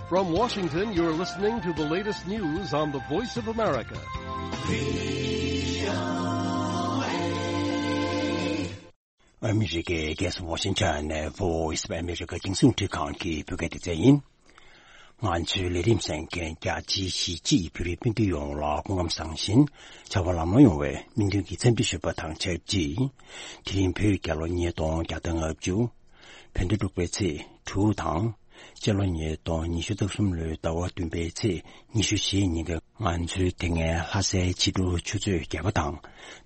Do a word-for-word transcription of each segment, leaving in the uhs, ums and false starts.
From Washington, you're listening to the latest news on the Voice of America. ཨ་མི་རི་ཀའི་རྒྱལ་ས་ཝ་ཤིང་ཊོན་ནས་Voice of America རྒྱང་སྲིང་འཕྲིན་ཁང་གི་བོད་སྐད་སྡེ་ཚན་ཡིན། ང་ཚོའི་ལས་རིམ་གསན་མཁན་རྒྱ་ཆེའི་གཞིས་བྱེས་བོད་རིགས་སྤུན་ཟླ་ཡོངས་ལ་སྐུ་ཁམས་བཟང་ཞིང་བྱ་བ་ལམ་ལྷོང་ཡོང་བའི་སྨོན་འདུན་གྱི་འཚམས་འདྲི་ཞུ་བ་དང་ཆབས་ཅིག་དེ་རིང་བོད་རྒྱལ་ལོ་ཉིས་སྟོང་བརྒྱ་དང་ལྔ་བཅུ། བོད་ཟླ་དྲུག་པའི་ཚེས་དྲུག་དང་། སྤྱི་ལོ་ཉིས་སྟོང་ཉི་ཤུ་རྩ་གསུམ་ལོའི་ཟླ་བ་བདུན་པའི་ཚེས་ཉི་ཤུ་རྩ་བཞི་ཉིན་གྱི་ང་ཚོའི་དེ་སྔའི་ལྷ་སའི་ཕྱི་དྲོ་ཆུ་ཚོད་བརྒྱད་པ་དང་།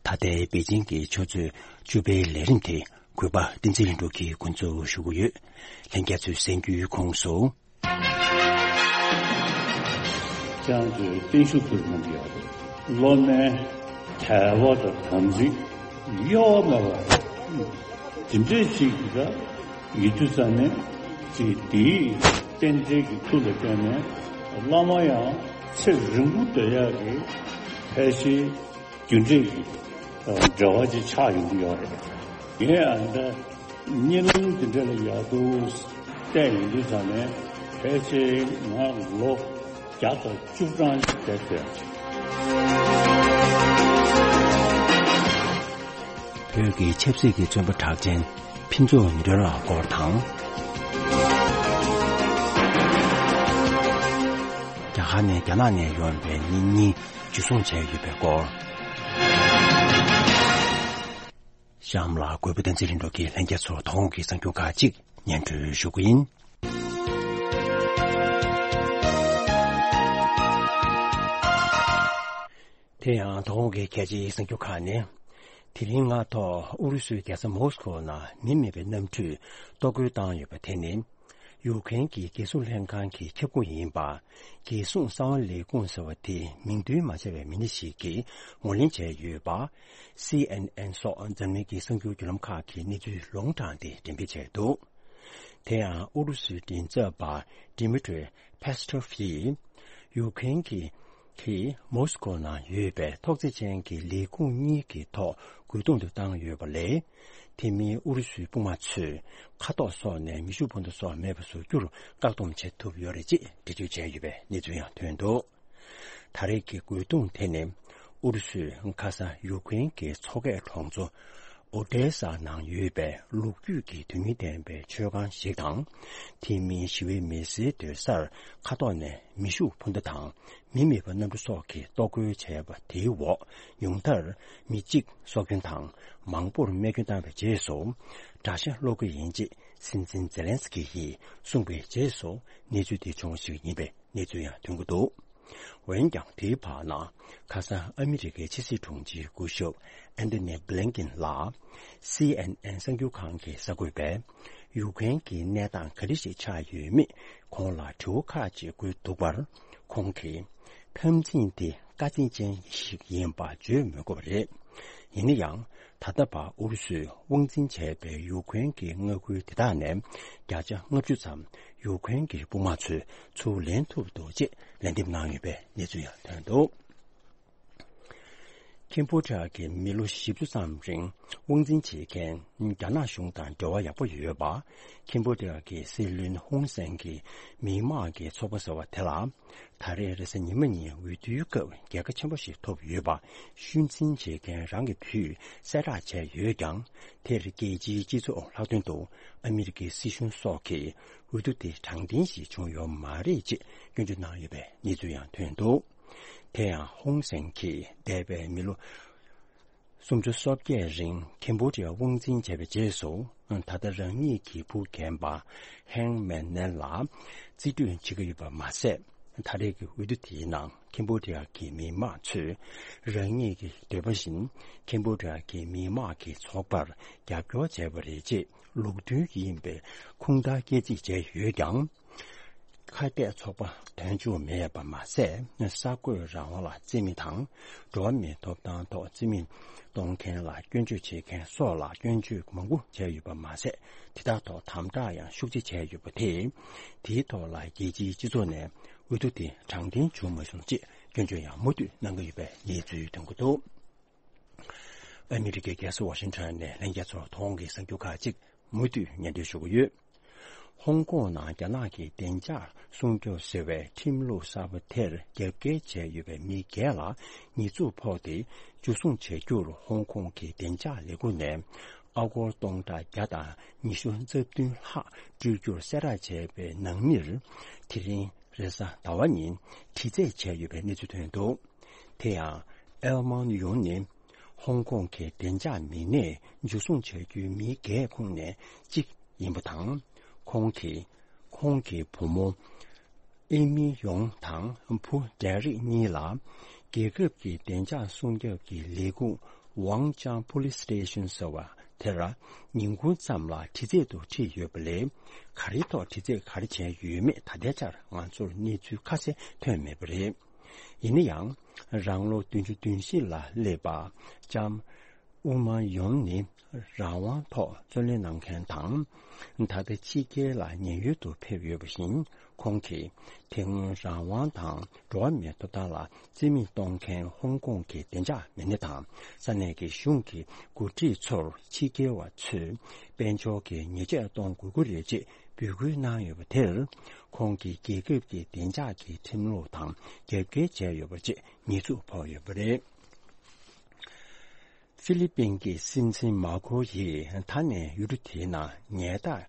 ད་ལྟའི་པེ་ཅིང་གི་ཆུ་ཚོད་བཅུ་པའི་ལས་རིམ་དེ་གུས་པ་བསྟན་འཛིན་ལྷུན་གྲུབ་ཀྱིས་འགོ་འཛུགས་ཞུ་གི་ཡོད། ལྷན་རྒྱས་ཚོས་གསན་རྒྱུའི་ཁོངས་སུ། ཁྱེད་རང་ཚོས་བརྟན་བཞུགས་ཕུལ་གནང་གི་ཡོད་རེད། སློབ་མའི་དད་པ་དང་དམ་ཚིག་གཡོ་བ་མེད་པ་དེ་འདྲས་ཞིག་གི་ད་ཡིད་དུ་ས་ནས་ཅིག་དེའི་རྟེན་འབྲེལ་གྱི་མཐུ་ལ་བརྟེན་ནས་བླ་མ་ཡང་ཚེ་རིང་པོ་སྡོད་ཡག་གི་ཕལ་ཆེར་རྒྱུ་འབྲས་ཀྱི་འབྲེལ་བ་ཅིག་ཆགས་ཡོང་གི་ཡོད་རེད། ངས་ཨ་འདྲ་གཉིད་ལམ་དེ་འདྲ་ལ་ཡག་འདུག་བལྟས་ཡོང་དུས་ཙང་ནས་ཕལ་ཆེར་ང་ལོ་བརྒྱ་དང་བཅུ་གྲངས་ཤིག་བསྡད་ཡོད། བོད་ཀྱི་ཆབ་སྲིད་ཀྱི་བཙོན་པ་གྲགས་ཅན་ཕུན་ཚོགས་ཉི་སྒྲོན་ལགས་སྐོར་དང་། རྒྱ་གར་ནས་རྒྱ་ནག་ནས་ཡོང་བའི་གཉེན་ཉེ་འཇུ་བཟུང་བྱས་ཡོད་པའི་སྐོར། གཤམ་ལ་གུས་པ་བསྟན་འཛིན་ལྷུན་གྲུབ་ཀྱིས་ལྷན་རྒྱས་ཚོར་དོ་དགོང་གི་གསར་འགྱུར་ཁག་ཅིག་སྙན་སྒྲོན་ཞུ་གི་ཡིན། དེ་ཡང་དོ་དགོང་གི་གལ་ཆེའི་གསར་འགྱུར་ཁག་ནི། དེ་རིང་སྔ་ཐོག་ཨུ་རུ་སུའི་རྒྱལ་ས་མོ་སི་ཁོ་ནང་མི་མེད་པའི་གནམ་གྲུས་གཏོར་རྒོལ་བཏང་ཡོད་པ་དེ་ནི། ཡུཀ་རེན་གྱི་རྒྱལ་སྲུང་ལྷན་ཁང་གི་ཁྱབ་ཁོངས་ཡིན་པ། རྒྱལ་སྲུང་གསང་བ་ལས་ཁུངས་ཟེར་བ་དེ་མིང་འདོན་མ་བྱས་པའི་མི་སྣ་ཞིག་གིས་ངོས་ལེན་བྱས་ཡོད་པ། སི་ཨེན་ཨེན་སོགས་འཛམ་གླིང་གི་གསར་འགྱུར་བརྒྱུད་ལམ་ཁག་གིས་གནས་ཚུལ་ལུང་དྲངས་ཏེ་འགྲེམས་སྤེལ་བྱས་འདུག་དེ་ཡང་ཨུ་རུ་སུའི་མགྲིན་ཚབ་པ་Dmitry Peskov ཡིས་ཡུཀ་རེན་གྱི་གི་མོ་སི་ཀོ་ནང་ཡོད་པའི་ཐོག་བརྩེགས་ཅན་གྱི་ལས་ཁུངས་གཉིས་ཀྱི་ཐོག་རྒོལ་རྡུང་དུ་བཏང་ཡོད་པ་ལས། དེ་མིན་ཨུ་རུ་སུའི་དཔུང་དམག་ཚོས་མཁའ་ཐོག་སོགས་ནས་མེ་ཤུགས་འཕུར་མདའ་སོགས་མེད་པ་བཟོ་རྒྱུར་བཀག་སྡོམ་བྱེད་ཐུབ་ཡོད་རེད་ཅེས་འགྲེལ་བརྗོད་བྱས་ཡོད་པའི་གནས་ཚུལ་ཡང་ཐོན་འདུག་ད་རེས་ཀྱི་རྒོལ་རྡུང་དེ་ནི་ཨུ་རུ་སུས་ཁ་སང་ཡུཀ་རེན་གྱི་མཚོ་ཁའི་གྲོང་ཚོ་ཨོ་ཏེ་ས་ནང་ཡོད་པའི་ལོ་རྒྱུས་ཀྱི་དོན་སྙིང་ལྡན་པའི་མཆོད་ཁང་ཞིག་དང་། དེ་མིན་ཞི་བའི་མི་སེར་སྡོད་སར་མཁའ་ཐོག་ནས་མེ་ཤུགས་འཕུར་མདའ་དང་མི་མེད་པ་གནམ་གྲུ་སོགས་ཀྱིས་གཏོར་རྒོལ་བྱས་པ་དེའི་འོག་ཉུང་མཐར་མི་གཅིག་སྲོག་སྐྱོན་དང་མང་པོར་རྨས་སྐྱོན་བཏང་བའི་རྗེས་སུ་དགྲ་ཤ་སློག་གི་ཡིན་ཅེས་སྲིད་འཛིན་ཛེ་ལན་སི་ཀི་ཡིས་གསུངས་པའི་རྗེས་སུ་གནས་ཚུལ་དེ་བྱུང་བ་ཞིག་ཡིན་པའི་གནས་ཚུལ་ཡང་ཐོན་གྱི་འདུག་འོན་ཀྱང་དེའི་བར་ན་ཁ་སང་ཨ་མི་རི་ཀའི་ཕྱི་སྲིད་དྲུང་ཆེའི་སྐུ་ཞབས་ཨན་ཐོ་ནི་བྷི་ལིན་ཀིན་ལགས་སི་ཨེན་ཨེན་གསར་འགྱུར་ཁང་གི་གསར་འགོད་པས་ཡུཀ་རེན་གྱི་གནས་སྟངས་ག་འདྲ་ཞིག་ཆགས་ཡོད་མེད་ཁོང་ལ་དྲི་བ་ཁག་ཅིག་བཀོད་འདུག་པར། ཁོང་གིས་འཐབ་འཛིང་དེ་དཀའ་ཚེགས་ཅན་ཞིག་ཡིན་པ་བརྗོད་མི་དགོས་པ་རེད། ཡིན་ན་ཡང་ད་ལྟ་བར་ཨུ་རུ་སུས་དབང་འཛིན་བྱས་པའི་ཡུཀ་རེན་གྱི་མངའ་ཁུལ་དེ་དག་ནས་བརྒྱ་ཆ་ལྔ་བཅུ་ཙམ་ཡུཀ་རེན་གྱི་དཔུང་དམག་ཚོས་ཚུར་ལེན་ཐུབ་འདུག་ཅེས་ལན་འདེབས་གནང་ཡོད་པའི་གནས་ཚུལ་ཡང་ཐོན་འདུག་ཁེམ་བྷོ་ཌི་ཡ་གིས་མི་ལོ་བཞི་བཅུ་ཙམ་རིང་དབང་འཛིན་བྱེད་མཁན་རྒྱ་ནག་གཞུང་དང་འབྲེལ་བ་ཡག་པོ་ཡོད་པ། ཁེམ་བྷོ་ཌི་ཡ་གི་སྲིད་བློན་ཧུན་སེན་གྱི་མི་དམངས་ཀྱི་ཚོགས་པ་ཟེར་བ་དེ་ལ། ད་རེས་རེས་གཟའ་ཉི་མ་ཉིན་འོས་བསྡུའི་སྐབས་རྒྱལ་ཁ་ཆེན་པོ་ཞིག་ཐོབ་ཡོད་པ་ཤུལ་འཛིན་བྱེད་མཁན་རང་གི་བུས་གསལ་བསྒྲགས་བྱས་ཡོད་ཀྱང་། དེར་རྒྱལ་སྤྱིའི་སྤྱི་ཚོགས་ལྷག་དོན་དུ་ཨ་མི་རི་ཀའི་སྲིད་གཞུང་སོགས་ཀྱིས་འོས་བསྡུ་དེ་དྲང་བདེན་ཞིག་བྱུང་ཡོད་མ་རེད་ཅེས་སྐྱོན་བརྗོད་གནང་ཡོད་པའི་གནས་ཚུལ་ཡང་ཐོན་འདུག་དེ་ཡང་ཧུང་སེན་གྱིས་འདས་པའི་མི་ལོ་སུམ་ཅུ་སོ་བརྒྱད་རིང་ཁེམ་བྷོ་ཌི་ཡ་དབང་འཛིན་བྱས་པའི་རྗེས་སུ། ད་ལྟ་རང་ཉིད་ཀྱི་བུ་རྒན་པ་ཧེང་མེན་ནན་ལ་རྩིས་སྤྲོད་བྱེད་ཀྱི་ཡོད་པ་མ་ཟད། ད་རེས་ཀྱི་འོས་བསྡུ་དེའི་ནང་ཁེམ་བྷོ་ཌི་ཡ་གི་མི་དམངས་ཚོས་རང་ཉིད་ཀྱི་འདོད་པ་བཞིན་ཁེམ་བྷོ་ཌི་ཡ་གི་མི་དམངས་ཀྱི་ཚོགས་པར་རྒྱབ་སྐྱོར་བྱས་པ་རེད་ཅེས་ལུགས་མཐུན་ཡིན་པའི་ཁུངས་དག་སྐྱེལ་རྩིས་བྱས་ཡོད་ཀྱང་། ཁ་གཏད་ཚོགས་པ་དོན་གཅོད་མེད་པ་མ་ཟད། གསར་འགོད་རང་དབང་ལ་བརྩི་མེད་དང་། འགྲོ་བ་མིའི་ཐོབ་ཐང་ཐོག་བརྩི་མེད་གཏོང་མཁན་ལ་སྐྱོན་བརྗོད་བྱེད་མཁན་སོགས་ལ་སྐྱོན་བརྗོད་མང་པོ་བྱས་ཡོད་པ་མ་ཟད། དེ་དག་ཐོག་དམ་དྲག་ཡང་ཤུགས་ཆེ་བྱས་ཡོད་པ་དེས། དེའི་ཐོག་ལ་རྒྱལ་སྤྱིའི་སྤྱི་ཚོགས་ནས་འོས་བསྡུ་དེ་དྲང་བདེན་བྱུང་མ་སོང་ཅེས་སྐྱོན་བརྗོད་ཡང་མུ་མཐུད་གནང་གི་ཡོད་པའི་གནས་ཚུལ་ཐོན་གྱི་འདུག་ཨ་མི་རི་ཀའི་རྒྱལ་ས་ཝ་ཤིང་ཊོན་ནས་ལྷན་རྒྱས་ཚོར་དོ་དགོང་གི་གསར་འགྱུར་ཁག་ཅིག་མུ་མཐུད་སྙན་སྒྲོན་ཞུ་གི་ཡོད། ཧོང་ཀོང་ནང་རྒྱ་ནག་གི་བདེ་འཇགས་སྲུང་སྐྱོབ་ཟེར་བའི་ཁྲིམས་ལུགས་གསར་པ་དེར་རྒྱབ་འགལ་བྱས་ཡོད་པའི་མི་བརྒྱད་ལ་ཉེས་འཛུགས་ཕོག་སྟེ། འཇུ་བཟུང་བྱ་རྒྱུར་ཧོང་ཀོང་གི་བདེ་འཇགས་ལས་ཁུངས་ནས་ཨ་སྒོར་སྟོང་ཕྲག་བརྒྱ་དང་ཉི་ཤུ་རྩ་བདུན་ལྷག་སྤྲོད་རྒྱུར་གསལ་བསྒྲགས་བྱས་པའི་ནང་མིར། དེ་རིང་རེས་གཟའ་ཟླ་བ་ཉིན་དྲི་རྩད་བྱས་ཡོད་པའི་གནས་ཚུལ་ཐོན་འདུག་དེ་ཡང་། ཨེལ་མཱན་ཡུང་ནི་ཧོང་ཀོང་གི་བདེ་འཇགས་མི་སྣས་འཇུ་བཟུང་བྱ་རྒྱུའི་མི་འགའི་ཁོངས་ནས་གཅིག་ཡིན་པ་དང་། ཁོང་གིས་ཁོང་གི་བུ་མོ་ཨེ་མི་ཡོང་དང་བུ་ཌེ་རིག་གཉིས་ལ་རྒྱལ་ཁབ་ཀྱི་བདེ་འཇགས་སྲུང་སྐྱོབ་ཀྱི་ལས་ཁུངས་Wang Chang Police Station ཟེར་བ་དེར་ཉིན་གུང་ཙམ་ལ་དྲི་རྩད་དུ་ཁྲིད་ཡོད་པ་ལས། ག་རེའི་ཐོག་དྲི་རྩད་ག་རེ་བྱས་ཡོད་མེད་ད་ལྟའི་ཆར་ང་ཚོར་གནས་ཚུལ་ཁ་གསལ་ཐོན་མེད་པ་རེད། ཡིན་ན་ཡང་། རང་ལོ་བདུན་ཅུ་དོན་བཞི་ལ་སླེབས་པ་ལྕམ་ཨུ་མ་ཡོན་ནི་རང་དབང་ཐོག་བརྩོན་ལེན་གནང་མཁན་དང་། ད་ལྟ་ཕྱི་རྒྱལ་ལ་ཉེན་གཡོལ་དུ་ཕེབས་ཡོད་པ་བཞིན། ཁོང་གིས་དེ་སྔོན་རང་དབང་དང་འགྲོ་བ་མིའི་ཐོབ་ཐང་ལ་རྩིས་མེད་གཏོང་མཁན་ཧོང་ཀོང་གི་བདེ་འཇགས་མི་སྣ་དང་ས་གནས་ཀྱི་གཞུང་གི་འགོ་ཁྲིད་ཚོར་ཕྱི་རྒྱལ་བ་ཚོས་དཔལ་འབྱོར་གྱི་ཉེས་ཆད་གཏོང་དགོས་ཀྱི་རེད་ཅེས་འབོད་སྐུལ་གནང་ཡོད་པ་དེར། ཁོང་གིས་རྒྱལ་ཁབ་ཀྱི་བདེ་འཇགས་ཀྱི་ཁྲིམས་ལུགས་དང་རྒྱབ་འགལ་བྱས་ཡོད་པ་བཅས་ཉེས་འཛུགས་ཕོག་ཡོད་པ་རེད། ཧྥི་ལི་པིན་གྱི་སྲིད་འཛིན་མཱ་ཁོ་ཡིས་ད་ནས་ཡུལ་གྲུ་དེའི་ནང་ཉལ་ཐག་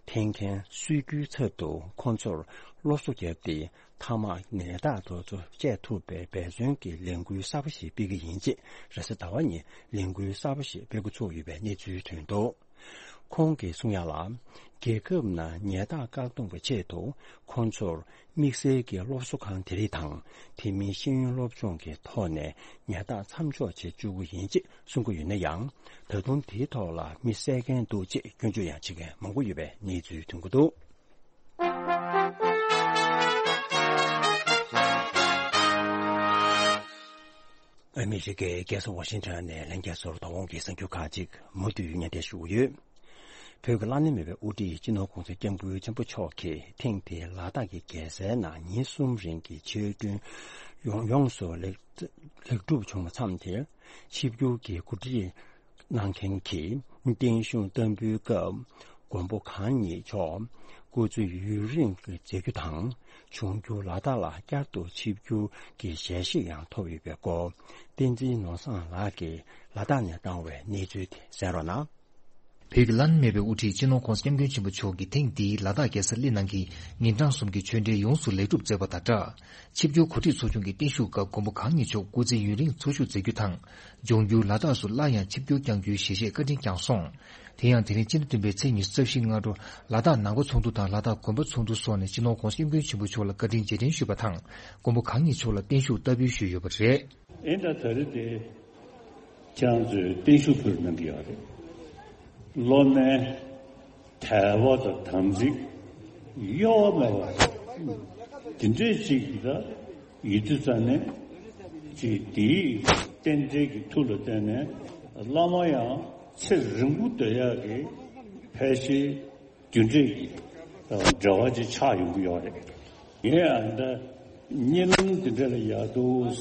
འཐེན་མཁན་གསོད་རྒྱུའི་ཚབ་ཏུ་ཁོང་ཚོར་སློབ་གསོ་བརྒྱབ་སྟེ། མཐའ་མར་ཉལ་ཐག་དེ་ཚོ་བཅད་ཐུབ་པའི་འབད་བརྩོན་གྱི་ལས་འགུལ་གསར་པ་ཞིག་སྤེལ་གྱི་ཡིན་ཅེས་རེས་གཟའ་ཟླ་བ་ཉིན་ལས་འགུལ་གསར་པ་ཞིག་སྤེལ་འགོ་ཚུགས་ཡོད་པའི་གནས་ཚུལ་ཐོན་འདུག་ཁོང་གིས་གསུང་ཡག་ལ། རྒྱལ་ཁབ་ནང་ཉལ་ཐག་བཀག་སྡོམ་གྱི་ཆེད་དུ་ཁོང་ཚོར་དམིགས་བསལ་གྱི་སློབ་གསོ་ཁང་དེ་རིགས་དང་། དེ་མིན་ཤེས་ཡོན་སློབ་སྦྱོང་གི་ཐོག་ནས་ཉལ་ཐག་མཚམས་འཇོག་བྱེད་བཅུག་གི་ཡིན་ཅེས་གསུང་གི་ཡོད་ན་ཡང་། ད་དུང་དེའི་ཐོག་ལ་མི་བསད་མཁན་འདུག་ཅེས་སྐྱོན་བརྗོད་ཡང་བྱེད་མཁན་མང་པོ་ཡོད་པའི་གནས་ཚུལ་ཐོན་གྱི་འདུག་ཨ་མི་རི་ཀའི་རྒྱལ་ས་ཝ་ཤིང་ཊོན་ནས་ལྷན་རྒྱས་ཚོར་དོ་དགོང་གི་གསར་འགྱུར་ཁག་ཅིག་མུ་མཐུད་སྙན་སྒྲོན་ཞུ་གི་ཡོད། བོད་ཀྱི་བླ་ན་མེད་པའི་དབུ་ཁྲིད་སྤྱི་ནོར་༧གོང་ས་༧སྐྱབས་མགོན་ཆེན་པོ་མཆོག་གིས་ཐེངས་འདིའི་ལ་དྭགས་ཀྱི་རྒྱལ་སའི་ནང་ཉིན་གསུམ་རིང་གི་ཆོས་སྒྲོན་ཡོངས་ཡོངས་སུ་ལེགས་ལེགས་གྲུབ་བྱུང་བ་མཚམས་དེར། ཆིབས་བསྒྱུར་གྱི་གོ་སྒྲིག་གནང་མཁན་གྱི་བརྟན་བཞུགས་བསྟར་འབུལ་སྐབས། མགོན་པོ་གང་ཉིད་མཆོག་སྐུ་ཚེ་ཡུན་རིང་གི་མཛད་རྒྱུ་དང་། འབྱུང་འགྱུར་ལ་དྭགས་ལ་བསྐྱར་དུ་ཆིབས་བསྒྱུར་གྱི་ཞལ་བཞེས་ཡང་ཐོབ་ཡོད་པའི་སྐོར། བསྟན་འཛིན་ནོར་བཟང་ལགས་ཀྱིས་ལ་དྭགས་ནས་བཏང་བའི་གནས་ཚུལ་དེ་གསན་རོགས་གནང་། བོད་ཀྱི་བླ་ན་མེད་པའི་དབུ་ཁྲིད་སྤྱི་ནོར་༧གོང་ས་༧སྐྱབས་མགོན་ཆེན་པོ་མཆོག་གིས་ཐེངས་འདིའི་ལ་དྭགས་རྒྱལ་ས་གླེ་ནང་གི་ཉིན་གྲངས་གསུམ་གྱི་ཆོས་འབྲེལ་ཡོངས་སུ་ལེགས་གྲུབ་མཛད་པ་དང་སྦྲགས། ཆིབས་བསྒྱུར་གོ་སྒྲིག་ཚོགས་ཆུང་གི་བརྟན་བཞུགས་སྐབས་མགོན་པོ་གང་ཉིད་མཆོག་སྐུ་ཚེ་ཡུན་རིང་འཚོ་བཞུགས་མཛད་རྒྱུ་དང་། འབྱུང་འགྱུར་ལ་དྭགས་སུ་སླར་ཡང་ཆིབས་བསྒྱུར་བསྐྱང་རྒྱུའི་ཞལ་བཞེས་བཀའ་དྲིན་བསྐྱངས་སོང་། དེ་ཡང་དེ་རིང་སྤྱི་ཟླ་བདུན་པའི་ཚེས་ཉི་ཤུ་རྩ་བཞི་སྔ་དྲོ་ལ་དྭགས་ནང་པ་ཚོགས་འདུ་དང་ལ་དྭགས་དགོན་པ་ཚོགས་འདུ་སོགས་ནས་སྤྱི་ནོར་༧གོང་ས་༧སྐྱབས་མགོན་ཆེན་པོ་མཆོག་ལ་བཀའ་དྲིན་རྗེས་དྲན་ཞུས་པ་དང་། མགོན་པོ་གང་ཉིད་མཆོག་ལ་བརྟན་བཞུགས་བསྟར་འབུལ་ཞུས་ཡོད་པ་རེད། ཨེ་ད་ད་རེས་དེ་ཁྱེད་རང་ཚོས་བརྟན་བཞུགས་ཕུལ་གནང་གི་ཡོད་རེད། སློབ་མའི་དད་པ་དང་དམ་ཚིག་གཡོ་བ་མེད་པ་དེ་འདྲས་ཅིག་ད་ཡིད་དུ་བཙན་ནས་ཅིག་དེའི་རྟེན་འབྲེལ་གྱི་མཐུ་ལ་བརྟེན་ནས་བླ་མ་ཡང་ཚེ་རིང་པོ་སྡོད་ཡག་གི་ཕལ་ཆེར་རྒྱུ་འབྲས་ཀྱི་འབྲེལ་བ་ཅིག་ཆགས་ཡོང་གི་ཡོད་རེད། ངས་ཨ་འདྲ་གཉིད་ལམ་འདི་འདྲ་ལ་ཡག་འདུག་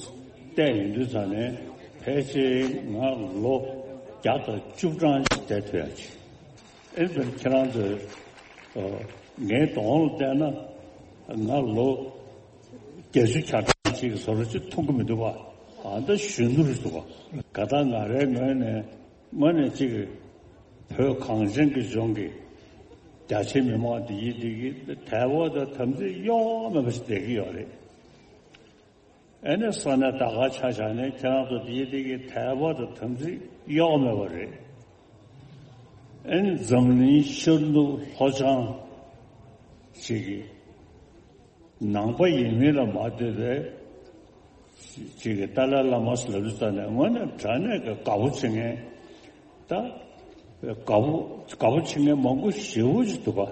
བལྟས་ཡོང་དུས་ཙང་ནས་ཕལ་ཆེར་ང་ལོ་བརྒྱ་དང་བཅུ་གྲངས་ཅིག་བསྡད་ཐུབ་ཡག་ཅིག་ཨེ་ཙམ་ཁྱེད་རང་ཚོས་ངའི་གདོང་ལ་བལྟས་ན་ང་ལོ་བརྒྱད་ཅུ་གྱ་གྲངས་ཅིག་གི་བཟོ་འདྲ་ཅིག་མཐོང་གི་མི་འདུག་བ། ཨ་འདྲ་གཞོན་ནུ་རེད་འདུག་བ། ག་ད་ང་རའི་ངོས་ནས། དངོས་གནས་གཅིག་གིས་བོད་གངས་ཅན་གྱི་ལྗོངས་ཀྱི་རྒྱ་ཆེའི་མི་མང་འདི་ཡིན་འདི་གི་དད་པ་དང་དམ་ཚིག་གཡོ་བ་མེད་པ་ཞིག་བསྡད་ཀྱི་ཡོད་རེད། ཨ་ནི་ས་གནས་ད་ག་ཆ་བཞག་ནས་ཁྱེད་རང་ཚོ་འདི་ཡིན་འདི་གི་དད་པ་དང་དམ་ཚིག་གཡོ་བ་མེད་པ་རེད། ཨ་ནི་འཛམ་གླིང་ཤར་ནུབ་ལྷོ་བྱང་ཞིག་གི་ནང་པ་ཡིན་མིན་ལ་མ་ལྟོས་པའི་ཅིག་གི་ཏཱ་ལའི་བླ་མ་ཟེར་ལབ་དུས་ཙང་ནས་དངོས་གནས་དྲང་གནས་ཀྱི་དགའ་པོ་བྱེད་མཁན། ད་དགའ་པོ་དགའ་པོ་བྱེད་མཁན་མང་པོ་ཞེ་པོ་ཅིག་འདུག་ག།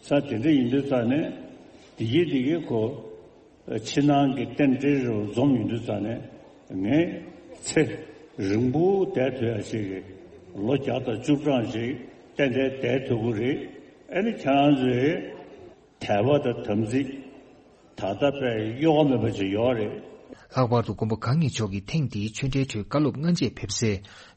ས་དེ་འདྲ་ཡིན་དུས་ཙང་ནས་དེ་གི་དེ་གི་ཁོ་ཕྱི་ནང་གི་རྟེན་འབྲེལ་རུ་འཛོམས་ཡོང་དུས་ཙང་ནས་ངས་ཚེ་རིང་པོ་བསྡད་ཐུབ་ཡ་ཞིག་གི་ལོ་བརྒྱ་དང་བཅུ་གྲངས་ཤིག་ཏན་ཏན་བསྡད་ཐུབ་ཀྱི་རེད། ཨ་ནི་ཁྱེད་རང་ཚོས། དད་པ་དང་དམ་ཚིག་ད་ལྟ་དཔེ་གཡོ་བ་མེད་པ་ཅིག་ཡོད་རེད། ལྷག་པར་དུ་མགོན་པོ་གང་ཉིད་མཆོག་གིས་ཐེངས་འདིའི་ཆོས་འབྲེལ་ཁྲོད་བཀའ་སློབ་སྔ་རྗེས་ཕེབས་སའི་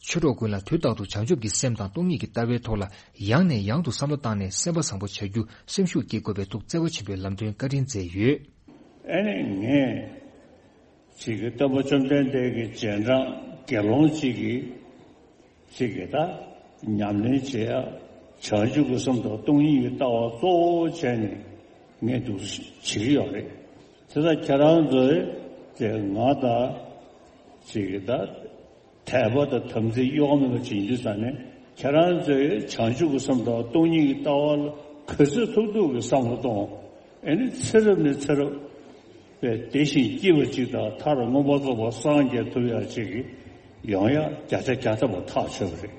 ཆོས་གྲོགས་ཀུན་ལ་དུས་རྟག་ཏུ་བྱང་ཆུབ་ཀྱི་སེམས་དང་སྟོང་ཉིད་ཀྱི་ལྟ་བའི་ཐོག་ལ་ཡང་ནས་ཡང་དུ་བསམ་བློ་བཏང་ནས་སེམས་པ་བཟང་པོ་བྱ་རྒྱུ་སེམས་ཤུགས་བསྐྱེད་དགོས་པའི་ཐུགས་བརྩེ་བ་ཆེན་པོས་ལམ་སྟོན་བཀའ་དྲིན་མཛད་ཡོད། ཨ་ནི་ངས་ཅིག་གི་སྟོན་པ་བཅོམ་ལྡན་འདས་ཀྱི་རྗེས་འབྲང་དགེ་སློང་ཅིག་གིས་ཅིག་གི་ད་ཉམས་ལེན་བྱེད་ཡ་བྱང་ཆུབ་ཀྱི་སེམས་དང་སྟོང་ཉིད་ཀྱི་ལྟ་བ་གཙོ་བོ་བྱས་ནས་ངས་འདུག་བྱེད་ཀྱི་ཡོད་རེད། དེ་ལྟར་ཁྱེད་རང་ཚོས་དེ་ང་དང་ཅིག་གི་ད་དད་པ་དང་དམ་ཚིག་གཡོ་བ་མེད་པ་བྱེད་རྒྱུ་ས་ནས་ཁྱེད་རང་ཚོས་བྱང་ཆུབ་ཀྱི་སེམས་དང་སྟོང་ཉིད་ཀྱི་ལྟ་བ་ལ་ག་ཚོད་ཐུབ་ཐུབ་ཀྱི་བསམ་བློ་གཏོང་། ཨེ་ནི་ཚེ་རབས་ནས་ཚེ་རབས་པའི་བདེ་ཞིང་སྐྱིད་པ་ཅིག་དང་མཐར་མངོན་པར་རྫོགས་པར་སངས་རྒྱས་ཐུབ་ཡག་ཅིག་གི་ཡོང་ཡག་བརྒྱ་ཆ་བརྒྱ་ཐམ་པ་ཐག་ཆོད་པ་རེད།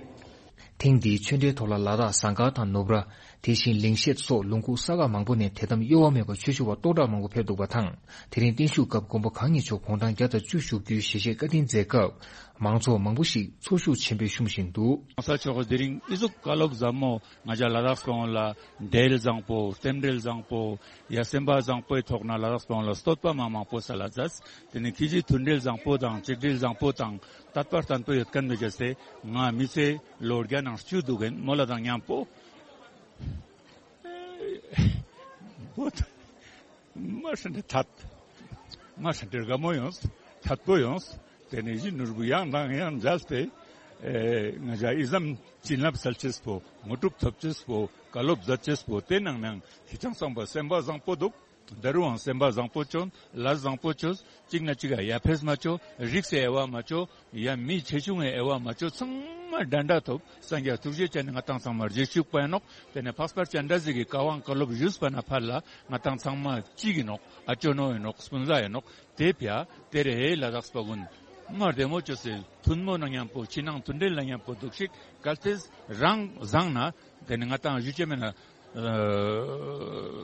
ཐེངས་འདིའི་ཆོས་འབྲེལ་ཐོག་ལ་ལ་དྭགས་ཟངས་དཀར་དང་ནུབ་ར། དེ་བཞིན་ལིང་ཤེད་སོགས་ལུང་ཁུག་ས་ཁག་མང་པོ་ནས་དད་དམ་གཡོ་བ་མེད་པར་ཆོས་ཞུ་བ་སྟོང་ཕྲག་མང་པོ་ཕེབས་འདུག་པ་དང་། དེ་རིང་བརྟན་བཞུགས་སྐབས་མགོན་པོ་གང་ཉིད་མཆོག་བོང་བྲང་བརྒྱ་དང་བཅུ་བཞུགས་རྒྱུའི་ཞལ་བཞེས་བཀའ་དྲིན་མཛད་སྐབས། མང་ཚོགས་མང་པོ་ཞིག་ཚོར་ཤུགས་ཆེན་པོས་བཤུམས་བཞིན་འདུག། གོང་ས་མཆོག་གིས་དེ་རིང་ཨི་ཟུག་བཀའ་སློབ་ཟབ་མོ་ང་ཅག་ལ་དྭགས་པ་ལ་འབྲེལ་བཟང་པོ་རྟེན་འབྲེལ་བཟང་པོ་ཡ་སེམས་པ་བཟང་པོའི་ཐོག་ན་ལ་དྭགས་པ་ལ་བསྟོད་པ་མ་མང་པོ་ས་ལ་མཛད། དེ་ནས་ཁྱེད་ཀྱིས་མཐུན་འབྲེལ་བཟང་པོ་དང་གཅིག་སྒྲིལ་བཟང་པོ་དང་དད་པ་བརྟན་པོ་ཡོད་མཁན་མི་བྱ་སྟེ་ང་མི་ཚེ་ལོ་བརྒྱ་ནང་བཅུ་འདུག་གིན་མོ་ལ་དང་མཉམ་པོ། བོད། མ་ཧྲ་འདྲེ་ཐད། མ་ཧྲ་འདྲེ་དགའ་མོ་ཡོངས། ཐད་པོ་ཡོངས། དེ་ནས་གཞི་ནོར་བུ་ཡང་དང་ཡང་མཇལ་ཏེ། ཨེ། ང་ཅག་ཨི་ཙམ་བྱིན་རླབས་སལ་ཅེས་པོ་ངོ་སྤྲོད་ཐོབ་ཅེས་པོ་བཀའ་སློབ་མཛད་ཅེས་པོ་དེ་ནང་ནང་ཧི་ཅང་སང་པ་སེམས་པ་བཟང་པོ་འདུག། ད་རུང་སེམས་པ་བཟང་པོ་ཅོ། ལ་བཟང་པོ་ཅོ། གཅིག་ན་གཅིག་ག་ཡ་ཕེས་མ་ཅོ། རིགས་སེ་ཨེ་བ་མ་ཅོ། ཡ་མི་ཆེ་ཆུང་ཨེ་བ་མ་ཅོ། ཚང་མ་འདྲ་འདྲ་ཐོབ། སངས་རྒྱས་ཐུགས་རྗེ་ཅན་ནི་ང་ཏང་ཚང་མ་རྗེས་ཤུགས་པ་ཡིན་ནོག། དེ་ནས་འཕགས་པ་སྤྱན་རས་གཟིགས་ཀྱི་བཀའ་དབང་བཀའ་སློབ་ཞུས་པ་ན་ཕར་ལ་ང་ཏང་ཚང་མ་གཅིག་ཡིན་ནོག། ཨ་ཅོ་ནོ་ཡིན་ནོག། སྤུན་ཟླ་ཡིན་ནོག། དེ་ཕྱ་དེ་རེ་ལ་དྭགས་པ་ཀུན་མ་བདེ་མོ་ཅོ་སེ་མཐུན་མོ་ན་མཉམ་པོ་ཕྱི་ནང་མཐུན་འབྲེལ་ལ་མཉམ་པོ་འདུག་ཤིག། གལ་ཏེ་རང་བཟང་ན་དེ་ནི་ང་ཏང་ཞུ་ཅེ་མེད་ན།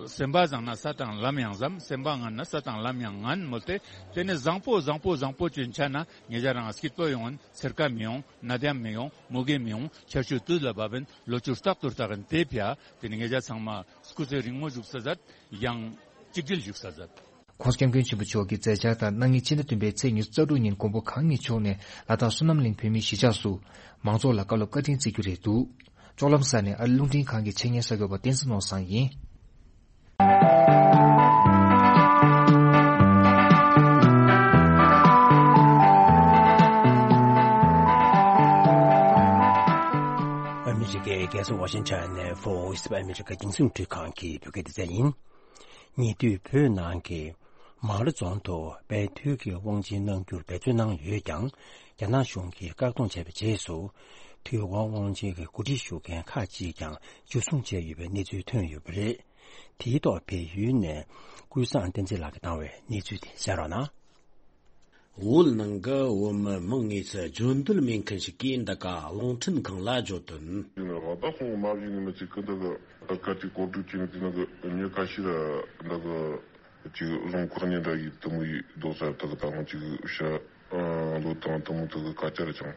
སེམས་པ་བཟང་ན་ས་དང་ལམ་ཡང་ཟམ། སེམས་པ་ངན་ན་ས་དང་ལམ་ཡང་ངན་མོལ་ཏེ། དེ་ནི་བཟང་པོ་བཟང་པོ་བཟང་པོ་ཅོ་ཡིན་ཆ་ན་ཉེ་ཆར་རང་སྐྱིད་པོ་ཡོང་ཡིན། སེར་ཀ་མི་ཡོང་། ནད་ཡམས་མི་ཡོང་། མུ་གེ་མི་ཡོང་། ཆར་ཆུ་དུས་ལ་བབ་ཡིན། ལོ་ཆུ་རྟག་ཏུ་རྟག་ཡིན། དེ་ཕྱ་དེ་ནི་ཉེ་ཆར་ཚང་མ་སྐུ་ཚེ་རིང་མོ་བཞུགས་ས་མཛད། ཡང་གཅིག་སྒྲིལ་བཞུགས་ས་མཛད། ྋགོང་ས་ྋསྐྱབས་མགོན་ཆེན་པོ་མཆོག་གི་མཛད་འཆར་ལྟར་གནངས་ཉིན་ཕྱི་ཟླ་བདུན་པའི་ཚེས་ཉི་ཤུ་རྩ་དྲུག་ཉིན་མགོན་པོ་གང་ཉིད་མཆོག་ནས་ལ་དྭགས་བསོད་ནམས་གླིང་བོད་མིའི་གཞིས་ཆགས་སུ་མང་ཚོགས་ལ་བཀའ་སློབ་བཀའ་དྲིན་བསྩལ་རྒྱུ་རེད་འདུག། ལྕོག་ལམ་ས་ནས་ཨ་རི་རླུང་འཕྲིན་ཁང་གི་ཆེད་གཉེར་གསར་འགོད་པ་བསྟན་འཛིན་ནོར་བཟང་ཡིན། ཨ་མི་རི་ཀའི་རྒྱལ་ས་ཝ་ཤིང་ཊོན་ནས་Voice of America་རྒྱང་སྲིང་འཕྲུལ་ཁང་གི་བོད་སྐད་སྡེ་ཚན་ཡིན། ཉེ་དུས་བོད་ནང་གི་མང་ར་རྫོང་དུ་དཔལ་དུས་ཀྱི་དབང་ཆེན་གནང་རྒྱུར་འབད་བརྩོན་གནང་ཡོད་ཀྱང་། རྒྱ་ནག་གཞུང་གིས་བཀག་སྡོམ་བྱས་པའི་རྗེས་སུ། དུས་དབང་དབང་ཆེན་གྱི་གོ་སྒྲིག་ཞུ་མཁན་ཁག་ཅིག་ཀྱང་འཇུ་བཟུང་བྱས་ཡོད་པའི་གནས་ཚུལ་ཐོན་ཡོད་པ་རེད། དེའི་ཐོག་བལ་ཡུལ་ནས་ཀུན་བཟང་བསྟན་འཛིན་ལགས་ཀྱིས་བཏང་བའི་གནས་ཚུལ་དེ་གསན་རོགས་གནང་། བོད་ནང་གི་བོད་མི་མང་ངོས་སུ་འབྱོར་འདོད་མེད་མཁན་ཞིག་གིས་འདི་ག་རླུང་འཕྲིན་ཁང་ལ་བརྗོད་དོན། ཡིན་ནའང་ད་སོང་མ་བཞིན་ནི་མི་ཚེ་གི་འདི་གི་ད་ག་ཅིག་གོ་སྒྲིག་བྱས་ནས་དེ་ནང་གི་མྱི་ཁ་ཤས་ར་འདི་གི་ཅིག་རྫོང་ཁག་ཉེ་འདྲ་ཡི་དུ་མོ་ཡི་རྡོ་ས་དག་དང་ཅིག་ཤ་ལོ་དང་དུ་མོ་དག་གི་ཁ་ཆར་ཅང་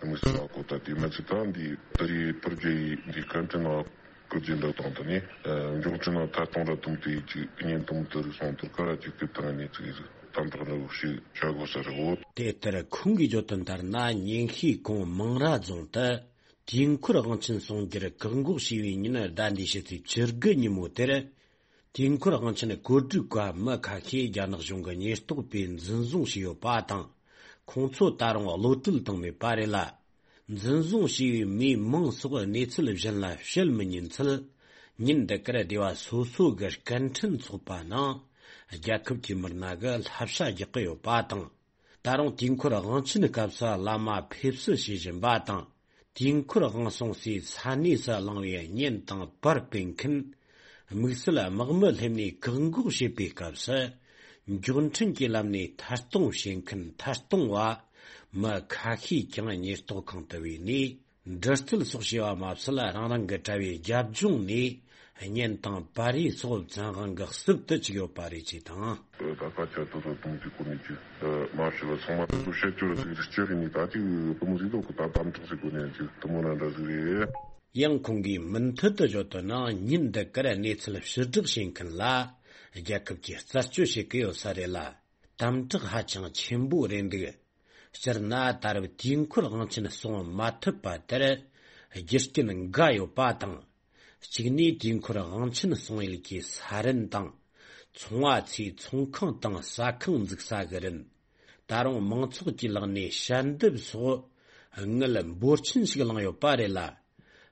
དུ་མོ་སི་ལ་གོ་ད་དེ་མི་ཚེ་ད་འདི་དེ་རི་པར་ཇེ་ཡི་འདི་སྐད་འཕྲིན་ལ་བཀོད་རྒྱུ་འདྲ་དང་དུ་ནི་འབྱུང་འཕྲིན་ལ་ཐད་གཏོང་ར་དུ་མོ་དེ་ཅིག་ཉན་དུ་མོ་དུ་རིག་སོང་དུར་ཁ་ར་ཅིག་དེ་དང་ནི་ཅིག་དམ་དྲག་འདྲ་བོ་ཞིག་བྱ་དགོས་ས་རེད་འོ། དེ་ལྟར་ཁོང་གིས་བརྗོད་དོན་ལྟར་ན་ཉིན་ཤས་གོང་མང་ར་རྫོང་དུ་དུས་འཁོར་དབང་ཆེན་གསུང་རྒྱུར་བཀག་འགོག་བྱས་པའི་ཉིན་ཟླ་འདིའི་ཕྱི་ཚེས་བཅུ་དགུ་ཉིན་མོ་དེར། དུས་འཁོར་དབང་ཆེན་གོ་སྒྲིག་པ་མི་ཁ་ཤས་རྒྱ་ནག་གཞུང་གི་ཉེན་རྟོག་པས་འཛིན་བཟུང་བྱས་ཡོད་པ་དང་། ཁོང་ཚོ་ད་རུང་གློད་གྲོལ་བཏང་མེད་པ་རེད་ལ། འཛིན་བཟུང་བྱས་པའི་མིའི་མིང་སོགས་གནས་ཚུལ་གཞན་ལ་བཤད་མི་ཉན་ཚུལ། ཉིན་འདི་གར་སྡེ་བ་སོ་སོ་གི་སྐད་འཕྲིན་ཚོགས་པ་ནང་། རྒྱལ་ཁབ་ཀྱི་མི་སྣ་གིས་བསླབ་བྱ་རྒྱག་གི་ཡོད་པ་དང་། ད་རུང་དུས་འཁོར་དབང་ཆེན་སྐབས་སུ་བླ་མ་ཕེབས་བསུ་བྱེད་བཞིན་པ་དང་། དུས་འཁོར་དབང་སོང་སའི་ས་གནས་སུ་བླངས་པའི་བརྙན་དང་པར་སྤེལ་མཁན། དམིགས་བསལ་དམག་མི་སླེབས་ནས་བཀག་འགོག་བྱེད་པའི་སྐབས་སུ། མགྱོགས་འཕྲིན་གྱི་ལམ་ནས་ཐད་གཏོང་བྱེད་མཁན་ཐད་གཏོང་བ། མི་ཁ་ཤས་ཀྱང་ཉེན་རྟོག་ཁང་དུ་བོས་ནས། འདྲི་རྩད་སོགས་བྱས་པ་མ་ཟད། རང་རང་གི་དྲ་བའི་རྒྱབ་ལྗོངས་ནས་བརྙན་དང་པར་རིས་སོགས་བཙན་དབང་གིས་བསུབ་ཏུ་བཅུག་ཡོད་པ་རེད་ཅེས་དང་། ད་སྐད་ཆ་དེ་ཚོ་དུམ་གྱི་སྒོ་ནས་ཅིག་མ་ཤེས་པ་ཚང་མ་དེ་ཚོ་བཤད་རྒྱུ་རེད་ཟེར་གྱི་རེད་ནི་ད་ཅིག་དུ་མོ་ཟིག་ལོག་གི་ད་དམ་དྲག་ཟིག་སྒོ་ནས་ཅིག་དུ་མོ་ན་འདྲ་ཟིག་རེད། ཡང་ཁོང་གིས་མུ་མཐུད་དུ་བརྗོད་དོན་ནང་ཉིན་འདི་གར་གནས་ཚུལ་ཕྱིར་བསྒྲགས་བྱེད་མཁན་ལ་རྒྱལ་ཁབ་ཀྱིས་རྩད་གཅོད་བྱེད་ཀྱི་ཡོད་ས་རེད་ལ། དམ་དྲག་ཧ་ཅང་ཆེན་པོ་རེད་འདུག། སྤྱིར་ན་ད་རེབ་དུས་འཁོར་དབང་ཆེན་སྲུང་མ་ཐུབ་པ་དེར་རྒྱུ་རྐྱེན་འགའ་ཡོད་པ་དང་། གཅིག་ནས་དུས་འཁོར་དབང་ཆེན་སྲུང་ཡུལ་གྱི་ས་རིན་དང་། ཚོང་བ་ཚོས་ཚོང་ཁང་དང་ཟ་ཁང་འཛུགས་ས་གི་རིན། ད་རུང་མང་ཚོགས་ཀྱི་ལག་ནས་ཞལ་འདེབས་སོགས་དངུལ་འབོར་ཆེན་ཞིག་བླངས་ཡོད་པ་རེད་ལ།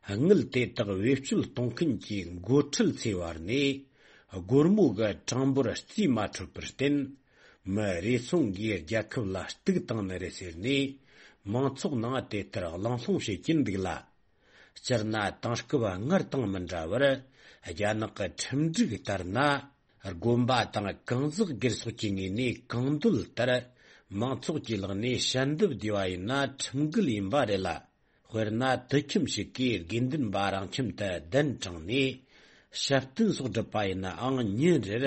དངུལ་དེ་དག་བེད་སྤྱོད་གཏོང་མཁན་གྱི་འགོ་ཁྲིད་ཚོའི་བར་ནས་སྒོར་མོ་གི་གྲངས་འབོར་རྩིས་མ་འཕྲོད་པར་བརྟེན། མི་རེ་ཟུང་གིས་རྒྱལ་ཁབ་ལ་གཏུག་བཏང་ནི་རེད་ཟེར་ནས། མང་ཚོགས་ནང་དེ་ལྟར་གླེང་སློང་བྱེད་ཀྱིན་འདུག་ལ། སྤྱིར་ན་དེང་སྐབས་སྔར་དང་མི་འདྲ་བར། རྒྱ་ནག་གི་ཁྲིམས་སྒྲིག་ལྟར་ན། དགོན་པ་དང་གང་ཟག་སྒེར་སོགས་ཀྱི་ངོས་ནས་གང་འདོད་ལྟར། མང་ཚོགས་ཀྱི་ལག་ནས་ཞལ་འདེབས་བསྡུས་པ་ཡིན་ན་ཁྲིམས་འགལ་ཡིན་པ་རེད་ལ། དཔེར་ན་དུད་ཁྱིམ་ཞིག་གིས་དགེ་འདུན་པ་རང་ཁྱིམ་དུ་གདན་དྲངས་ནས། ཞབས་བརྟན་སོགས་བསྒྲུབས་པ་ཡིན་ནའང་ཉིན་རེར་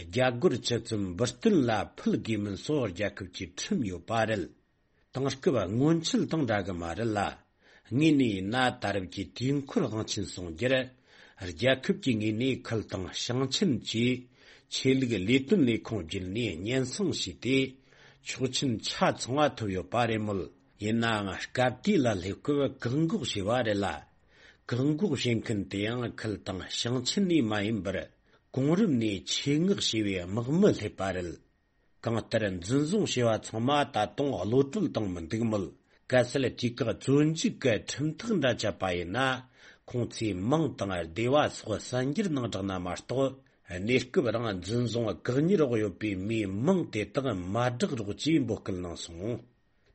རྒྱ་སྒོར་བཅུ་ཙམ་འབུལ་གཏན་ལ་ཕུལ་དགོས་མིན་སོགས་རྒྱལ་ཁབ་ཀྱི་ཁྲིམས་ཡོད་པ་རེད། དེང་སྐབས་སྔོན་ཆད་དང་འདྲ་གི་མ་རེད་ལ། དངོས་གནས་ཡིན་ན་ད་རེབ་ཀྱི་དུས་འཁོར་དབང་ཆེན་སྲུང་རྒྱུར། རྒྱལ་ཁབ་ཀྱི་ངོས་ནས་ཁུལ་དང་ཞིང་ཆེན་བཅས་ཆོས་ལུགས་ལས་དོན་ལས་ཁུངས་བརྒྱུད་ནས་སྙན་སེང་བྱས་ཏེ། ཆོག་མཆན་ཆ་ཚང་བ་ཐོབ་ཡོད་པ་རེད་མོད། ཡིན་ནའང་སྐབས་དེ་ལ་སླེབས་སྐབས་བཀག་འགོག་བྱས་པ་རེད་ལ། བཀག་འགོག་བྱེད་མཁན་དེ་ཡང་ཁུལ་དང་ཞིང་ཆེན་ནས་མ་ཡིན་པར། གོང་རིམ་ནས་ཆེད་མངགས་བྱས་པའི་དམག་མི་སླེབས་པ་རེད། གང་ལྟར་འཛིན་བཟུང་བྱས་པ་ཚང་མ་ད་དུང་གློད་བཀྲོལ་བཏང་མི་འདུག་མོད། གལ་སྲིད་དུས་བཀག་བཙོན་འཇུག་གི་ཁྲིམས་ཐག་འདྲ་བཅད་པ་ཡིན་ན། ཁོང་ཚོས་མིང་དང་སྡེ་བ་སོགས་གསར་འགྱུར་ནང་བསྒྲགས་ན་མ་གཏོགས། གནས་སྐབས་རང་འཛིན་བཟུང་བཀག་ཉར་འོག་ཡོད་པའི་མིའི་མིང་དེ་དག་མ་བསྒྲགས་རོགས་ཅེས་འབོད་སྐུལ་གནང་སོང་།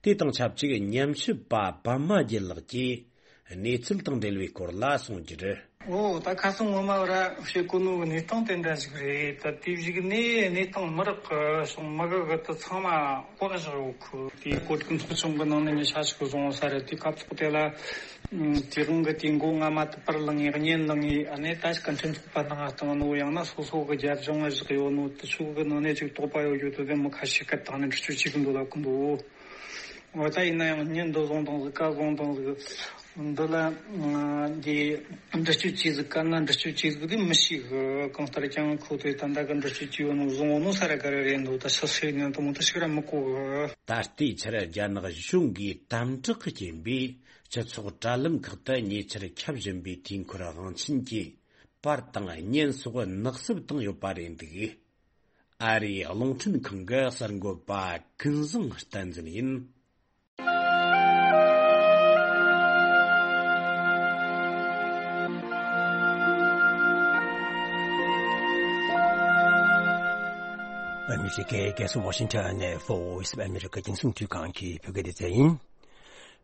དེ་དང་ཆབས་ཅིག་ཉམས་ཞིབ་པ་པདྨ་རྒྱལ་ལགས་ཀྱིས་གནས་ཚུལ་དང་འབྲེལ་བའི་སྐོར་ལ་གསུངས་རྒྱུར། ཨོ། ད་ཁ་སང་ངོ་མ་ར་བཤད་གོ་ནོ་གི་གནས་སྟངས་དེ་འདྲ་ཞིག་རེད། ད་དེ་གཞུག་ནས་གནས་སྟངས་མི་རག་གི་སོང་། མི་གི་གི་དེ་ཚང་མ་བཀག་བཞག་ཡོད་ཁུ། དེ་གོ་སྒྲིག་ཚོགས་ཆུང་གི་ནང་ནས་ནས་ཤ་ཞིག་བཟུང་ས་རེད། དེ་སྐབས་ཐོག་དེ་ལ་དེ་དབང་གི་དེ་མགོ་རྔ་མ་དུ་པར་ལངས་ངེ་གཉེན་ལངས་ངེ་ཨ་ནེ་ད་ཞིག་གི་འཕྲིན་ཚོགས་པ་ནང་བཏང་ནོ། ཡང་ན་སོ་སོ་གི་རྒྱབ་ལྗོངས་ལ་བཞག་ཡོད་ནོ། དེ་ཚོ་གི་ནང་ནས་ཅིག་དོགས་པ་ཡོད་རྒྱུ་དེ་དེ་མི་ཁ་ཤས་ཀ་དང་ནས་འདྲི་གཅོད་བྱེད་གི་འདུག་ལབ་གི་འདུག། འོ་ད་ཡིན་ན་ཡང་ཉིན་འདི་བཟུང་དང་ཟིག་ག་བཟུང་དང་ཟིག་འདི་ལ་འདི་འདྲི་གཅོད་བྱས་ཟིག་ག་ན་འདྲི་གཅོད་བྱས་ཟིག་འདི་མི་ཤེས་གི། གང་ལྟར་ཀྱང་ཁོ་ཚོས་ད་ལྟ་གི་འདྲི་གཅོད་བྱས་ཡོད་ནོ་བཟུང་ཡོད་ནོ་ས་ར་ག་ར་རེད་འདུག། ད་ཤ་ཤེས་ནས་དུ་མོ་ད་ཤི་ར་མི་གོ་གི། ད་ལྟའི་ཆར་རྒྱ་ནག་གཞུང་གིས་དམ་དྲག་གི་རྐྱེན་པས་སྤྱི་ཚོགས་དྲ་ལམ་ཁག་ཏུ་ཉེ་ཆར་ཁྱབ་བཞིན་པའི་དུས་འཁོར་དབང་ཆེན་གྱི་པར་དང་བརྙན་སོགས་ནག་སུབ་བཏང་ཡོད་པ་རེད་འདུག། ཨ་རིའི་རླུང་འཕྲིན་ཁང་གི་གསར་འགོད་པ་ཀུན་བཟང་བསྟན་འཛིན་ཡིན། ཨ་མི་རི་ཀའི་རྒྱལ་ས་ཝ་ཤིང་ཊོན་ནས་Voice of America་རྒྱང་སྲིང་བརྒྱུད་ཁང་གི་བོད་སྐད་སྡེ་ཚན་ཡིན།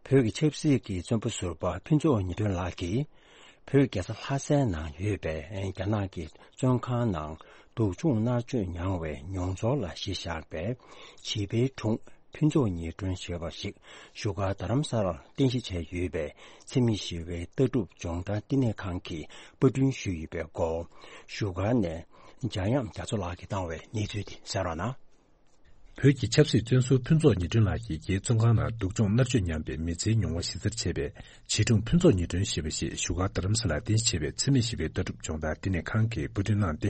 བོད་ཀྱི་ཆབ་སྲིད་ཀྱི་བཙོན་པ་ཟུར་པ་ཕུན་ཚོགས་ཉི་སྒྲོན་ལགས་ཀྱིས། བོད་རྒྱལ་ས་ལྷ་སའི་ནང་ཡོད་པའི་རྒྱ་ནག་གི་བཙོན་ཁང་ནང་སྡུག་སྦྱོང་མནར་གཅོད་མྱངས་པའི་མྱོང་ཚོར་ལ་གཞི་བཞག་པའི་བྱིས་པའི་སྒྲུང་ཕུན་ཚོགས་ཉི་སྒྲོན་ཞེས་པ་ཞིག་བཞུགས་སྒར་རྡ་རམ་ས་ལར་རྟེན་གཞི་བྱས་ཡོད་པའི་འཚེ་མེད་ཞི་བའི་ལྟ་གྲུབ་སྦྱོང་བརྡར་བསྟི་གནས་ཁང་གིས་པར་སྐྲུན་ཞུས་ཡོད་པའི་སྐོར། བཞུགས་སྒར་ནས་འཇམ་དབྱངས་རྒྱ་མཚོ་ལགས་ཀྱིས་བཏང་བའི་གནས་ཚུལ་དེ་གསན་རོགས་གནང་། བོད་ཀྱི་ཆབ་སྲིད་བཙོན་ཟུར་ཕུན་ཚོགས་ཉི་སྒྲོན་ལགས་ཀྱིས་རྒྱའི་བཙོན་ཁང་ནང་སྡུག་སྦྱོང་མནར་གཅོད་མྱངས་པའི་མི་ཚེའི་མྱོང་བ་གཞི་རྩར་བྱས་པའི་བྱིས་སྒྲུང་ཕུན་ཚོགས་ཉི་སྒྲོན་ཞེས་པ་ཞིག་བཞུགས་སྒར་རྡ་རམ་ས་ལར་རྟེན་གཞི་བྱས་པའི་འཚེ་མེད་ཞི་བའི་ལྟ་གྲུབ་སྦྱོང་བརྡར་བསྟི་གནས་ཁང་གིས་པར་སྐྲུན་གནང་སྟེ།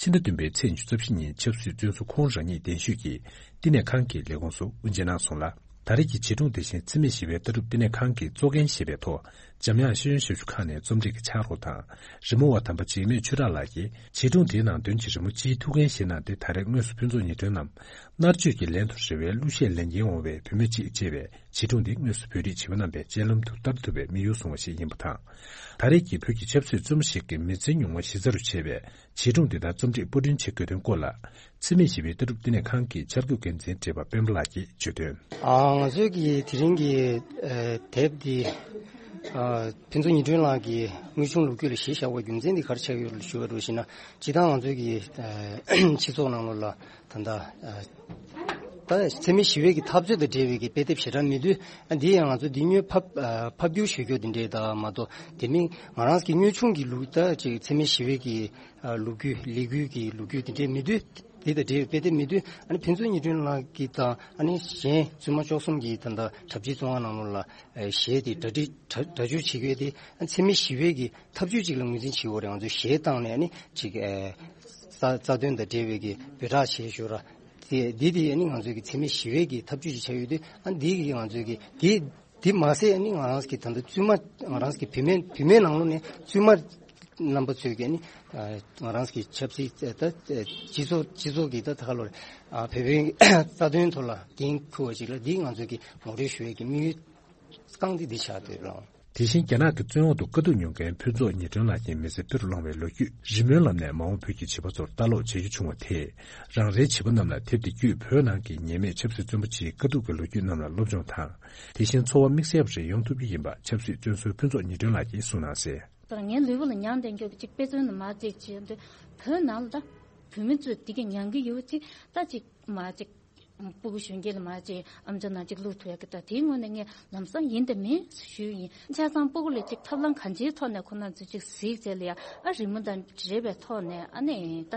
ཕྱི་ཟླ་བདུན་པའི་ཚེས་ཉི་ཤུ་རྩ་བཞི་ཉིན་ཆབ་སྲིད་བཙོན་ཟུར་ཁོང་རང་ཉིད་གདན་ཞུས་ཀྱིས་བསྟི་གནས་ཁང་གི་ལས་ཁུངས་སུ་དབུ་འབྱེད་གནང་སོང་ལ། ད་རེས་ཀྱི་བྱིས་སྒྲུང་དེ་བཞིན་འཚེ་མེད་ཞི་བའི་ལྟ་གྲུབ་བསྟི་གནས་ཁང་གི་གཙོ་འགན་བཞེས་པའི་ཐོག་འཇམ་དབྱངས་ཤེས་ཡོན་ཞབས་ཞུ་ཁང་ནས་རྩོམ་སྒྲིག་གི་ཕྱག་རོགས་དང་། རི་མོ་བ་དམ་པ་འཇིགས་མེད་ཆོས་གྲགས་ལགས་ཀྱིས་བྱིས་སྒྲུང་དེའི་ནང་དོན་གྱི་རི་མོ་སྤྱིའི་ཐུགས་འགན་བཞེས་གནང་སྟེ། ད་རེས་དངོས་སུ་ཕུན་ཚོགས་ཉི་སྒྲོན་ནམ་མནར་གཅོད་ཀྱི་ལན་དུ་རེ་བའི་གླུ་གཞས་ལེན་གྱིན་འོང་བའི་བུད་མེད་ཅིག་ཅེས་པའི་བྱིས་སྒྲུང་འདི་དངོས་སུ་བོད་རིགས་བྱིས་པ་རྣམ་པའི་སྤྱན་ལམ་དུ་བསྟར་ཐུབ་པའི་དམིགས་ཡུལ་བཟུང་བ་ཞིག་ཡིན་པ་དང་། ད་རེས་ཀྱི་བོད་ཀྱི་ཆབ་སྲིད་བཙོན་པ་ཞིག་གི་མི་ཚེའི་མྱོང་བ་གཞི་རྩ་རུ་བྱས་པའི་བྱིས་སྒྲུང་འདི་དག་རྩོམ་སྒྲིག་པར་སྐྲུན་བྱེད་དགོས་དོན་སྐོར་ལ། འཚེ་མེད་ཞི་བའི་ལྟ་གྲུབ་བསྟི་གནས་ཁང་གི་འཆར་འགོད་འགན་འཛིན་བགྲེས་པ་སྤེན་པ་ལགས་ཀྱིས་བརྗོད་དོན། ཨ། ང་ཚོའི་གི་དེ་རིང་གི་ཨ་དེབ་འདི་ཨ་ཕུན་ཚོགས་ཉི་སྒྲོན་ལགས་ཀྱི་དངོས་བྱུང་ལོ་རྒྱུས་ལ་གཞི་བཞག་པའི་རྒྱུ་མཚན་འདི་ག་རེ་ཆགས་ཡོད་ཞུ་བ་རུ་ཞུ་ན། སྤྱིར་བཏང་ང་ཚོའི་གི་ཨ་སྤྱི་ཚོགས་ནང་ལོགས་ལ་ད་ལྟ་ཨ་ད་འཚེ་མེད་ཞི་བའི་གི་འཐབ་རྩོད་དང་འབྲེལ་བའི་གི་དཔེ་དེབ་ཞེ་དྲག་མེད་དུས། ཨ་འདི་ཡང་ང་ཚོ་འདི་སྔོན་ཕབ་ཨ་ཕབ་བསྒྱུར་ཞུ་རྒྱུ་འདི་འདྲའི་ད་མ་གཏོགས། དེ་མིན་ང་རང་གི་དངོས་བྱུང་གི་ལུགས་ད་ཅིག་འཚེ་མེད་ཞི་བའི་གི་ཨ་ལོ་རྒྱུས་ལས་འགུལ་གྱི་ལོ་རྒྱུས་དེ་འདྲའི་མེད་དུས། དེ་དང་འབྲེལ་བའི་དཔེ་དེབ་མེད་དུས། ཨ་ནི་ཕུན་ཚོགས་ཉི་སྒྲོན་ལགས་ཀྱིས་དང་ཨ་ནི་གཞན་བཙུན་མ་བཅུ་གསུམ་གྱིས་ད་ལྟ་གྲྭ་བཞིའི་བཙོན་ཁང་ནང་ལོགས་ལ་ཨ་གཞས་དེ་གྲ་སྒྲིག་གྲ་སྒྲ་སྒྱུར་བྱེད་ཀྱི་ཡོད་དེ། ཨ་འཚེ་མེད་ཞི་བའི་གི་འཐབ་ཇུས་ཅིག་ལ་ངོས་འཛིན་བྱེད་ཡོད་རེད། ང་ཚོས་གཞས་བཏང་ནས་ཨ་ནི་ཅིག་ཨ་རྩ་རྩ་དོན་དང་འབྲེལ་བའི་གི་འབོད་སྒྲ་བྱེད་ཞོར་ར་ དེ་འདི་དེ་ནི་ང་ཚོའི་གི་འཚེ་མེད་ཞི་བའི་གི་ཐབས་ཇུས་ཤིག་ཆགས་ཡོད་དུས། ཨ་འདི་གི་ང་ཚོའི་གི་དེ་དེ་མ་ཟད་ནི་ང་རང་གི་ད་ལྟ་བཙུན་མ་ང་རང་གི་བུད་མེད་བུད་མེད་ནང་ལོགས་ནས་བཙུན་མ་རྣམ་པ་ཚོས་གི་ནི་ང་རང་གི་ཆབ་སྲིད་ད་སྤྱི་ཚོགས་སྤྱི་ཚོགས་ཀྱི་ད་ད་ག་ལོར་བོད་པའི་རྩ་དོན་ཐོག་ལ་འགན་འཁུར་བ་ཞིག་ལ་འདི་ང་ཚོའི་གི་ངོ་སྤྲོད་ཞུ་བའི་གི་དམིགས་ཡུལ་རྐང་འདི་འདི་ཆགས་འདུག་ལགས། དེ་བཞིན་རྒྱ་ནག་གི་བཙོན་འོག་ཏུ་དཀའ་སྡུག་མྱོང་མཁན་ཕུན་ཚོགས་ཉི་སྒྲོན་ལགས་ཀྱི་མི་ཚེ་ཕུད་རུ་བླངས་བའི་ལོ་རྒྱུས། རི་མོའི་ལམ་ནས་མ་འོངས་བོད་ཀྱི་བྱིས་པ་ཚོར་ལྟ་ཀློག་བྱེད་རྒྱུ་བྱུང་བ་དེས། རང་རེའི་བྱིས་པ་རྣམས་ལ་དེབ་འདི་བརྒྱུད་བོད་ནང་གི་ཉེས་མེད་ཆབ་སྲིད་བཙོན་པ་ཅིག་དཀའ་སྡུག་གི་ལོ་རྒྱུས་རྣམས་ལ་སློབ་སྦྱོང་དང་། དེ་བཞིན་འཚོ་བ་དམིགས་བསལ་བ་ཞིག་ཡོང་ཐུབ་རྒྱུ་ཡིན་པ་ཆབ་སྲིད་བཙོན་ཟུར་ཕུན་ཚོགས་ཉི་སྒྲོན་ལགས་ཀྱིས་གསུངས་གནང་གསལ། ད་ངའི་ལུས་པོ་ལ་མྱང་འདས་མགྱོགས་ཅིག་དཔེ་མཚོན་ནི་མ་ཅིག་བྱས་འདི་བོད་ནང་ལ་ད་བོད་མི་ཚོས་འདི་ག་མྱང་གི་ཡོད་ཅིག་ད་ཅིག་མ་ཅིག་སྤུ་གུ་གཞོན་སྐྱེས་ལ་མ་ཅིག་ཨམ་ཅོག་ནང་ཅིག་བླུག་ཐུབ་ཡག་གི་ད་དེའི་ངོས་ནས་ངས་ལམ་སང་ཡིན་དང་མིན་ཞུས་ཡིན། ཆ་ཚང་སྤུ་གུ་ལ་ཅིག་ཐབས་ལམ་གང་ཅིའི་ཐོག་ནས་ཁོ་ན་ཚོས་ཅིག་གཟིགས་བྱས་ལ་ཡ་ཨ་རི་མོ་དང་འབྲེལ་བའི་ཐོག་ནས་ཨ་ནི་ད་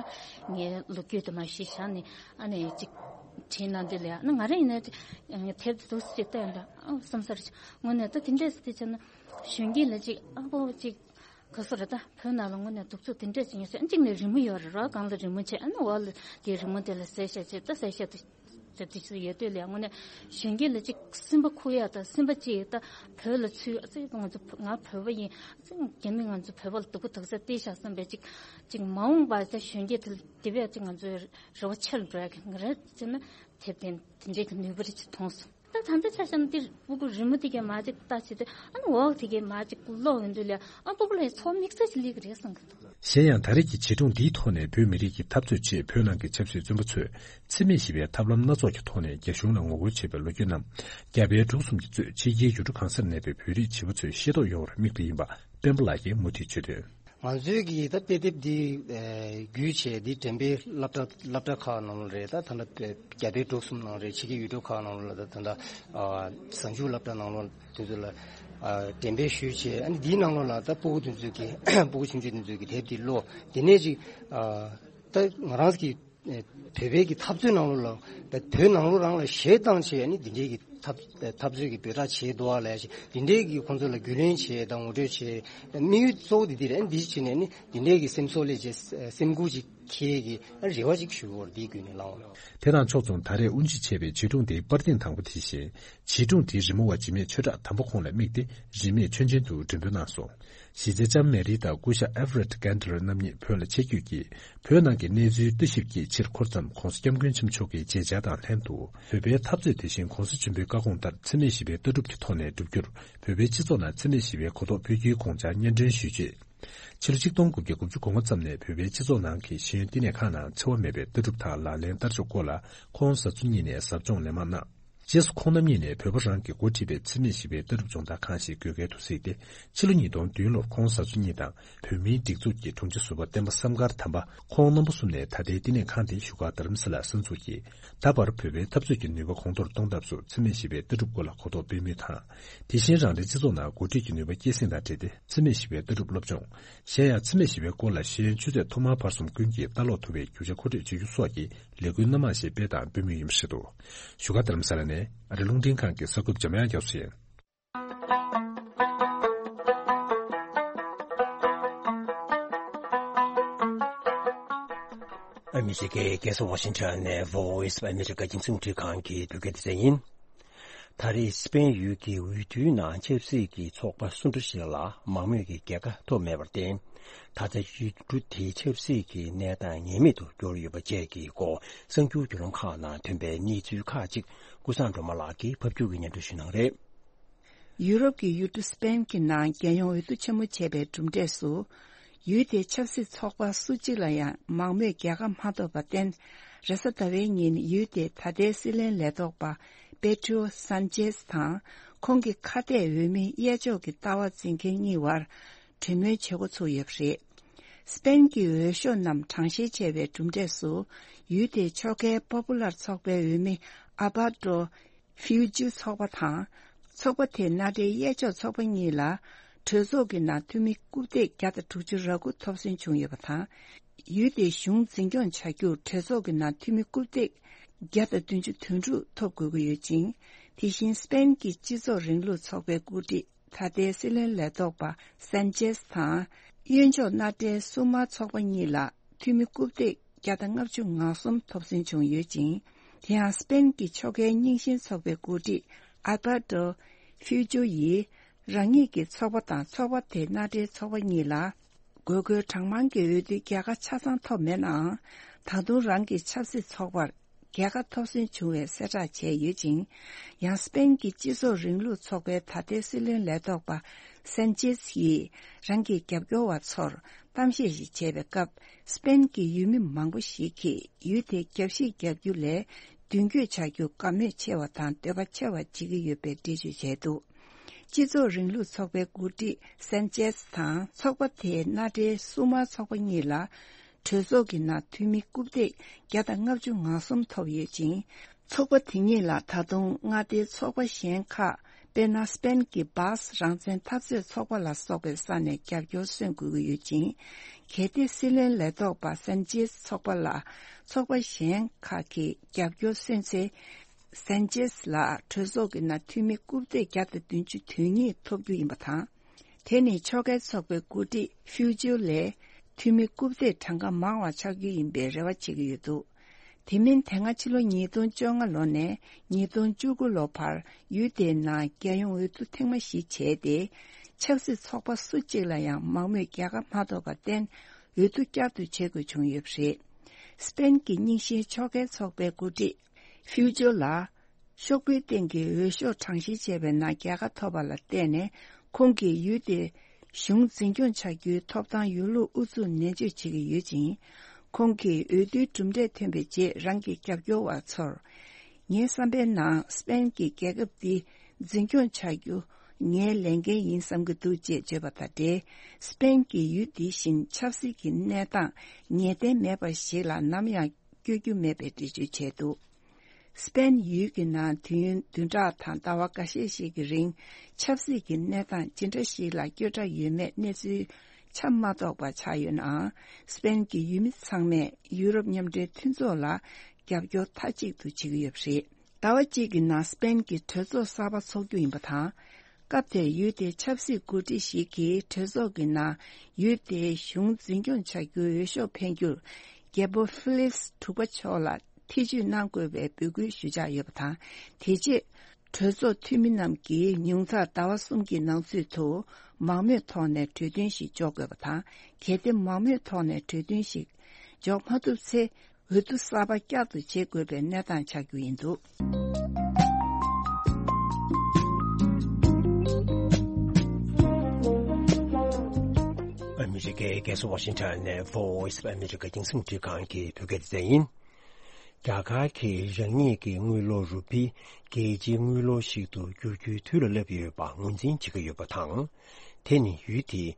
ངའི་ལོ་རྒྱུས་དེ་མ་གཞི་བཞག་ནས་ཨ་ནི་ཅིག་བྲིས་གནང་དུས་ལ་ཡ་ཨ་ནི་ང་རང་ཡིན་ན་དེབ་དེ་འདུག་སེ་ཅིག་བལྟས་ཡོང་ད་ཨ་བསམ་ས་རེད། དངོས་གནས་ད་དེ་འདྲས་སེ་དེ་བྱས་ན་གཞོན་སྐྱེས་ལ་ཅིག་ཨ་ཕོ་ཅིག་ག་སོ་རེད། ད་བོད་ནང་ལ་དངོས་གནས་གདུག་རྩུབ་དེ་འདྲས་ཅིག་ཡོད་ས། གཅིག་ནས་རི་མོ་ཡོད་རེད། རོ་སྒང་ལ་རི་མོ་བྱས་ཨ་ནི་འོག་ལ་དེ་རི་མོ་དེ་ལ་གསལ་བཤད་བྱས་ད་གསལ་བཤད་དེ་དེ་དེ་ཅིག་ཡོད་དུས་ལ་དངོས་གནས་གཞོན་སྐྱེས་ལ་ཅིག་སེམས་པ་འཁུར་ཡ་ད་སེམས་པ་ཅིག་ད་བོད་ལ་ཚུད་ཨ་ཙི་ང་ཚོ་ང་བོད་པ་ཡིན་ཨ་ཙི་རྒྱ་མི་ང་ཚོ་བོད་པ་ལ་སྡུག་པོ་དག་ས་བལྟས་བཞག་བསམ་པའི་ཅིག་ཅིག་མ་འོངས་པ་ད་གཞོན་སྐྱེས་དེ་དེ་བས་ཅིག་ང་ཚོའི་རེ་བ་ཆེ་རུ་འགྲོ་ཡ་གི་ང་རེད་ཅེ་ན་དེབ་དེ་དེ་འདྲས་ཀྱི་ནུས་པ་རེ་ཅིག་མཐོང་སོང་། ད་ད་ལྟ་ཆ་བཞག་ན་འདིར་སྤུ་གུ་རི་མོ་དེ་གས་མ་ཅིག་ལྟ་བྱེད་དུས་ཨ་ནི་འོག་དེ་གས་མ་ཅིག་ཀློག་ཡོང་དུས་ལ་ཨ་སྤུ་གུ་ལ་ཚོགས་དམིགས་བསལ་ཅིག་སླེབས་ཀྱི་རེད་བསམ་གྱི་འདུག། གཞན་ཡང་ད་རེས་ཀྱི་བྱིས་སྒྲུང་འདིའི་ཐོག་ནས་བོད་མི་རིགས་ཀྱི་འཐབ་རྩོད་ཆེད་བོད་ནང་གི་ཆབ་སྲིད་བཙོན་པ་ཚོས་འཚེ་མེད་ཞི་བའི་ཐབས་ལམ་སྣ་ཚོགས་ཀྱི་ཐོག་ནས་རྒྱ་གཞུང་ལ་ངོ་རྒོལ་བྱས་པའི་ལོ་རྒྱུས་རྣམས་རྒྱ་བལ་འབྲུག་གསུམ་གྱིས་གཙོས་ཕྱི་རྒྱལ་ཡུལ་གྲུ་གང་སར་གནས་པའི་བོད་རིགས་བྱིས་པ་ཚོས་ཤེས་རྟོགས་ཡོང་བར་དམིགས་ཏེ་ཡིན་པ་སྤེན་པ་ལགས་ཀྱིས་མུ་མཐུད་བརྗོད་དོན། ང་ཚོའི་གི་ད་དཔེ་དེབ་འདི་བརྒྱུད་བྱས་འདི་འགྲེམས་སྤེལ་སློབ་གྲྭ་སློབ་གྲྭ་ཁག་ནང་ལ་རེད། ད་ད་ལྟ་རྒྱ་བལ་འབྲུག་གསུམ་ནང་རེད། ཕྱི་རྒྱལ་ཡུལ་གྲུ་ཁག་ནང་ལ་ད་ད་ལྟ་གཟའ་མཇུག་སློབ་གྲྭ་ནང་ལ་དེ་ཚོ་ལ་འགྲེམས་སྤེལ་ཞུས་བྱས་ཨ་ནི་འདིའི་ནང་ལོགས་ལ་ད་སྤུ་གུ་དེ་ཚོའི་གི་སྤུ་གུ་ཆུང་ཆུང་དེ་ཚོའི་གི་དེབ་འདི་ཀློག་དེ་ནས་ཅིག་ད་ང་རང་གི་བོད་པའི་གི་འཐབ་རྩོད་ནང་ལོགས་ལ་བོད་ནང་ལོགས་རང་ལ་གཞས་བཏང་བྱས་ཨ་ནི་འདི་འདྲའི་གི་འཐབ་འཐབ་རྩོད་ཀྱི་འབོད་སྒྲ་བྱས་འདུག་ཨ་ལས་ཞེས་འདི་འདྲའི་གི་ཁོང་ཚོ་ལ་རྒྱུས་ལོན་བྱས་དང་ངོ་སྤྲོད་བྱས་དམིགས་ཡུལ་གཙོ་བོ་འདི་འདི་རེད། འདི་བྱས་ནས་ནི་འདི་འདྲའི་གི་སེམས་གསོ་ལས་བྱས་སེམས་འགུལ་ཅིག་ཁྱེད་ཀྱི་རེ་བ་ཅིག་ཞུ་བར་འདིའི་བརྒྱུད་ནས་བླངས་པ། དེ་དང་ཕྱོགས་མཚུངས་ད་རེས་དབུ་འབྱེད་བྱས་པའི་བྱིས་སྒྲུང་འདིའི་པར་ཐེངས་དང་པོ་དེ་བཞིན་བྱིས་སྒྲུང་འདིའི་རི་མོ་བ་འཇིགས་མེད་ཆོས་གྲགས་དམ་པ་ཁོང་ལ་དམིགས་ཏེ་རིན་མེད་མཆོད་སྦྱིན་དུ་འགྲེམས་སྤེལ་གནང་སོང་། གཞིས་བྱེས་ལྕམ་མེ་རི་དང་སྐུ་ཞབས་ཨེ་ཕ་རེད་གྷན་ཏ་ར་རྣམ་གཉིས་བོད་ལ་ཆེད་བསྐྱོད་ཀྱིས་བོད་ནང་གི་གནས་ཚུལ་ལྟ་ཞིབ་ཀྱི་ཕྱིར་འཁོར་མཚམས་ྋགོང་ས་ྋསྐྱབས་མགོན་ཆེན་པོ་མཆོག་གི་མཇལ་བཅར་དང་ལྷན་དུ་བོད་པའི་འཐབ་རྩོད་དེ་བཞིན་ྋགོང་ས་ཆེན་པོའི་བཀའ་དགོངས་ལྟར་འཚེ་མེད་ཞི་བའི་ལྟ་གྲུབ་ཀྱི་ཐོག་ནས་བསྒྲུབ་རྒྱུར་བོད་པའི་སྤྱི་ཚོགས་ནང་འཚེ་མེད་ཞི་བའི་གོ་རྟོགས་སྤེལ་རྒྱུའི་དགོངས་འཆར་སྙན་སྒྲོན་ཞུས་རྗེས། ཕྱི་ལོ་ཆིག་སྟོང་དགུ་བརྒྱ་དགུ་བཅུ་གོ་ལྔ་ཙམ་ནས་བོད་པའི་སྤྱི་ཚོགས་ནང་གི་ཤེས་ཡོན་བསྟི་གནས་ཁག་ནང་འཚེ་བ་མེད་པའི་ལྟ་གྲུབ་དང་ལག་ལེན་བསྟར་ཕྱོགས་སྐོར་ལ་ཁོང་གཟའ་མཇུག་གཉིས་ནས་ཟབ་སྦྱོང་ལན་མང་གནང་། རྗེས་སུ་ཁོང་རྣམ་གཉིས་ནས་བོད་པ་རང་གིས་འགོ་ཁྲིད་པའི་འཚེ་མེད་ཞི་བའི་ལྟ་གྲུབ་སྦྱོང་བརྡར་ཁང་ཞིག་དགོས་གལ་དུ་གཟིགས་ཏེ། ཕྱི་ལོ་ཉིས་སྟོང་བདུན་ལོར་ཁོང་གཟའ་མཇུག་གཉིས་དང་བོད་མིའི་སྒྲིག་འཛུགས་ཀྱི་དྲུང་ཆེ་ཟུར་པ་བསྟན་པ་བསམ་དཀར་དམ་པ་ཁོང་རྣམ་པ་གསུམ་ནས་ད་ལྟའི་བསྟི་གནས་ཁང་དེ་བཞུགས་སྒར་རྡ་རམ་ས་ལར་གསར་འཛུགས་ཀྱིས། ད་བར་བོད་པའི་འཐབ་རྩོད་ཀྱི་ནུས་པ་གོང་མཐོར་གཏོང་ཐབས་སུ་འཚེ་མེད་ཞི་བའི་ལྟ་གྲུབ་སྐོར་ལ་གོ་རྟོགས་སྤེལ་མུས་དང་། དེ་བཞིན་རང་རེའི་སྤྱི་ཚོགས་ནང་འགོ་ཁྲིད་ཀྱི་ནུས་པ་སྐྱེད་སྲིང་དང་འབྲེལ་ཏེ་འཚེ་མེད་ཞི་བའི་ལྟ་གྲུབ་སློབ་སྦྱོང་། གཞན་ཡང་འཚེ་མེད་ཞི་བའི་སྐོར་ལ་ཤེས་ཡོན་ཆུ་ཚད་ཐོག་མར་བར་གསུམ་ཀུན་གྱིས་ལྟ་ཀློག་ཐུབ་པའི་རྒྱུ་ཆ་མཁོ་སྤྲོད་བྱེད་རྒྱུ་སོགས་ཀྱི་ལས་འགུལ་སྣ་མང་ཞིག་སྤེལ་དང་སྤེལ་མུས་ཡིན་པ་རེད་འདུག། བཞུགས་སྒར་རྡ་རམ་ས་ལ་ནས་ཨ་རི་རླུང་འཕྲིན་ཁང་གི་གསར་འགོད་པ་འཇམ་དབྱངས་རྒྱ་མཚོ་ཡིན། ཨ་མི་རི་ཀའི་རྒྱལ་ས་ཝ་ཤིང་ཊོན་ནས་Voice of America་རྒྱང་སྲིང་རླུང་འཕྲིན་ཁང་གི་བོད་སྐད་སྡེ་ཚན་ཡིན། ད་རེས་སི་པེན་ཡུལ་གྱི་འོས་བསྡུའི་ནང་ཆབ་སྲིད་ཀྱི་ཚོགས་པ་སུ་འདྲ་ཞིག་ལ་མང་མོས་ཀྱི་རྒྱལ་ཁ་ཐོབ་མེད་པར་བརྟེན། ད་ལྟ་ཡུལ་གྲུ་དེའི་ཆབ་སྲིད་ཀྱི་གནས་སྟངས་ངེས་མེད་དུ་གྱུར་ཡོད་པ་བཅས་ཀྱི་སྐོར་གསར་འགྱུར་བརྒྱུད་ལམ་ཁག་ནང་ཐོན་པའི་གནས་ཚུལ་ཁག་ཅིག་ཀུན་བཟང་སྒྲོལ་མ་ལགས་ཀྱིས་ཕབ་སྒྱུར་གྱིས་སྙན་སྒྲོན་ཞུ་གནང་རེད། ཡུ་རོབ་ཀྱི་ཡུལ་གྲུ་སི་པེན་གྱི་ནང་རྒྱལ་ཡོངས་འོས་བསྡུ་ཆེན་མོ་བྱས་པའི་གྲུབ་འབྲས་སུ། ཡུལ་དེའི་ཆབ་སྲིད་ཚོགས་པ་སུ་གཅིག་ལ་ཡང་མང་མོས་རྒྱལ་ཁ་མ་ཐོབ་པར་བརྟེན། རེས་གཟའ་ཟླ་བའི་ཉིན་ཡུལ་དེའི་ད་ལྟའི་སྲིད་བློན་ལས་ཐོག་པ་པེ་ཏྲོ་སན་ཅེས་དང་ཁོང་གི་ཁ་གཏད་འོས་མི་གཡས་ཕྱོགས་ཀྱི་ལྟ་བ་འཛིན་མཁན་གཉིས་བར་གྲོས་མོལ་བྱེད་འགོ་ཚུགས་ཡོད་པ་རེད། སི་པེན་གྱི་འོས་ཤོག་རྣམས་གྲངས་བཤེར་བྱས་པའི་གྲུབ་འབྲས་སུ། ཡུལ་དེའི་ཕྱོགས་འགལ་པོ་པུ་ལར་ཚོགས་པའི་འོས་མི་ཨ་བྷ་ཏྲོ། ཧྥིའུ་ཇུ་ཚོགས་པ་དང་། ཚོགས་པ་དེའི་མནའ་འབྲེལ་གཡས་ཕྱོགས་ཚོགས་པ་གཉིས་ལ། གྲོས་ཚོགས་ཀྱི་ནང་འཐུས་མི་རྐུབ་སྟེགས་བརྒྱ་དང་དྲུག་ཅུ་རེ་དགུ་ཐོབ་སོན་བྱུང་ཡོད་པ་དང་། ཡུལ་དེའི་གཞུང་འཛིན་སྐྱོང་བྱ་རྒྱུར་གྲོས་ཚོགས་ཀྱི་ནང་འཐུས་མི་རྐུབ་སྟེགས་བརྒྱ་དང་བདུན་ཅུ་དོན་དྲུག་ཐོབ་དགོས་ཀྱི་ཡོད་ཅིང་། དེ་བཞིན་སི་པེན་གྱི་སྤྱི་ཚོགས་རིང་ལུགས་ཚོགས་པའི་འགོ་ཁྲིད་ད་ལྟའི་སྲིད་བློན་ལས་ཐོག་པ་སན་ཅེས་དང་། གཡོན་ཕྱོགས་མནའ་འབྲེལ་སུ་མར་ཚོགས་པ་གཉིས་ལ་འཐུས་མི་རྐུབ་སྟེགས་བརྒྱ་དང་ལྔ་བཅུ་ང་གསུམ་ཐོབ་སོན་བྱུང་ཡོད་ཅིང་། དེ་ཡང་སྤེན་གྱི་ཕྱོགས་འགལ་རྙིང་ཞེན་ཚོགས་པའི་འགོ་ཁྲིད་ཨལ་པར་ཏོ་ཕིའུ་ཇོ་ཡིས་རང་ཉིད་ཀྱི་ཚོགས་པ་དང་ཚོགས་པ་དེའི་མནའ་འབྲེལ་ཚོགས་པ་གཉིས་ལ། དགོས་མཁོའི་གྲངས་མང་གི་འོས་བསྡུའི་རྒྱལ་ཁ་ཆ་ཚང་ཐོབ་མེད་ནའང་། ད་དུང་རང་གི་ཆབ་སྲིད་ཚོགས་པར་རྒྱལ་ཁ་ཐོབ་སོན་བྱུང་བའི་གསལ་བསྒྲགས་བྱས་ཡོད་ཅིང་། ཡང་སྤེན་གྱི་སྤྱི་ཚོགས་རིང་ལུགས་ཚོགས་པའི་ད་ལྟའི་སྲིད་བློན་ལས་ཐོག་པ་སན་ཅེས་ཡིས་རང་གི་རྒྱབ་སྐྱོར་བ་ཚོར་གཏམ་བཤད་ཞིག་བྱས་པའི་སྐབས། སྤེན་གྱི་ཡུལ་མི་མང་པོ་ཞིག་གིས་ཡུལ་དེའི་རྒྱབ་བཤིག་རྒྱག་རྒྱུ་ལས་མདུན་སྐྱོད་བྱ་རྒྱུ་དགའ་མོས་ཆེ་བ་དང་འདོད་པ་ཆེ་བ་བྱེད་ཀྱི་ཡོད་པའི་འགྲེལ་བརྗོད་བྱས་འདུག་སྤྱི་ཚོགས་རིང་ལུགས་ཚོགས་པའི་འགོ་ཁྲིད་སན་ཅེས་དང་ཚོགས་པ་དེའི་མནའ་འབྲེལ་སྲུང་མ་ཚོགས་པ་གཉིས་ལ་གྲོས་ཚོགས་ཀྱི་ནང་འཐུས་མི་རྐུབ་སྟེགས་བརྒྱ་དང་ལྔ་བཅུ་ང་གསུམ་ཐོབ་ཡོད་ཅིང་། ཚོགས་པ་དེ་གཉིས་ལ་ད་དུང་མངའ་སྡེའི་ཚོགས་པ་གཞན་ཁག་དཔེར་ན་སྤེན་གྱི་སྦཱས་རང་བཙན་འཐབ་རྩོད་ཚོགས་པ་ལ་སོགས་པའི་ས་ནས་རྒྱབ་སྐྱོར་སོན་དགོས་ཀྱི་ཡོད་ཅིང་། གལ་ཏེ་སྲིད་བློན་ལས་ཐོག་པ་སན་ཅེས་ཚོགས་པ་ལ་ཚོགས་པ་གཞན་ཁག་གིས་རྒྱབ་སྐྱོར་སོན་ཚེ། སན་ཅེས་ལ་གྲོས་ཚོགས་ཀྱི་ནང་འཐུས་མི་རྐུབ་སྟེགས་བརྒྱ་དང་བདུན་ཅུ་དོན་གཉིས་ཐོབ་རྒྱུ་ཡིན་པ་དང་། དེ་ནི་ཕྱོགས་འགལ་ཚོགས་པའི་འགོ་ཁྲིད་ཕིའུ་ཇོ་ལས་འཐུས་མི་རྐུབ་སྟེགས་གྲངས་ཀ་མང་བ་ཆགས་རྒྱུ་ཡིན་པའི་རེ་བ་བྱེད་ཀྱི་ཡོད་འདུག་དེ་མིན་དེ་སྔ་ཕྱི་ལོ་ཉིས་སྟོང་བཅོ་ལྔ་ལོ་ནས་ཉིས་སྟོང་བཅུ་དགུ་ལོ་བར་ཡུལ་དེའི་ནང་རྒྱལ་ཡོངས་འོས་བསྡུ་ཐེངས་མ་བཞི་བྱས་ཏེ། ཆབ་སྲིད་ཚོགས་པ་སུ་གཅིག་ལ་ཡང་མང་མོས་རྒྱལ་ཁ་མ་ཐོབ་པར་བརྟེན། འོས་བསྡུ་བསྐྱར་དུ་བྱེད་དགོས་བྱུང་ཡོད་པ་རེད། སྤེན་གྱི་རྙིང་ཞེན་ཕྱོགས་འགལ་ཚོགས་པའི་འགོ་ཁྲིད་ཕིའུ་ཇོ་ལ། ཤོག་བུའི་སྟེང་གི་འོས་ཤོག་གྲངས་བཤེར་བྱས་པའི་ནང་རྒྱལ་ཁ་ཐོབ་པ་ལ་བརྟེན་ནས། ཁོང་གིས་ཡུལ་དེའི་གཞུང་འཛིན་སྐྱོང་བྱ་རྒྱུའི་ཐོབ་ཐང་ཡོད་ལུགས་ཨུ་ཚུགས་ནན་བརྗོད་བྱེད་ཀྱི་ཡོད་ཅིང་། ཁོང་གིས་འོས་བསྡུའི་གྲུབ་འབྲས་ཐོན་པའི་རྗེས་རང་གི་རྒྱབ་སྐྱོར་བ་ཚོར། ངའི་བསམ་པའི་ནང་སྤེན་གྱིས་རྒྱལ་ཁབ་འདི་འཛིན་སྐྱོང་བྱ་རྒྱུ་ངའི་ལས་འགན་ཡིན་བསམ་གྱི་འདུག་ཅེས་བརྗོད་པ་དང་འབྲེལ། སྤེན་གྱིས་ཡུལ་འདི་བཞིན་ཆབ་སྲིད་ཀྱི་གནས་སྟངས་ངེས་གཏན་མེད་པ་ཞིག་ལ་ནམ་ཡང་བསྐྱོད་རྒྱུ་མེད་པའི་འགྲེལ་བརྗོད་བྱས་འདུག་སྤེན་ཡུལ་གྱི་ནང་དུས་ཡུན་བདུན་ཕྲག་དང་ཟླ་བ་འགའ་ཤས་ཤིག་གི་རིང་ཆབ་སྲིད་ཀྱི་གནས་སྟངས་ཇི་འདྲ་ཞིག་ལ་སྐྱོ་དྲགས་ཡོད་མེད་གནས་ཚུལ་ཆ་མ་རྟོགས་པ་ཆགས་ཡོད་ནའང་། སྤེན་གྱི་ཡུལ་མི་ཚང་མས་ཡུ་རོབ་མཉམ་འབྲེལ་མཐུན་ཚོགས་ལ་རྒྱབ་སྐྱོར་མཐའ་གཅིག་ཏུ་བྱེད་ཀྱི་ཡོད་པ་རེད། ཟླ་བ་གཅིག་གི་ནང་སྤེན་གྱི་གྲོས་ཚོགས་གསར་པ་འཚོགས་རྒྱུ་ཡིན་པ་དང་། སྐབས་དེར་ཡུལ་དེའི་ཆབ་སྲིད་འགོ་ཁྲིད་ཞིག་གིས་གྲོས་ཚོགས་ཀྱི་ནང་ཡུལ་དེའི་གཞུང་འཛིན་སྐྱོང་བྱ་རྒྱུའི་འོས་ཤོག་འཕེན་རྒྱུར། རྒྱལ་པོ་ཧྥི་ལིབས་དྲུག་པ་མཆོག་ལ་ཐེ་བྱུས་གནང་དགོས་པའི་འབོད་སྐུལ་ཞུ་འཆར་ཡོད་པ་དང་། དེ་རྗེས་གྲོས་ཚོགས་འཐུས་མི་རྣམས་ཀྱིས་ཉུང་མཐར་ཟླ་བ་གསུམ་གྱི་ནང་ཚུད་དུ་མང་མོས་ཐོག་ནས་གྲོས་མཐུན་ཞིག་འཇོག་དགོས་པ་དང་། གལ་ཏེ་མང་མོས་ཐོག་ནས་གྲོས་མཐུན་ཞིག་འཇོག་མ་ཐུབ་ཚེ། འོས་བསྡུ་གསར་པ་བསྐྱར་དུ་བྱེད་དགོས་པའི་གནས་སྟངས་ཆགས་རྒྱུ་ཡིན་འདུག་ཨ་མི་རི་ཀའི་རྒྱལ་ས་ཝ་ཤིང་ཊོན་ནས་Voice of America་རྒྱང་སྲིང་འཕྲིན་ཁང་གི་བོད་སྐད་སྡེ་ཚན་ཡིན། རྒྱ་གར་གྱིས་རང་ཉིད་ཀྱི་དངུལ་ལོར་རུ་པི་རྒྱལ་སྤྱིའི་དངུལ་ལོར་ཞིག་ཏུ་བསྒྱུར་རྒྱུའི་དུས་ལ་སླེབས་ཡོད་པ་ངོས་འཛིན་བྱེད་ཀྱི་ཡོད་པ་དང་། དེ་ནི་ཡུལ་དེས་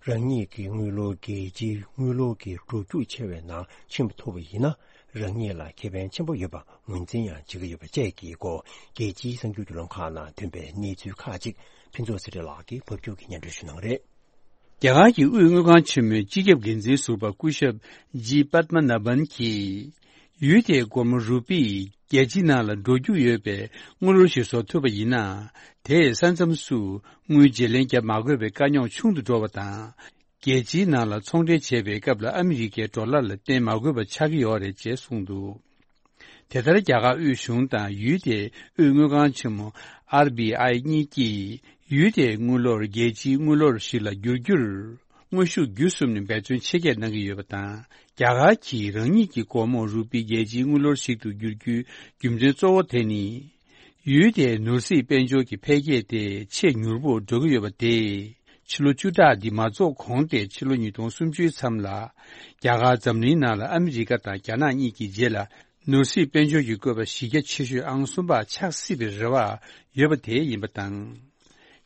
རང་ཉིད་ཀྱི་དངུལ་ལོར་རྒྱལ་སྤྱིའི་དངུལ་ལོར་གྱི་འགྲོ་རྒྱུག་ཆེ་བའི་ནང་ཕྱིན་པ་ཐུབ་པ་ཡིན་ན། རང་ཉིད་ལ་ཁེ་ཕན་ཆེན་པོ་ཡོད་པ་ངོས་འཛིན་ཡང་བྱེད་ཀྱི་ཡོད་པ་བཅས་ཀྱི་སྐོར། རྒྱལ་སྤྱིའི་གསར་འགྱུར་བརྒྱུད་ལམ་ཁག་ནང་ཐོན་པའི་གནས་ཚུལ་ཁག་ཅིག་ཕུན་ཚོགས་ཚེ་རིང་ལགས་ཀྱིས་ཕབ་སྒྱུར་གྱིས་སྙན་སྒྲོན་ཞུ་གནང་གི་རེད། རྒྱ་གར་གྱི་དབུས་དངུལ་ཁང་ཆེན་མོའི་སྤྱི་ཁྱབ་འགན་འཛིན་ཟུར་པ་སྐུ་ཞབས་ཇི་པད་མ་ན་བན་གྱིས། ཡུལ་དེའི་སྒོར་མོ་རུ་པི་རྒྱལ་སྤྱིའི་ནང་ལ་འགྲོ་རྒྱུ་ཡོད་པའི་དངུལ་ལོར་ཞིག་བཟོ་ཐུབ་པ་ཡིན་ན། དེས་ས་མཚམས་སུ་དངུལ་བརྗེ་ལེན་བརྒྱབ་མ་དགོས་པའི་དཀའ་རྙོག་ཆུང་དུ་འགྲོ་བ་དང་། རྒྱལ་སྤྱིའི་ནང་ལ་ཚོང་འབྲེལ་བྱེད་པའི་སྐབས་ལ་ཨ་མི་རི་ཀའི་ཌོ་ལར་ལ་བརྟེན་མ་དགོས་པ་ཆགས་ཀྱི་ཡོད་རེད་ཅེས་གསུངས་འདུག་དེ་ལྟར་རྒྱ་གར་དབུས་གཞུང་དང་ཡུལ་དེའི་དབུས་དངུལ་ཁང་ཆེན་མོ་ཨར་བི་ཨའི་གཉིས་ཀྱིས་ཡུལ་དེའི་དངུལ་ལོར་རྒྱལ་སྤྱིའི་དངུལ་ལོར་ཞིག་ལ་བསྒྱུར་རྒྱུར། དངོས་ཤུགས་བརྒྱུད་གསུམ་ནས་འབད་བརྩོན་ཆེ་བསྐྱེད་གནང་གི་ཡོད་པ་དང་། རྒྱ་གར་གྱིས་རང་ཉིད་ཀྱི་སྒོར་མོ་རུ་པི་རྒྱལ་སྤྱིའི་དངུལ་ལོར་ཞིག་ཏུ་བསྒྱུར་རྒྱུའི་རྒྱུ་མཚན་གཙོ་བོ་དེ་ནི། ཡུལ་དེའི་ནོར་སྲིད་དཔལ་འབྱོར་གྱི་འཕེལ་རྒྱས་དེ་ཆེས་མྱུར་པོར་འགྲོ་གི་ཡོད་པ་དེས། ཕྱི་ལོ་བཅུ་ཕྲག་འདི་མ་རྫོགས་གོང་སྟེ་ཕྱི་ལོ་ཉིས་སྟོང་སུམ་ཅུའི་མཚམས་ལ། རྒྱ་གར་འཛམ་གླིང་ནང་ལ་ཨ་མི་རི་ཀ་དང་རྒྱ་ནག་གཉིས་ཀྱི་རྗེས་ལ། ནོར་སྲིད་དཔལ་འབྱོར་གྱི་བཀོད་པ་གཞི་རྒྱ་ཆེ་ཤོས་ཨང་གསུམ་པ་ཆགས་སྲིད་པའི་རེ་བ་ཡོད་པ་དེ་ཡིན་པ་དང་།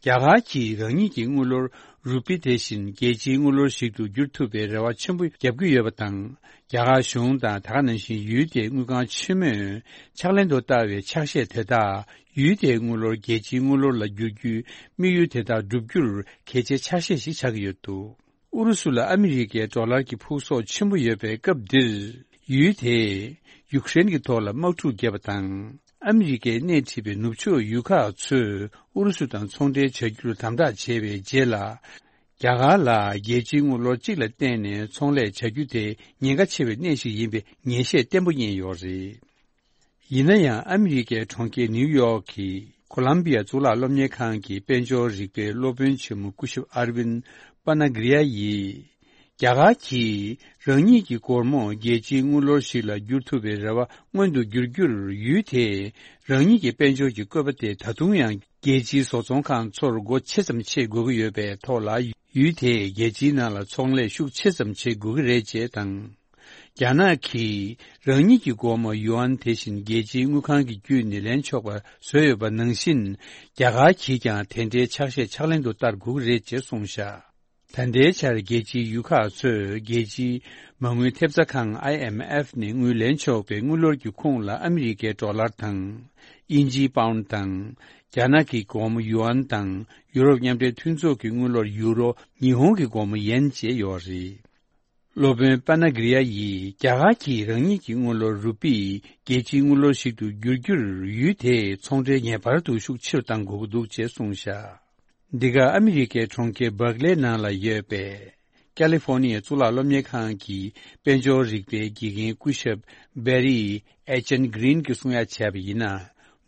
རྒྱ་གར་གྱིས་རང་ཉིད་ཀྱི་དངུལ་ལོར་རུ་པི་དེ་བཞིན་རྒྱལ་སྤྱིའི་དངུལ་ལོར་ཞིག་ཏུ་བསྒྱུར་ཐུབ་པའི་རེ་བ་ཆེན་པོ་བརྒྱབ་ཀྱི་ཡོད་པ་དང་། རྒྱ་གར་གཞུང་དང་ད་ག་ནང་བཞིན་ཡུལ་དེའི་དངུལ་ཁང་ཆེན་མོས་ཕྱག་ལེན་དུ་བསྟར་བའི་ཕྱག་བཞེས་དེ་དག་ཡུལ་དེའི་དངུལ་ལོར་རྒྱལ་སྤྱིའི་དངུལ་ལོར་ལ་བསྒྱུར་རྒྱུའི་དམིགས་ཡུལ་དེ་དག་བསྒྲུབ་རྒྱུར་གལ་ཆེའི་ཕྱག་བཞེས་ཤིག་ཆགས་ཀྱི་ཡོད་འདུག་ཨུ་རུ་སུ་ལ་ཨ་མི་རི་ཀའི་ཌོ་ལར་གྱི་ཕུགས་གསོག་ཆེན་པོ་ཡོད་པའི་སྐབས་འདིར། ཡུལ་དེས་ཡུཀ་རེན་གྱི་ཐོག་ལ་དམག་འཁྲུག་བརྒྱབ་པ་དང་། ཨ་མི་རི་ཀས་སྣེ་ཁྲིད་པའི་ནུབ་ཕྱོགས་ཡུལ་ཁག་ཚོས་ཨུ་རུ་སུ་དང་ཚོང་འབྲེལ་བྱ་རྒྱུར་དམ་དྲག་བྱས་པའི་རྗེས་ལ། རྒྱ་གར་ལ་རྒྱལ་སྤྱིའི་དངུལ་ལོར་གཅིག་ལ་བརྟེན་ནས་ཚོང་ལས་བྱ་རྒྱུ་དེ་ཉེན་ཁ་ཆེ་བའི་གནས་ཤིག་ཡིན་པའི་ངེས་ཤེས་བརྟན་པོ་རྙེད་ཡོད་རེད། ཡིན་ན་ཡང་ཨ་མི་རི་ཀའི་གྲོང་ཁྱེར་ནིའུ་ཡོག་གི་ཁོ་ལམ་བི་ཡ་གཙུག་ལག་སློབ་གཉེར་ཁང་གི་དཔལ་འབྱོར་རིག་པའི་སློབ་དཔོན་ཆེན་མོ་སྐུ་ཞབས་ཨར་ཝིན་པ་ན་གྷི་རི་ཡ་ཡིས། རྒྱ་གར་གྱིས་རང་ཉིད་ཀྱི་སྒོར་མོ་རྒྱལ་སྤྱིའི་དངུལ་ལོར་ཞིག་ལ་བསྒྱུར་ཐུབ་པའི་རེ་བ་མངོན་དུ་འགྱུར་རྒྱུར། ཡུལ་དེས་རང་ཉིད་ཀྱི་དཔལ་འབྱོར་གྱི་བཀོད་པ་དེ་ད་དུང་ཡང་རྒྱལ་སྤྱིའི་བཟོ་ཚོང་ཁང་ཚོར་སྒོ་ཆེ་ཙམ་ཕྱེ་དགོས་ཀྱི་ཡོད་པའི་ཐོག་ལ། ཡུལ་དེས་རྒྱལ་སྤྱིའི་ནང་ལ་ཚོང་ལས་ཤུགས་ཆེ་ཙམ་བྱེད་དགོས་ཀྱི་རེད་ཅེས་དང་། རྒྱ་ནག་གིས་རང་ཉིད་ཀྱི་སྒོར་མོ་ཡུའན་དེ་བཞིན་རྒྱལ་སྤྱིའི་དངུལ་ཁང་གི་བརྒྱུད་ནས་ལེན་ཆོག་པ་བཟོས་ཡོད་པ་ནང་བཞིན། རྒྱ་གར་གྱིས་ཀྱང་དེ་འདྲའི་ཕྱག་བཞེས་ཕྱག་ལེན་དུ་བསྟར་དགོས་ཀྱི་རེད་ཅེས་གསུངས་བཞག། ད་ལྟའི་ཆར་རྒྱལ་སྤྱིའི་ཡུལ་ཁག་ཚོས་རྒྱལ་སྤྱིའི་མ་དངུལ་ཐེབས་རྩ་ཁང་ཨའི་ཨེམ་ཨེཕ་ནས་དངུལ་ལེན་ཆོག་པའི་དངུལ་ལོར་གྱི་ཁོངས་ལ་ཨ་མི་རི་ཀའི་ཌོ་ལར་དང་། དབྱིན་ཇིའི་པའུན་དང་། རྒྱ་ནག་གི་སྒོར་མོ་ཡུའན་དང་། ཡུ་རོབ་མཉམ་འབྲེལ་མཐུན་ཚོགས་ཀྱི་དངུལ་ལོར་ཡུ་རོ། ཉི་ཧོང་གི་སྒོར་མོ་ཡེན་བཅས་ཡོད་རེད། སློབ་དཔོན་པ་ན་གྷི་རི་ཡ་ཡིས་རྒྱ་གར་གྱིས་རང་ཉིད་ཀྱི་དངུལ་ལོར་རུ་པི་རྒྱལ་སྤྱིའི་དངུལ་ལོར་ཞིག་ཏུ་བསྒྱུར་རྒྱུར། ཡུལ་དེས་ཚོང་འབྲེལ་ངེས་པར་དུ་ཤུགས་ཆེ་རུ་གཏང་དགོས་ཀྱི་འདུག་ཅེས་གསུངས་བཞག། འདི་ག་ཨ་མི་རི་ཀའི་གྲོང་ཁྱེར་སྦར་ཀ་ལེ་ནང་ལ་ཡོད་པའི་ཀ་ལི་ཧྥོར་ནི་ཡའི་གཙུག་ལག་སློབ་གཉེར་ཁང་གི་དཔལ་འབྱོར་རིག་པའི་དགེ་རྒན་སྐུ་ཞབས་བེ་རི་ཨེ་ཅན་གྷི་རིན་གྱིས་གསུང་ཡ་བྱས་པ་ཡིན་ན།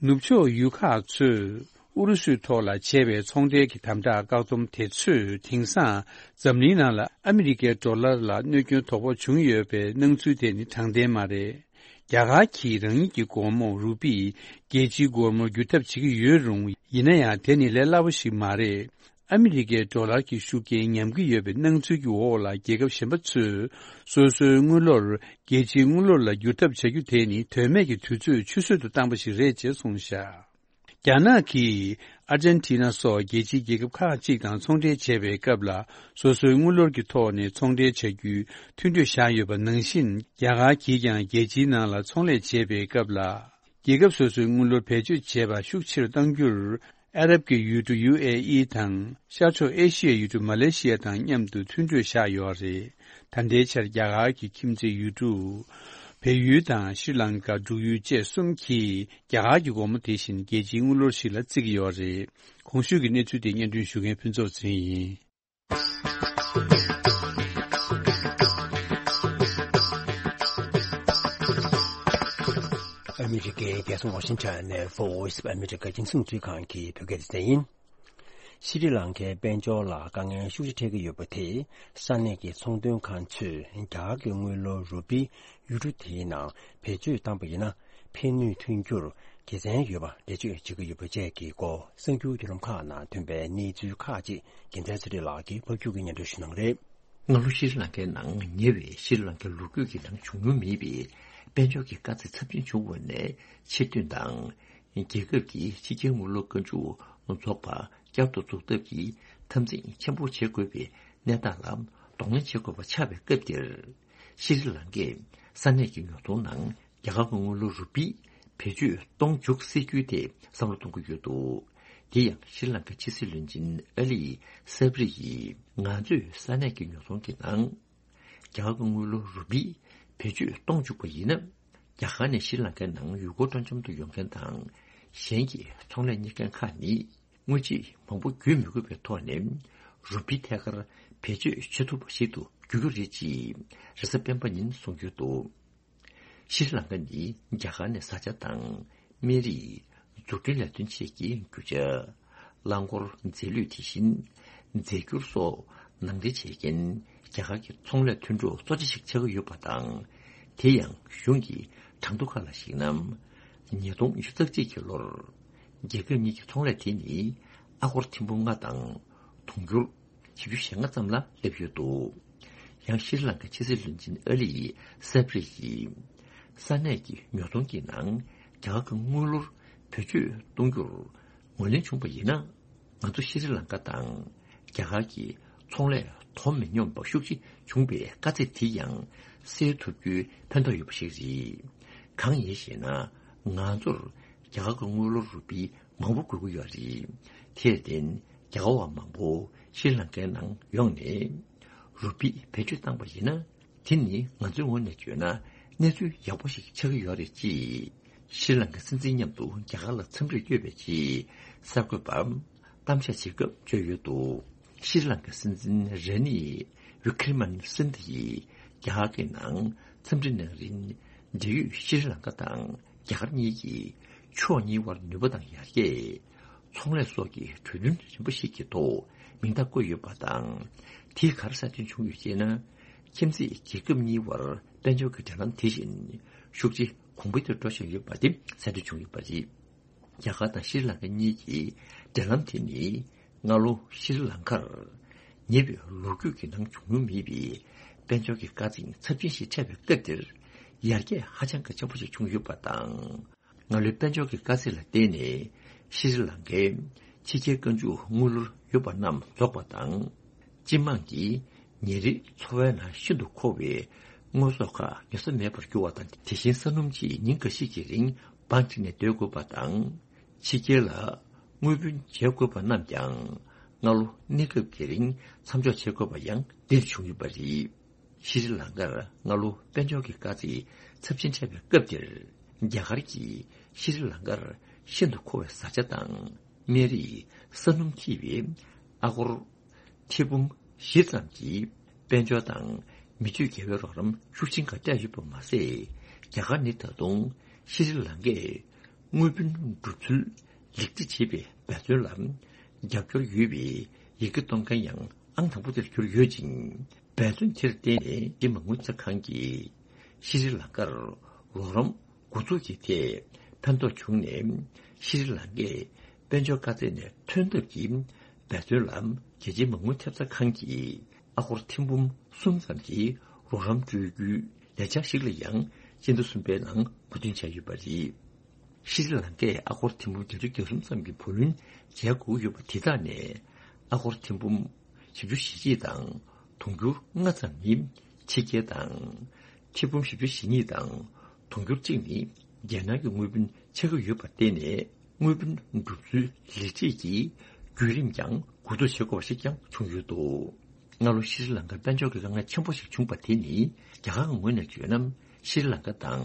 ནུབ་ཕྱོགས་ཡུལ་ཁག་ཚོས་ཨུ་རུ་སུའི་ཐོག་ལ་བྱས་པའི་ཚོང་འབྲེལ་གྱི་དམ་དྲག་བཀག་སྡོམ་དེ་ཚོས་དེང་སང་འཛམ་གླིང་ནང་ལ་ཨ་མི་རི་ཀའི་ཌོ་ལར་ལ་གནོད་སྐྱོན་དོ་ཕོག་བྱུང་ཡོད་པའི་སྣང་ཚུལ་དེ་ནི་དྲང་བདེན་མ་རེད། རྒྱ་གར་གྱིས་རང་ཉིད་ཀྱི་སྒོར་མོ་རུ་པི་རྒྱལ་སྤྱིའི་སྒོར་མོར་བསྒྱུར་ཐབས་བྱེད་ཀྱི་ཡོད་རུང་། ཡིན་ན་ཡང་དེ་ནི་ལས་སླ་པོ་ཞིག་མ་རེད། ཨ་མི་རི་ཀའི་ཌོ་ལར་གྱི་ཤུགས་རྐྱེན་ཉམས་ཀྱི་ཡོད་པའི་སྣང་ཚུལ་གྱི་འོག་ལ། རྒྱལ་ཁབ་གཞན་པ་ཚོས་སོ་སོའི་དངུལ་ལོར་རྒྱལ་སྤྱིའི་དངུལ་ལོར་ལ་བསྒྱུར་ཐབས་བྱ་རྒྱུ་དེ་ནི་དོན་མེད་ཀྱི་དུས་ཚོད་ཆུད་ཟོས་དུ་བཏང་པ་ཞིག་རེད་ཅེས་གསུངས་བཞག། རྒྱ་ནག་གིས་ཨར་ཇན་ཊི་ན་སོགས་རྒྱལ་སྤྱིའི་རྒྱལ་ཁབ་ཁག་ཅིག་དང་ཚོང་འབྲེལ་བྱེད་པའི་སྐབས་ལ། སོ་སོའི་དངུལ་ལོར་གྱི་ཐོག་ནས་ཚོང་འབྲེལ་བྱ་རྒྱུའི་མཐུན་གྲོས་བཞག་ཡོད་པ་ནང་བཞིན། རྒྱ་གར་གྱིས་ཀྱང་རྒྱལ་སྤྱིའི་ནང་ལ་ཚོང་ལས་བྱེད་པའི་སྐབས་ལ། རྒྱལ་ཁབ་སོ་སོའི་དངུལ་ལོར་བེད་སྤྱོད་བྱེད་པ་ཤུགས་ཆེ་རུ་གཏང་རྒྱུར། ཨ་རབ་ཀྱི་ཡུལ་གྲུ་ཡུ་ཨེ་ཨི་དང་། ཤར་ཕྱོགས་ཨེ་ཤི་ཡའི་ཡུལ་གྲུ་མ་ལེ་ཤི་ཡ་དང་མཉམ་དུ་མཐུན་གྲོས་བཞག་ཡོད་རེད། ད་ལྟའི་ཆར་རྒྱ་གར་གྱི་ཁྱིམ་མཚེས་ཡུལ་གྲུ། བལ་ཡུལ་དང་ཤྲི་ལང་ཀ། འབྲུག་ཡུལ་བཅས་གསུམ་གྱིས་རྒྱ་གར་གྱི་སྒོར་མོ་དེ་བཞིན་རྒྱལ་སྤྱིའི་དངུལ་ལོར་ཞིག་ལ་བརྩི་གི་ཡོད་རེད། གོང་ཞུས་ཀྱི་གནས་ཚུལ་དེ་སྙན་སྒྲོན་ཞུ་མཁན་ཕུན་ཚོགས་ཚེ་རིང་ཡིན། ཨ་མི་རི་ཀའི་རྒྱལ་ས་ཝ་ཤིང་ཊོན་ནས་Voice of America རྒྱང་སྲིང་རླུང་འཕྲིན་ཁང་གི་བོད་སྐད་སྡེ་ཚན་ཡིན། ཤྲི་ལང་ཀའི་དཔལ་འབྱོར་ལ་དཀའ་ངལ་ཤུགས་ཆེ་འཕྲད་ཀྱི་ཡོད་པ་དེས། ས་གནས་ཀྱི་ཚོང་དོན་ཁང་ཚོས་རྒྱ་གར་གྱི་དངུལ་ལོར་རུ་པི་ཡུལ་གྲུ་དེའི་ནང་བེད་སྤྱོད་བཏང་པ་ཡིན་ན། ཕན་ནུས་ཐོན་རྒྱུར་དགེ་མཚན་ཡོད་པ་འགྲེལ་བརྗོད་བྱེད་ཀྱི་ཡོད་པ་བཅས་ཀྱི་སྐོར། གསར་འགྱུར་བརྒྱུད་ལམ་ཁག་ནང་ཐོན་པའི་གནས་ཚུལ་ཁག་ཅིག་རྒྱལ་མཚན་ཚེ་རིང་ལགས་ཀྱིས་ཕབ་སྒྱུར་གྱིས་སྙན་སྒྲོན་ཞུ་གནང་རེད། སྔ་ལོ་ཤྲི་ལང་ཀའི་ནང་ཉེ་བའི་ཤྲི་ལང་ཀའི་ལོ་རྒྱུས་ཀྱི་ནང་བྱུང་མྱོང་མེད་པའི་དཔལ་འབྱོར་གྱི་དཀའ་ཚེགས་ཚབས་ཆེན་བྱུང་བ་ནས་ཕྱིར་ཐོན་དང་། རྒྱལ་ཁབ་ཀྱི་ཕྱི་རྒྱལ་དངུལ་ལོར་བཀའ་འཇུག་རྫོགས་པ་བསྐྱར་དུ་འཛུགས་ཐབས་ཀྱི་འཐབ་འཛིང་ཆེན་པོ་བྱེད་དགོས་པའི་གནས་སྟངས་ལ་གདོང་ལེན་བྱེད་དགོས་པ་ཆགས་པའི་སྐབས་འདིར། ཤྲི་ལང་ཀས་ས་གནས་ཀྱི་ཉོ་ཚོང་ནང་རྒྱ་གར་གྱི་དངུལ་ལོར་རུ་པི་བེད་སྤྱོད་གཏོང་འཇུག་སྲིད་ཇུས་དེ་བསམ་བློ་གཏོང་གི་ཡོད་འདུག། དེ་ཡང་ཤྲི་ལང་ཀའི་ཕྱི་སྲིད་བློན་ཆེན་ཨ་ལི་སབ་རི་ཡིས། ང་ཚོས་ས་གནས་ཀྱི་ཉོ་ཚོང་གི་ནང་རྒྱ་གར་གྱི་དངུལ་ལོར་རུ་པི་བེད་སྤྱོད་གཏོང་བཅུག་པ་ཡིན་ན། རྒྱ་གར་ནས་ཤྲི་ལང་ཀའི་ནང་ཡུལ་སྐོར་སྤྲོ་འཆམ་དུ་ཡོང་མཁན་དང་། གཞན་གྱི་ཚོང་ལས་གཉེར་མཁན་ཁག་ནི། དངུལ་ཆད་མང་པོ་བརྒྱུད་མི་དགོས་པའི་ཐོག་ནས། རུ་པི་ཐད་ཀར་བེད་སྤྱོད་བྱེད་ཐུབ་པ་ཞིག་ཏུ་འགྱུར་གྱི་རེད་ཅེས་རེས་གཟའ་སྤེན་པ་ཉིན་གསུངས་ཡོད་འདུག། ཤྲི་ལང་ཀ་ནི་རྒྱ་གར་ནས་བཟའ་བཅའ་དང་། སྨན་རིགས། འཛུགས་སྐྲུན་ལས་དོན་ཆེད་ཀྱི་རྒྱུ་ཆ། རླངས་འཁོར། རྫས་ལུད། དེ་བཞིན་རྫས་འགྱུར་སོགས་ནང་འདྲེན་བྱེད་མཁན་རྒྱ་གར་གྱི་ཚོང་ལས་མཐུན་གྲོགས་གཙོ་ཆེ་ཞིག་ཆགས་ཀྱི་ཡོད་པ་དང་། དེ་ཡང་གཞུང་གི་གྲངས་ཐོ་ཁག་ལ་གཞིགས་ན། ཉིས་སྟོང་ཉི་ཤུ་རྩ་གཅིག་གི་ལོར། རྒྱལ་ཁབ་གཉིས་ཀྱི་ཚོང་ལས་དེ་ནི་ཨ་སྒོར་ཐེར་འབུམ་ལྔ་དང་དུང་ཕྱུར་བཞི་བཅུ་ཞེ་ལྔ་ཙམ་ལ་སླེབས་ཡོད་འདུག། ཡང་ཤྲི་ལང་ཀའི་ཕྱི་སྲིད་བློན་ཆེན་ཨ་ལི་སབ་རི་ཡིས། ས་གནས་ཀྱི་ཉོ་ཚོང་གི་ནང་རྒྱ་གར་གྱི་དངུལ་ལོར་བེད་སྤྱོད་གཏོང་རྒྱུར་ངོས་ལེན་བྱུང་བ་ཡིན་ན། ང་ཚོ་ཤྲི་ལང་ཀ་དང་རྒྱ་གར་གྱི་ཚོང་ལས་དོ་མི་སྙོམས་པ་ཤུགས་ཆེ་བྱུང་བའི་དཀའ་ཚེགས་དེ་ཡང་སེལ་ཐུབ་རྒྱུའི་ཕན་ཐོགས་ཡོད་པ་ཞིག་རེད། གང་ཡིན་ཞེ་ན། ང་ཚོར་རྒྱ་གར་གྱི་དངུལ་ལོར་རུ་པི་མང་པོ་དགོས་ཀྱི་ཡོད་རེད། དེར་བརྟེན་རྒྱ་གར་བ་མང་པོ་ཤྲི་ལང་ཀའི་ནང་ཡོང་ནས་རུ་པི་བེད་སྤྱོད་བཏང་པ་ཡིན་ན། དེ་ནི་ང་ཚོའི་ངོས་ནས་བརྗོད་ན་གནས་ཚུལ་ཡག་པོ་ཞིག་ཆགས་ཀྱི་ཡོད་རེད་ཅེས། ཤྲི་ལང་ཀའི་སྲིད་འཛིན་མཉམ་དུ་རྒྱ་གར་ལ་འཚམས་འདྲིར་བསྐྱོད་པའི་ཆེད་གསར་འགོད་པ་གཏམ་བཤད་བྱེད་སྐབས་བརྗོད་ཡོད་འདུག། ཤྲི་ལང་ཀའི་སྲིད་འཛིན་ར་ནི་ཝི་ཀྲི་མན་སིན་དྷ་ཡིས་རྒྱ་གར་གྱི་ནང་འཚམས་འདྲི་གནང་རིང་། འབྲེལ་ཡོད་ཤྲི་ལང་ཀ་དང་ རྒྱ་གར་གཉིས་ཀྱིས་ཕྱོགས་གཉིས་དབར་ནུས་པ་དང་ཡར་རྒྱས། ཚོང་ལས་སོགས་ཀྱི་གྲོས་མཐུན་རིམ་པ་ཞིག་གི་ཐོག་མིང་རྟགས་བཀོད་ཡོད་པ་དང་། དེས་ག་རེ་གསལ་སྟོན་བྱུང་ཡོད་ཅེ་ན། ཁྱིམ་མཚེས་རྒྱལ་ཁབ་གཉིས་དབར་དཔལ་འབྱོར་གྱི་འབྲེལ་ལམ་དེ་བཞིན་ཤུགས་ཆེ་གོང་འཕེལ་དུ་འགྲོ་བཞིན་ཡོད་པ་དེ་གསལ་སྟོན་བྱུང་ཡོད་པ་རེད། རྒྱ་གར་དང་ཤྲི་ལང་ཀ་གཉིས་ཀྱི་འབྲེལ་ལམ་དེ་ནི་སྔ་ལོ་ཤྲི་ལང་ཀར་ཉེ་བའི་ལོ་རྒྱུས་ཀྱི་ནང་བྱུང་མྱོང་མེད་པའི་དཔལ་འབྱོར་གྱི་དཀའ་ཚེགས་ཚབས་ཆེན་ཞིག་འཕྲད་པའི་སྐབས་དེར་ཡར་རྒྱས་ཧ་ཅང་གི་ཆེན་པོ་ཞིག་བྱུང་ཡོད་པ་དང་། སྔ་ལོའི་དཔལ་འབྱོར་གྱི་དཀའ་ཚེགས་ལ་བརྟེན་ནས་ཤྲི་ལང་ཀའི་ཕྱི་རྒྱལ་བཀའ་འཇུག་དངུལ་ལོར་ཡོད་པ་རྣམས་རྫོགས་པ་དང་། སྤྱི་དམངས་ཀྱིས་ཉིན་རེའི་འཚོ་བའི་ནང་ཤིན་ཏུ་མཁོ་བའི་དངོས་ཟོག་ཁག་ཉོ་ས་མེད་པར་གྱུར་བ་དང་། དེ་བཞིན་ས་སྣུམ་ཆེད་ཉིན་འགའ་ཞིག་གི་རིང་བང་བསྒྲིགས་ནས་སྡོད་དགོས་པ་དང་། ཕྱི་རྒྱལ་ལ་དངུལ་བུན་འཇལ་དགོས་པ་རྣམས་ཀྱང་སྔ་ལོ་གནས་སྐབས་ཀྱི་རིང་མཚམས་འཇོག་བྱེད་དགོས་པ་ཡང་འདིར་བྱུང་ཡོད་པ་རེད། ཤྲི་ལང་ཀར་སྔ་ལོ་དཔལ་འབྱོར་གྱི་དཀའ་ཚེགས་ཚབས་ཆེན་འཕྲད་པའི་སྐབས་དེར། རྒྱ་གར་གྱིས་ཤྲི་ལང་ཀར་ཤིན་ཏུ་མཁོ་བའི་བཟའ་བཅའ་དང་། སྨན་རིགས། ས་སྣུམ་ཐེ་བའི་ཨ་སྒོར་ཐེར་འབུམ་བཞི་ཙམ་གྱི་དཔལ་འབྱོར་དང་མི་སྤྱོད་དགེ་བའི་རོགས་རམ་ཤུགས་ཆེན་ཁག་སྤྲད་ཡོད་པ་མ་ཟད། རྒྱ་གར་ནི་ད་དུང་ཤྲི་ལང་ཀས་དངུལ་བུན་སྒྲུབ་ཚུལ་ལེགས་སྒྲིག་བྱེད་པའི་འབད་བརྩོན་ལ་རྒྱབ་སྐྱོར་ཡོད་པའི་ཡི་གེ་གཏོང་མཁན་ཡང་ཨང་དང་པོ་དེར་གྱུར་ཡོད་ཅིང་། འབད་བརྩོན་དེར་བརྟེན་ནས་རྒྱ་མི་མ་དངུལ་རྩ་ཁང་གིས་ཤྲི་ལང་ཀར་རོགས་རམ་འགོ་འཛུགས་ཀྱི་ཐད་ཕན་ཐོགས་བྱུང་ནས། ཤྲི་ལང་ཀས་དཔལ་འབྱོར་དཀའ་ཚེགས་ནས་ཐོན་ཐབས་ཀྱི་འབད་བརྩོན་ལ་རྒྱལ་སྤྱིའི་མ་དངུལ་ཐེབས་རྩ་ཁང་གིས་ཨ་སྒོར་ཐེར་འབུམ་གསུམ་ཙམ་གྱི་རོགས་རམ་སྤྲོད་རྒྱུའི་ལས་འཆར་ཞིག་ལ་ཡང་སྤྱི་ཟླ་གསུམ་པའི་ནང་མོས་མཐུན་བྱས་ཡོད་པ་རེད། ཤྲི་ལང་ཀས་ཨ་སྒོར་ཐེར་འབུམ་བརྒྱད་ཅུ་གྱ་གསུམ་ཙམ་གྱི་བུ་ལོན་འཇལ་དགོས་ཡོད་པ་དེ་དག་ནས་ཨ་སྒོར་ཐེར་འབུམ་བཞི་བཅུ་ཞེ་གཅིག་དང་དུང་ཕྱུར་ལྔ་ཙམ་ནི་ཕྱི་རྒྱལ་དང་། ཐེར་འབུམ་བཞི་བཅུ་ཞེ་གཉིས་དང་དུང་ཕྱུར་གཅིག་ནི་རྒྱལ་ནང་གི་དངུལ་བུན་ཆགས་ཀྱི་ཡོད་པར་བརྟེན་ནས། དངུལ་བུན་སྒྲུབ་ཚུལ་ལེགས་སྒྲིག་གི་བརྒྱུད་རིམ་ཀྱང་འགོ་འཛུགས་བྱེད་དགོས་པ་ཞིག་ཀྱང་བྱུང་ཡོད་འདུག་སྔ་ལོ་ཤྲི་ལང་ཀར་དཔལ་འབྱོར་གྱི་དཀའ་ངལ་ཆེན་པོ་ཞིག་བྱུང་བ་དེ་ནི། རྒྱ་གར་གྱི་ངོས་ནས་བརྗོད་ན། ཤྲི་ལང་ཀ་དང་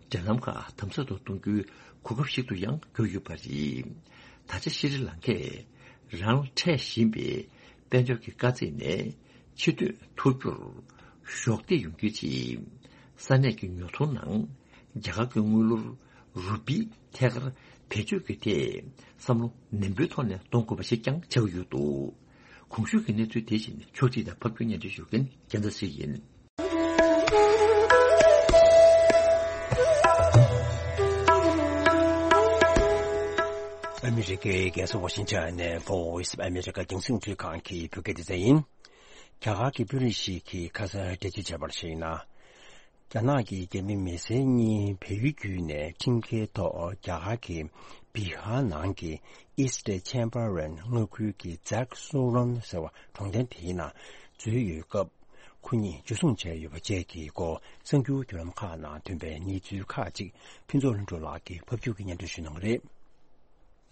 འབྲེལ་ལམ་ཁག་དམ་ཟབ་ཏུ་གཏོང་རྒྱུའི་གོ་སྐབས་ཤིག་ཏུ་ཡང་གྱུར་ཡོད་པ་རེད། ད་ཆ་ཤྲི་ལང་ཀས་རང་ལ་འཕྲད་བཞིན་པའི་དཔལ་འབྱོར་གྱི་དཀའ་ཚེགས་ནས་ཕྱིར་ཐོན་ཐུབ་རྒྱུར་གཞོགས་འདེགས་ཡོང་རྒྱུའི་ཆེད། ས་གནས་ཀྱི་ཉོ་ཚོང་ནང་རྒྱ་གར་གྱི་དངུལ་ལོར་རུ་པི་ཐད་ཀར་བེད་སྤྱོད་ཀྱི་ཐད་བསམ་བློ་ནན་པོའི་ཐོག་ནས་གཏོང་དགོས་པ་ཞིག་ཀྱང་ཆགས་ཀྱི་ཡོད་འདུག་གོང་ཞུས་ཀྱི་གནས་ཚུལ་དེ་བཞིན་ཕྱོགས་སྒྲིག་དང་ཕབ་སྒྱུར་སྙན་སྒྲོན་ཞུ་མཁན་རྒྱལ་མཚན་ཞིག་ཡིན། ཨ་མི་རི་ཀའི་རྒྱལ་ས་ཝ་ཤིང་ཊོན་ནས་Voice of America་རྒྱང་སྲིང་རླུང་འཕྲིན་ཁང་གི་བོད་སྐད་སྡེ་ཚན་ཡིན། རྒྱ་གར་གྱི་དཔོན་རིགས་ཤིག་གིས་ཁ་སང་འགྲེལ་བརྗོད་བྱས་པར་གཞིགས་ན། རྒྱ་ནག་གི་རྒྱ་མི་མི་སེར་གཉིས་བལ་ཡུལ་བརྒྱུད་ནས་ཁྲིམས་འགལ་ཐོག་རྒྱ་གར་གྱི་བི་ཧར་ནང་གི་East Champaran་མངའ་ཁུལ་གྱི་Zag Soran་ཟེར་བ་གྲོང་རྡལ་དེའི་ནང་འཛུལ་ཡོད་སྐབས། ཁོ་གཉིས་འཇུ་བཟུང་བྱས་ཡོད་པ་བཅས་ཀྱི་སྐོར་གསར་འགྱུར་བརྒྱུད་ལམ་ཁག་ནང་ཐོན་པའི་གནས་ཚུལ་ཁག་ཅིག་ཕུན་ཚོགས་ལྷུན་གྲུབ་ལགས་ཀྱིས་ཕབ་སྒྱུར་གྱིས་སྙན་སྒྲོན་ཞུ་གནང་གི་རེད།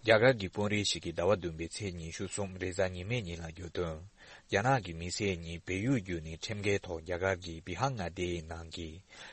རྒྱ་གར་གྱི་དཔོན་རིགས་ཤིག་གིས་ཟླ་བ་བདུན་པའི་ཚེས་ཉི་ཤུ་གསུམ་རེས་གཟའ་ཉི་མའི་ཉིན་ལ་བརྗོད་དོན། རྒྱ་ནག་གི་མི་སེར་གཉིས་བལ་ཡུལ་བརྒྱུད་ནས་ཁྲིམས་འགལ་ཐོག་རྒྱ་གར་གྱི་བི་ཧར་མངའ་སྡེའི་ནང་གི་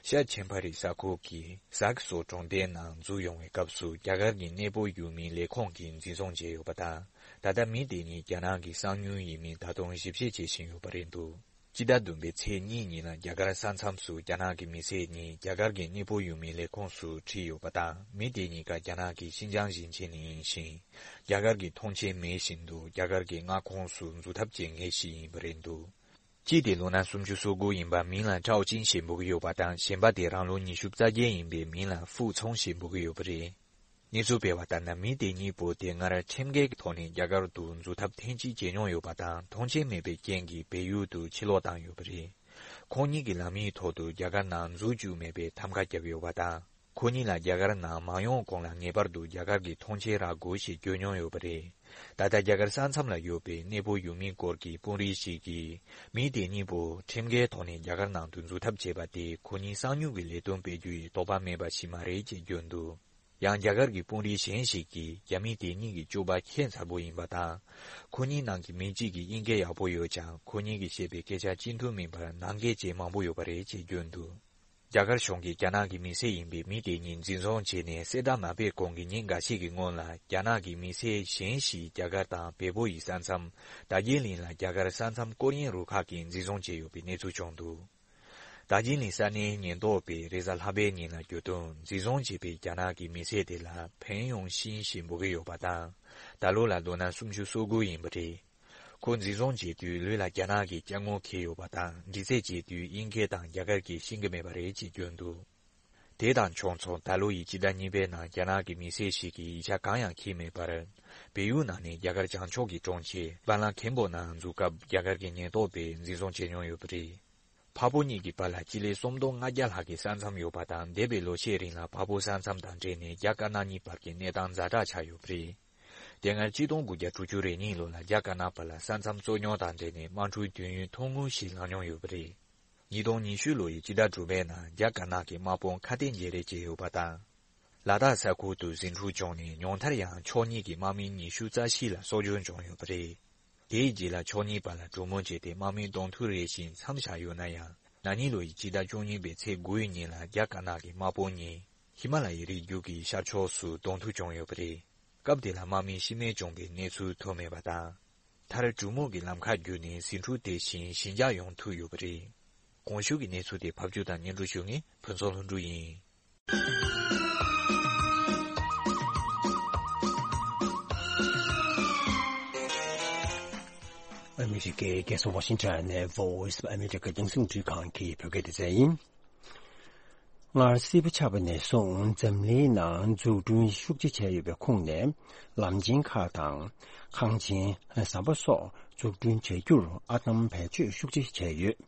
ཤར་ཆེན་ཕ་རི་ས་ཁུལ་གྱི་ཟག་སོ་གྲོང་སྡེའི་ནང་འཛུལ་ཡོང་བའི་སྐབས་སུ་རྒྱ་གར་གྱི་གནས་སྤོ་ཡུལ་མིའི་ལས་ཁུངས་ཀྱིས་འཛིན་བཟུང་བྱས་ཡོད་པ་དང་། ད་ལྟ་མི་དེ་གཉིས་རྒྱ་ནག་གི་གསང་མྱུལ་ཡིན་མིན་ད་དུང་ཞིབ་བཤེར་བྱེད་བཞིན་ཡོད་པ་རེད་འདུག་སྤྱི་ཟླ་བདུན་པའི་ཚེས་གཉིས་ཉིན་ལ་རྒྱ་གར་ས་མཚམས་སུ་རྒྱ་ནག་གི་མི་སེར་གཉིས་རྒྱ་གར་གྱི་གནས་སྤོ་ཡུལ་མིའི་ལས་ཁུངས་སུ་ཁྲིད་ཡོད་པ་དང་། མི་དེ་གཉིས་ཀ་རྒྱ་ནག་གི་ཤིན་ཅང་ཞིང་ཆེན་ནས་ཡིན་ཞིང་། རྒྱ་གར་གྱི་ཐོངས་མཆན་མེད་བཞིན་དུ་རྒྱ་གར་གྱི་མངའ་ཁོངས་སུ་འཛུལ་ཐབས་བྱེད་མཁན་ཞིག་ཡིན་པ་རེད་འདུག་གཅིག་དེ་ལོ་ན་སུམ་ཅུ་སོ་དགུ་ཡིན་པ་མིང་ལ་ཀྲའོ་ཅིན་ཞེས་འབོད་ཀྱི་ཡོད་པ་དང་། གཞན་པ་དེ་རང་ལོ་ཉི་ཤུ་རྩ་བརྒྱད་ཡིན་པའི་མིང་ལ་ཧྥུའུ་ཚོང་ཞེས་འབོད་ཀྱི་ཡོད་པ་རེད། གནས་ཚུལ་སྤེལ་བ་ལྟར་ན། མི་དེ་གཉིས་པོ་དེ་སྔར་ཁྲིམས་འགལ་གྱི་ཐོག་ནས་རྒྱ་གར་དུ་འཛུལ་ཐབས་ཐེངས་གཅིག་བྱས་མྱོང་ཡོད་པ་དང་། ཐོངས་མཆན་མེད་པའི་རྐྱེན་གྱིས་བལ་ཡུལ་དུ་ཕྱིར་ལོག་བཏང་ཡོད་པ་རེད། ཁོང་གཉིས་ཀྱིས་ལམ་ཡིག་ཐོག་ཏུ་རྒྱ་གར་ནང་འཛུལ་བཅུག་མེད་པའི་ཐམ་ག་བརྒྱབ་ཡོད་པ་དང་། ཁོ་གཉིས་ལ་རྒྱ་གར་ནང་མ་ཡོང་གོང་ལ་ངེས་པར་དུ་རྒྱ་གར་གྱི་ཐོངས་མཆན་རག་དགོས་ཞེས་བརྗོད་མྱོང་ཡོད་པ་རེད། ད་ལྟ་རྒྱ་གར་ས་མཚམས་ལ་ཡོད་པའི་གནས་སྤོ་ཡུལ་མིའི་སྐོར་གྱི་དཔོན་རིགས་ཤིག་གིས། མི་དེ་གཉིས་པོ་ཁྲིམས་འགལ་ཐོག་ནས་རྒྱ་གར་ནང་དུ་འཛུལ་ཐབས་བྱས་པ་དེ་ཁོ་གཉིས་གསང་མྱུལ་གྱི་ལས་དོན་སྤེལ་རྒྱུ་ཡི་དོགས་པ་མེད་པ་ཞིག་མ་རེད་ཅེས་བརྗོད་འདུག་ཡང་རྒྱ་གར་གྱི་དཔོན་རིགས་གཞན་ཞིག་གིས། རྒྱ་མི་དེ་གཉིས་ཀྱི་སྤྱོད་པ་ཁྱད་མཚར་པོ་ཡིན་པ་དང་། ཁོ་གཉིས་ནང་གི་མི་གཅིག་གིས་དབྱིན་སྐད་ཡག་པོ་ཡོད་ཀྱང་། ཁོ་གཉིས་ཀྱིས་བཤད་པའི་སྐད་ཆ་གཅིག་མཐུན་མིན་པར་ནང་འགལ་བྱེད་མང་པོ་ཡོད་པ་རེད་ཅེས་བརྗོད་འདུག་རྒྱ་གར་གཞུང་གིས་རྒྱ་ནག་གི་མི་སེར་ཡིན་པའི་མི་དེ་གཉིས་འཛིན་བཟུང་བྱས་ནས་གསལ་བསྒྲགས་མ་སྤེལ་གོང་གི་ཉིན་འགའ་ཤས་ཀྱི་སྔོན་ལ། རྒྱ་ནག་གི་མི་སེར་གཞན་ཞིག་རྒྱ་གར་དང་བལ་པོ་ཡི་ས་མཚམས། དར་རྒྱས་གླིང་ལ་རྒྱ་གར་ས་མཚམས་སྐོར་གཡེང་རུ་ཁག་གིས་འཛིན་བཟུང་བྱས་ཡོད་པའི་གནས་ཚུལ་བྱུང་འདུག་ད་གིན་ནས་ས་གནས་ཉེན་རྟོག་པས་རེས་གཟའ་ལྷག་པའི་ཉིན་ལ་བརྒྱུད་དུ་འཛིན་བཟུང་བྱས་པའི་རྒྱ་ནག་གི་མི་སེར་དེ་ལ་ཕན་ཡོང་ཤིན་ཞེས་འབོད་ཀྱི་ཡོད་པ་དང་། ད་ལོ་ལ་ལོ་ན་སུམ་ཅུ་སོ་དགུ་ཡིན་པ་རེད། ཁོ་འཛིན་བཟུང་བྱས་དུས་ལུས་ལ་རྒྱ་ནག་གི་སྐྱབས་མགོན་འཁྱེར་ཡོད་པ་དང་། འདྲི་རྩད་བྱས་དུས་དབྱིན་སྐད་དང་རྒྱ་གར་སྐད་ཤེས་ཀྱི་མེད་པ་རེད་ཅེས་བརྗོད་འདུག་དེ་དང་ཕྱོགས་མཚུངས། ད་ལོ་ཡི་སྤྱི་ཟླ་གཉིས་པའི་ནང་རྒྱ་ནག་གི་མི་སེར་ཞིག་གིས་ཡིག་ཆ་གང་ཡང་འཁྱེར་མེད་པར། བལ་ཡུལ་ནང་ནས་རྒྱ་གར་བྱང་ཕྱོགས་ཀྱི་གྲོང་ཁྱེར་བ་ལ་ཁེམ་པོ་ནང་འཛུལ་སྐབས་རྒྱ་གར་གྱི་ཉེན་རྟོག་པས་འཛིན་བཟུང་བྱས་མྱོང་ཡོད་པ་རེད། ཕ་བུ་གཉིས་ཀྱི་བར་ལ་སྤྱི་ལེ་སུམ་སྟོང་ལྔ་བརྒྱ་ལྷག་གི་ས་མཚམས་ཡོད་པ་དང་། འདས་པའི་ལོ་ཤས་རིང་ལ་ཕ་བུ་ས་མཚམས་དང་འབྲེལ་ནས་རྒྱ་དཀར་ནག་གཉིས་བར་གྱི་གནས་སྟངས་ཛ་དྲག་ཆགས་ཡོད་པ་རེད། དེ་སྔ་གཅིག་སྟོང་དགུ་བརྒྱ་དྲུག་ཅུ་རེ་གཉིས་ལོ་ལ་རྒྱ་དཀར་ནག་བར་ལ་ས་མཚམས་རྩོད་རྙོག་དང་འབྲེལ་ནས་དམག་འཁྲུག་དུས་ཡུན་ཐུང་ངུ་ཞིག་ལངས་མྱོང་ཡོད་པ་རེད། ཉིས་སྟོང་ཉི་ཤུ་ལོ་ཡི་སྤྱི་ཟླ་དྲུག་པའི་ནང་རྒྱ་དཀར་ནག་གི་དམག་དཔུང་ཁ་གཏད་འཇལ་རེས་བྱས་ཡོད་པ་དང་། ལ་དྭགས་ས་ཁུལ་དུ་ཟིང་འཁྲུག་བྱུང་ནས་ཉུང་མཐར་ཡང་ཕྱོགས་གཉིས་ཀྱི་དམག་མི་ཉི་ཤུ་རྩ་བཞི་ལ་སྲོག་སྐྱོན་བྱུང་ཡོད་པ་རེད། དེའི་རྗེས་ལ་ཕྱོགས་གཉིས་བར་ལ་གྲོས་མོལ་བྱས་ཏེ་དམག་མི་གདོང་ཐུག་རེ་བཞིན་མཚམས་བཞག་ཡོད་ན་ཡང་། ན་ནིང་ལོ་ཡི་སྤྱི་ཟླ་བཅུ་གཉིས་པའི་ཚེས་དགུའི་ཉིན་ལ་རྒྱ་དཀར་ནག་གི་དམག་དཔུང་གཉིས་ཧི་མ་ལ་ཡའི་རི་རྒྱུད་ཀྱི་ཤར་ཕྱོགས་སུ་གདོང་ཐུག་བྱུང་ཡོད་པ་རེད། སྐབས་དེ་ལ་དམག་མི་ཤི་རྨས་བྱུང་བའི་གནས་ཚུལ་ཐོན་མེད་པ་དང་། མཐར་གྲོས་མོལ་གྱི་ལམ་ཁ་བརྒྱུད་ནས་ཟིང་འཁྲུག་དེ་བཞིན་ཞི་འཇགས་ཡོང་ཐུབ་ཡོད་པ་རེད། གོང་ཞུས་ཀྱི་གནས་ཚུལ་དེ་ཕབ་སྒྱུར་དང་སྙན་སྒྲོན་ཞུ་མཁན་ཕུན་ཚོགས་ལྷུན་གྲུབ་ཡིན། ཨ་མི་རི་ཀའི་རྒྱལ་ས་ཝ་ཤིང་ཊོན་ནས་Voice of America རྒྱང་སྲིང་འཕྲུལ་ཁང་གི་བོད་སྐད་སྡེ་ཚན་ཡིན། སྔར་སྲིད་པ་ཆགས་པ་ནས་བཟུང་འཛམ་གླིང་ནང་འཛུགས་སྐྲུན་ཤུགས་ཆེ་བྱས་ཡོད་པའི་ཁོངས་ནས། ལམ་ཆེན་ཁག་དང་། ཁང་ཆེན་ཟམ་པ་སོགས་འཛུགས་སྐྲུན་བྱ་རྒྱུར་ཨར་འདམ་བེད་སྤྱོད་ཤུགས་ཆེ་བྱས་ཡོད།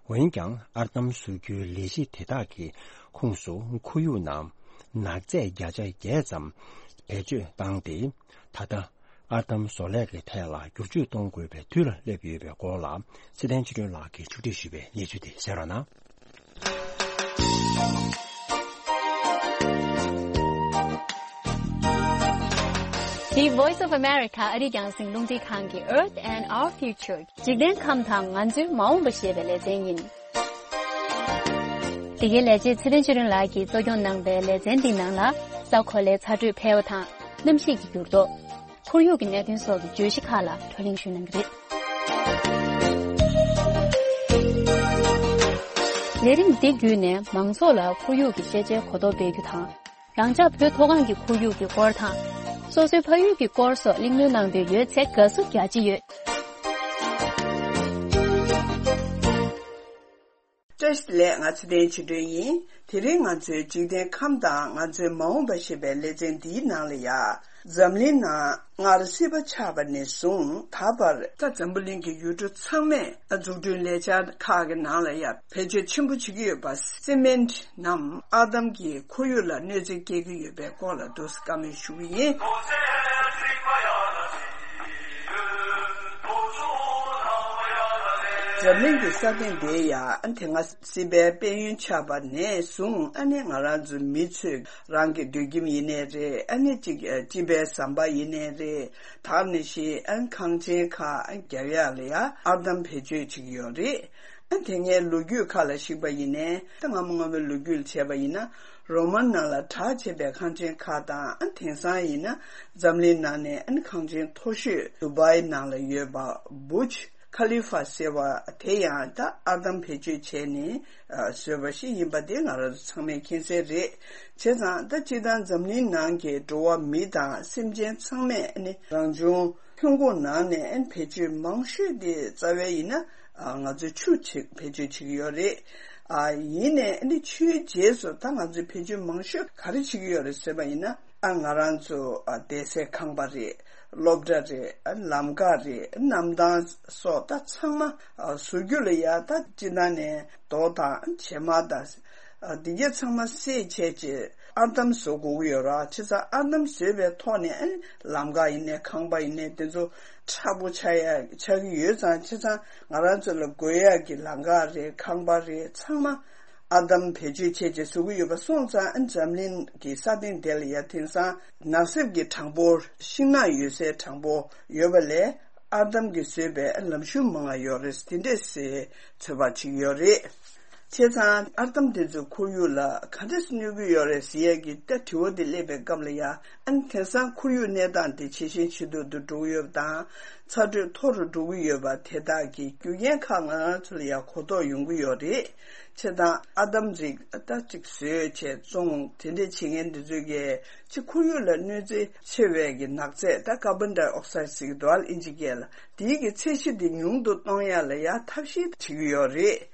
འོན་ཀྱང་ཨར་འདམ་བཟོ་རྒྱུའི་ལས་གཞི་དེ་དག་གི་ཁོངས་སུ་ཁོར་ཡུག་ནང་ནག་རྫས་བརྒྱ་ཆ་བརྒྱད་ཙམ་བེད་སྤྱོད་བཏང་སྟེ། ད་ལྟ་ཨར་འདམ་བཟོ་ལས་ཀྱི་ཐད་ལ་བསྒྱུར་བཅོས་གཏོང་དགོས་པའི་དུས་ལ་སླེབས་ཡོད་པའི་སྐོར་ལ། ཚེ་བརྟན་ཆོས་སྒྲོན་ལགས་ཀྱིས་ཕྱོགས་སྒྲིག་ཞུས་པའི་གནས་ཚུལ་དེ་གསན་རོགས་གནང་། འདི་Voice of America ཨ་རིའི་རྒྱང་སྲིང་རླུང་འཕྲིན་ཁང་གི་Earth and Our Future འཇིག་རྟེན་ཁམས་དང་ང་ཚོའི་མ་འོངས་པ་ཞེས་པའི་ལེ་ཚན་ཡིན། འདི་གའི་ལས་བྱེད་ཚེ་བརྟན་ཆོས་སྒྲོན་ལགས་ཀྱིས་གཙོ་སྐྱོང་གནང་པའི་ལེ་ཚན་འདིའི་ནང་ལ། ས་གོ་ལའི་ཚ་དྲོད་འཕེལ་བ་དང་། གནམ་གཤིས་ཀྱི་འགྱུར་ལྡོག་ཁོར་ཡུག་གི་གནད་དོན་སོགས་ཀྱི་བརྗོད་གཞི་ཁག་ལ་བགྲོ་གླེང་ཞུས་གནང་གི་རེད། ལས་རིམ་འདི་བརྒྱུད་ནས་མང་ཚོགས་ལ་ཁོར་ཡུག་གི་ཤེས་བྱའི་གོ་རྟོགས་སྤེལ་རྒྱུ་དང་། རང་ཅག་བོད་མཐོ་སྒང་གི་ཁོར་ཡུག་གི་སྐོར་དང་། སོ་སོའི་ཕ་ཡུལ་གྱི་སྐོར་སོགས་གླེང་མོལ་གནང་འདོད་ཡོད་ཚེ་དགའ་བསུ་རྒྱ་ཆེ་ཡོད། བཀྲ་ཤིས་བདེ་ལེགས། ང་ཚེ་བརྟན་ཆོས་སྒྲོན་ཡིན། དེ་རིང་ང་ཚོའི་འཇིག་རྟེན་ཁམས་དང་ང་ཚོའི་མ་འོངས་པ་ཞེས་པའི་ལེ་ཚན་འདིའི་ནང་ལ་ཡ། འཛམ་གླིང་ནང་སྔར་སྲིད་པ་ཆགས་པ་ནས་བཟུང་ད་བར་ད་འཛམ་བུ་གླིང་གི་ཡུལ་གྲུ་ཚང་མས་འཛུགས་སྐྲུན་ལས་འཆར་ཁག་གི་ནང་ལ་ཡ་བེད་སྤྱོད་ཆེན་པོ་བྱེད་ཀྱི་ཡོད་པ་སི་མེན་ཊི་ནམ་ཨར་འདམ་གྱིས་ཁོར་ཡུག་ལ་གནོད་འཚེ་སྐྱེལ་གྱི་ཡོད་པའི་སྐོར་ལ་འདུག་སེ་བཀའ་མོལ་ཞུ་གི་ཡིན། འཛམ་གླིང་གི་ས་སྟེང་འདིར་ཡང་དེ་སྔ་སྲིད་པའི་དཔལ་ཡོན་ཆགས་པ་ནས་བཟུང་ཨ་ནི་ང་རང་ཚོ་མི་ཚོས་རང་གི་སྡོད་ཁྱིམ་ཡིན་ནའི་རེད། ཨ་ནི་གཅིག་སྤྱིན་པའི་ཟམ་པ་ཡིན་ནའི་རེད། ད་ནི་ཤི་ཨན་ཁང་ཆེན་ཁག་རྒྱག་ཡག་ལ་ཡང་ཨར་འདམ་བེད་སྤྱོད་བྱེད་ཀྱི་ཡོད་རེད། ཨ་དེ་སྔའི་ལོ་རྒྱུས་ཁག་ལ་གཞིགས་པ་ཡིན་ནའི་ད་སྔ་མོ་སྔ་མོའི་ལོ་རྒྱུས་ལ་བྱས་པ་ཡིན་ན། རོ་མན་ནང་ལ་གྲགས་ཆེ་བའི་ཁང་ཆེན་ཁག་དང་། ཨ་དེང་སང་ཡིན་ན་འཛམ་གླིང་ནང་ནས་ཨ་ནི་ཁང་ཆེན་མཐོ་ཤོས་དུ་བའི་ནང་ལ་ཡོད་པ་བུརྗ་ཁ་ལི་ཧྥ་ཟེར་བ་དེ་ཡང་ད་ཨར་འདམ་བེད་སྤྱོད་བྱས་ནས་ཨ་བཟོས་པ་ཞིག་ཡིན་པ་དེ་ང་རང་ཚོ་ཚང་མས་མཁྱེན་གསལ་རེད། བྱས་ཙང་ད་སྤྱིར་བཏང་འཛམ་གླིང་ནང་གི་འགྲོ་བ་མི་དང་སེམས་ཅན་ཚང་མས་ཨ་ནི་རང་བྱུང་ཐོན་ཁུངས་ནང་ནས་ཨ་ནི་བེད་སྤྱོད་མང་ཤོས་དེ་རྩ་བའི་ཡིན་ན་ཨ་ང་ཚོས་ཆུ་ཆེ་བེད་སྤྱོད་བྱེད་ཀྱི་ཡོད་རེད། ཨ་ཡིན་ནའི་ཨ་ནི་ཆུའི་རྗེས་སུ་ད་ང་ཚོས་བེད་སྤྱོད་མང་ཤོས་ག་རེ་བྱེད་ཀྱི་ཡོད་རེད་ཟེར་བ་ཡིན་ན། ཨ་ང་རང་ཚོ་ཨ་བསྡད་སའི་ཁང་པ་རེད། སློབ་གྲྭ་རེད། ཨ་ལམ་ཁ་རེད། ཨ་གནམ་ཐང་སོགས་ད་ཚང་མ་ཨ་བཟོ་རྒྱུ་ལ་ཡ་ད་སྤྱིར་བཏང་ནས་རྡོ་དང་བྱེ་མ་དང་ཨ་འདི་གས་ཚང་མ་བསྲེས་བྱས་རྗེས་ཨར་འདམ་བཟོ་དགོས་ཀྱི་ཡོད་ར། བྱས་ཙང་ཨར་འདམ་བཟོས་པའི་ཐོག་ནས་ཨ་ལམ་ཁ་ཡིན་ནའི་ཁང་པ་ཡིན་ནའི་དེ་ཚོ་མཁྲེགས་པོ་ཆགས་ཡ་ཆགས་ཀྱི་ཡོད་ཙང་། བྱས་ཙང་ང་རང་ཚོ་ལ་དགོས་ཡ་གི་ལམ་ཁ་རེད། ཁང་པ་རེད། ཚང་མ་ཨར་འདམ་བེད་སྤྱོད་བྱས་རྗེས་བཟོ་གི་ཡོད་པ་སོང་ཙང་། ཨ་འཛམ་གླིང་གི་ས་སྟེང་དེ་ལ་ཡ་དེང་སང་ནགས་གསེབ་ཀྱི་གྲངས་འབོར་ཤིང་ནགས་ཡོད་སའི་གྲངས་འབོར་ཡོད་པ་ལས་ཨར་འདམ་གྱིས་བཟོས་པའི་ལམ་ཤུགས་མང་བ་ཡོད་རེད། དེ་འདྲས་སེ་ཚོད་དཔག་བྱེད་ཀྱི་ཡོད་རེད། བྱས་ཙང་ཨར་འདམ་དེ་ཚོས་ཁོར་ཡུག་ལ་ག་འདྲས་གནོད་ཀྱི་ཡོད་རེད་ཟེར་ཡས་ཀྱི་ད་དྲི་བ་དེ་སླེབས་པའི་སྐབས་ལ་ཡ། ཨ་ནི་དེང་སང་ཁོར་ཡུག་གནས་སྟངས་དེ་ཇེ་ཞན་ཇེ་སྡུག་ཏུ་འགྲོ་གི་ཡོད་པ་དང་། ཚ་དྲོད་མཐོ་རུ་འགྲོ་གི་ཡོད་པ་དེ་དག་གི་རྒྱུ་རྐྱེན་ཁག་ང་རང་ཚོ་ལ་ཡ་གོ་རྟོགས་ཡོང་གི་ཡོད་རེད། བྱས་ཙང་ཨར་འདམ་རིགས་ད་ཅིག་བཟོས་བྱས་བཙོང་དེ་འདྲས་བྱེད་མཁན་དེ་ཚོས་ཀྱི་ཅིག་ཁོར་ཡུག་ལ་གནོད་འཚེ་ཆེ་བའི་གི་ནག་རྫས་ད་ཀར་བོན་ཌའི་ཨོག་སའིད་ཟེར་གི་འདུག་ཨ། ཨིན་ཇི་སྐད་ལ། དེའི་གི་ཚད་གཞི་དེ་ཉུང་དུ་གཏོང་ཡ་ལ་ཡ་ཐབས་ཤེས་བྱེད་ཀྱི་ཡོད་རེད།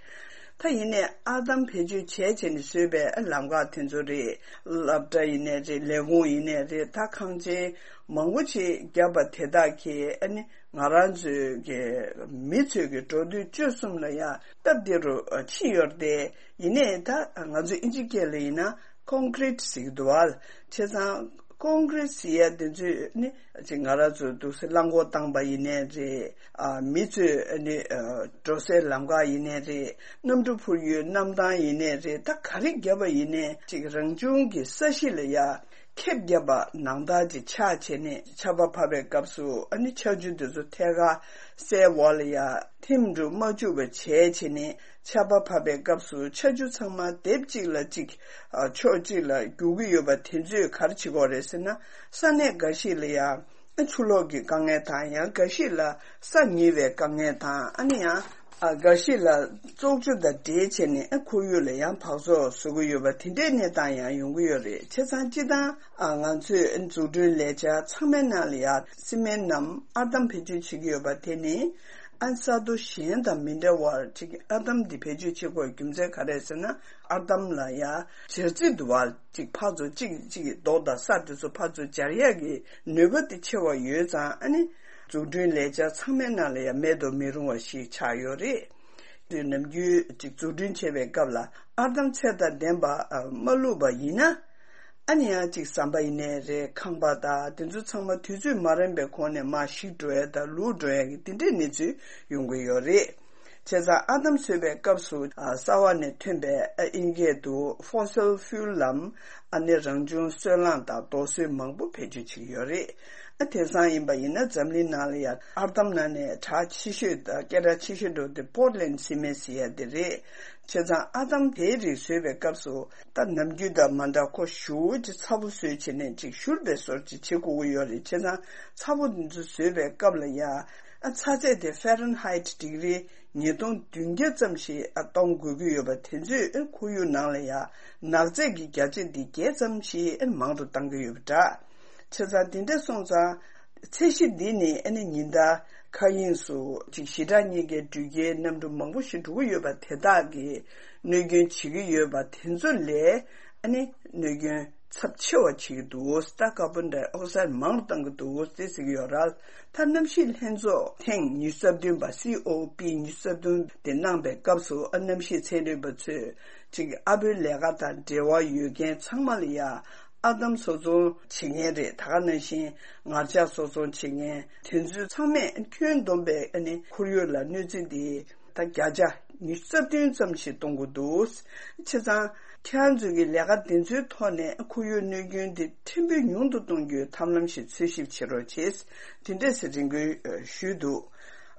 ད་ཡིན་ནའི་ཨར་འདམ་བེད་སྤྱོད་བྱས་བྱས་ནས་བཟོས་པའི་ལམ་ཁ་དེ་ཚོ་རེད། སློབ་གྲྭ་ཡིན་ནའི་རེད། ལས་ཁུངས་ཡིན་ནའི་རེད། ད་ཁང་ཆེན་མང་པོ་ཅིག་བརྒྱབ་པ་དེ་དག་གིས་ཨ་ནི་ང་རང་ཚོའི་གི་མི་ཚོའི་གི་འགྲོ་སྡོད་སྤྱོད་གསུམ་ལ་ཡ་སྟབས་བདེ་རུ་ཕྱིན་ཡོད་རེད་དེ། ཡིན་ནའི་ད་ང་ཚོ་ཨིན་ཇི་སྐད་ལ་ཡིན་ན་ཀོང་ཀྲིད་ཟེར་གི་འདུག་བ། བྱས་ཙང་ཀོང་ཀྲིད་ཟེར་ཡ་དེ་ཚོས་ནི་ཅིག་ང་རང་ཚོ་འདུག་སེ་རླངས་འཁོར་བཏང་པ་ཡིན་ནའི་རེད། ཨ་མི་ཚོས་ནི་ཨ་འགྲོ་སའི་ལམ་ཁ་ཡིན་ནའི་རེད། གནམ་གྲུ་འཕུར་ཡུལ་གནམ་ཐང་ཡིན་ནའི་རེད། ད་ག་རེ་བརྒྱབ་པ་ཡིན་ནའི་ཅིག་རང་བྱུང་གི་ས་གཞི་ལ་ཡ་ཁེབས་བརྒྱབ་པ་ནང་ལྟར་ཅིག་ཆགས་བྱས་ནས་ཆར་པ་བབས་པའི་སྐབས་སུ་ཨ་ནི་ཆར་ཆུ་དེ་ཚོ་ཐད་ཀར་སའི་འོག་ལ་ཡ་ཐིམ་འགྲོ་མ་བཅུག་པ་བྱས་བྱས་ནས། ཆར་པ་བབས་པའི་སྐབས་སུ་ཆར་ཆུ་ཚང་མ་སྡེབ་གཅིག་ལ་གཅིག་ཨ་ཕྱོགས་གཅིག་ལ་རྒྱུག་གི་ཡོད་པ་དེ་ཚོས་ག་རེ་བྱེད་ཀྱི་ཡོད་རེད་ཟེར་ན། ས་གནས་འགའ་ཞིག་ལ་ཡང་ཆུ་ལོག་གི་དཀའ་ངལ་དང་། ཡང་འགའ་ཞིག་ལ་ས་ཉིལ་བའི་དཀའ་ངལ་དང་། ཨ་ནི་ཡང་ཨ་འགའ་ཞིག་ལ་བཙོག་ཆུ་དང་འདྲེས་བྱས་ནས་ཨ་ཁོར་ཡུག་ལ་ཡང་འབག་བཙོག་བཟོ་གི་ཡོད་པ་དེ་འདྲའི་གནས་སྟངས་ཡང་ཡོང་གི་ཡོད་རེད། བྱས་ཙང་སྤྱིར་བཏང་ཨ་ང་ཚོས་འཛུགས་སྐྲུན་ལས་འཆར་ཚང་མའི་ནང་ལ་ཡང་སི་མེན་ནམ་ཨར་འདམ་བེད་སྤྱོད་བྱེད་ཀྱི་ཡོད་པ་དེ་ནི། ཨ་ས་རྡོ་གཞན་དང་མི་འདྲ་བར་ཅིག་ཨར་འདམ་འདི་བེད་སྤྱོད་བྱེད་དགོས་རྒྱུ་མཚན་ག་རེ་ཟེར་ན། ཨར་འདམ་ལ་ཡ་སྦྱར་རྩི་འདུག་བ། ཅིག་ཕར་ཚུར་གཅིག་གཅིག་རྡོ་དང་ས་དེ་ཚོ་ཕར་ཚུར་སྦྱར་ཡག་གི་ནུས་པ་དེ་ཆེ་བ་ཡོད་ཙང་། ཨ་ནི་འཛུགས་སྐྲུན་ལས་འཆར་ཚང་མའི་ནང་ལ་ཡ་མེད་དུ་མི་རུང་བ་ཞིག་ཆགས་ཡོད་རེད། དུས་ནམ་རྒྱུན་ཅིག་འཛུགས་སྐྲུན་བྱེད་པའི་སྐབས་ལ་ཨར་འདམ་ཚད་དང་ལྡན་པ་མ་བླུགས་པ་ཡིན་ན། ཨ་ནི་ཡང་ཅིག་ཟམ་པ་ཡིན་ནའི་རེད། ཁང་པ་དང་དེ་ཚོ་ཚང་མ་དུས་ཚོད་མ་རན་པའི་གོང་ནས་མར་ཞིག་འགྲོ་ཡ་དང་ལུག་འགྲོ་ཡ་གི་དེ་འདྲའི་གནས་ཚུལ་ཡོང་གི་ཡོད་རེད། བྱས་ཙང་ཨར་འདམ་བཟོ་བའི་སྐབས་སུ་ཨ་གསར་བ་ནས་ཐོན་པའི་ཨ་ཨིན་སྐད་དུ་fossil fuel ལམ། ཨ་ནི་རང་བྱུང་སོལ་རླངས་དང་རྡོ་སོལ་མང་པོ་བེད་སྤྱོད་བྱེད་ཀྱི་ཡོད་རེད། ཨ་དེང་སང་ཡིན་པ་ཡིན་ན་འཛམ་གླིང་ནང་ལ་ཡང་ཨར་འདམ་ནང་ནས་གྲགས་ཆེ་ཤོས་དང་སྐད་གྲགས་ཆེ་ཤོས་འགྲོ་དེ་Portland cement ཟེར་ཡ་དེ་རེད། བྱས་ཙང་ཨར་འདམ་དེའི་རིགས་བཟོས་པའི་སྐབས་སུ་ད་ནམ་རྒྱུན་དང་མ་འདྲ་ཁོ་ཞེ་པོ་ཅིག་ཚ་པོ་བཟོས་བྱས་ནས་ཅིག་བཞུར་བའི་བཟོ་ཅིག་བྱེད་དགོས་ཀྱི་ཡོད་རེད། བྱས་ཙང་ཚ་པོ་འདི་ཚོ་བཟོས་པའི་སྐབས་ལ་ཡ་ཨ་ཚ་ཚད་དེ་Fahrenheit ཌིག་རི་ཉིས་སྟོང་བདུན་བརྒྱ་ཙམ་ཞིག་ཨ་གཏོང་དགོས་ཀྱི་ཡོད་པ་དེ་ཚོས་ཨ་ཁོར་ཡུག་ནང་ལ་ཡ་ནག་རྫས་ཀྱི་བརྒྱ་ཆ་འདི་བརྒྱད་ཙམ་ཞིག་ཨ་མང་རུ་བཏང་གི་ཡོད་པ་འདྲ། བྱས་ཙང་དེ་འདྲ་སོང་ཙང་། ཚད་གཞི་འདི་ནི་ཨ་ནི་ཉིན་ལྟར་མཁའ་དབྱིངས་སུ་ཅིག་ཞི་དྲག་མཉེན་ཆས་འགྲུལ་སྐྱེལ་གནམ་གྲུ་མང་པོ་ཞིག་འགྲོ་གི་ཡོད་པ་དེ་དག་གིས་གནོད་སྐྱོན་བྱེད་ཀྱི་ཡོད་པ་དེ་ཚོ་ལས་ཨ་ནི་གནོད་སྐྱོན་ཚབས་ཆེ་བ་བྱེད་ཀྱི་འདུག་ད་ཀར་བོན་ཌའི་ཨོག་སའིད་མང་རུ་བཏང་གི་འདུག་ཟེར་གྱི་ཡོད་རེད། ད་གནམ་གཤིས་ལྷན་ཚོགས་ཐེངས་ཉི་ཤུ་རྩ་བདུན་པ་COP ཉི་ཤུ་རྩ་བདུན་དེ་གནང་པའི་སྐབས་སུ་ཨ་གནམ་གཤིས་ཚན་རིག་པ་ཚོས་ཅིག་ཨ་བོའི་ལས་ཀ་དང་འབྲེལ་བ་ཡོད་མཁན་ཚང་མ་ལ་ཡ། ཨར་འདམ་བཟོ་ཚོང་བྱེད་མཁན་རེད། ད་ག་ནང་བཞིན་ངར་ལྕགས་བཟོ་ཚོང་བྱེད་མཁན་དེ་ཚོ་ཚང་མས་ཁྱོན་བསྡོམས་པའི་ཨ་ནི་ཁོར་ཡུག་ལ་གནོད་འཚེ་འདི་ད་བརྒྱ་ཆ་ཉི་ཤུ་རྩ་བདུན་ཙམ་ཞིག་གཏོང་དགོས་འདུག་བྱས་ཙང་ཁྱེད་རང་ཚོས་ཀྱི་ལས་ཀ་དེ་ཚོའི་ཐོག་ནས་ཁོར་ཡུག་གནོད་སྐྱོན་འདི་ཕྲན་བུ་ཉུང་དུ་གཏོང་རྒྱུའི་ཐབས་ལམ་ཞིག་འཚོལ་ཞིབ་བྱེད་རོགས་བྱེད། དེ་འདྲས་སེ་རེ་སྐུལ་ཞུས་འདུག་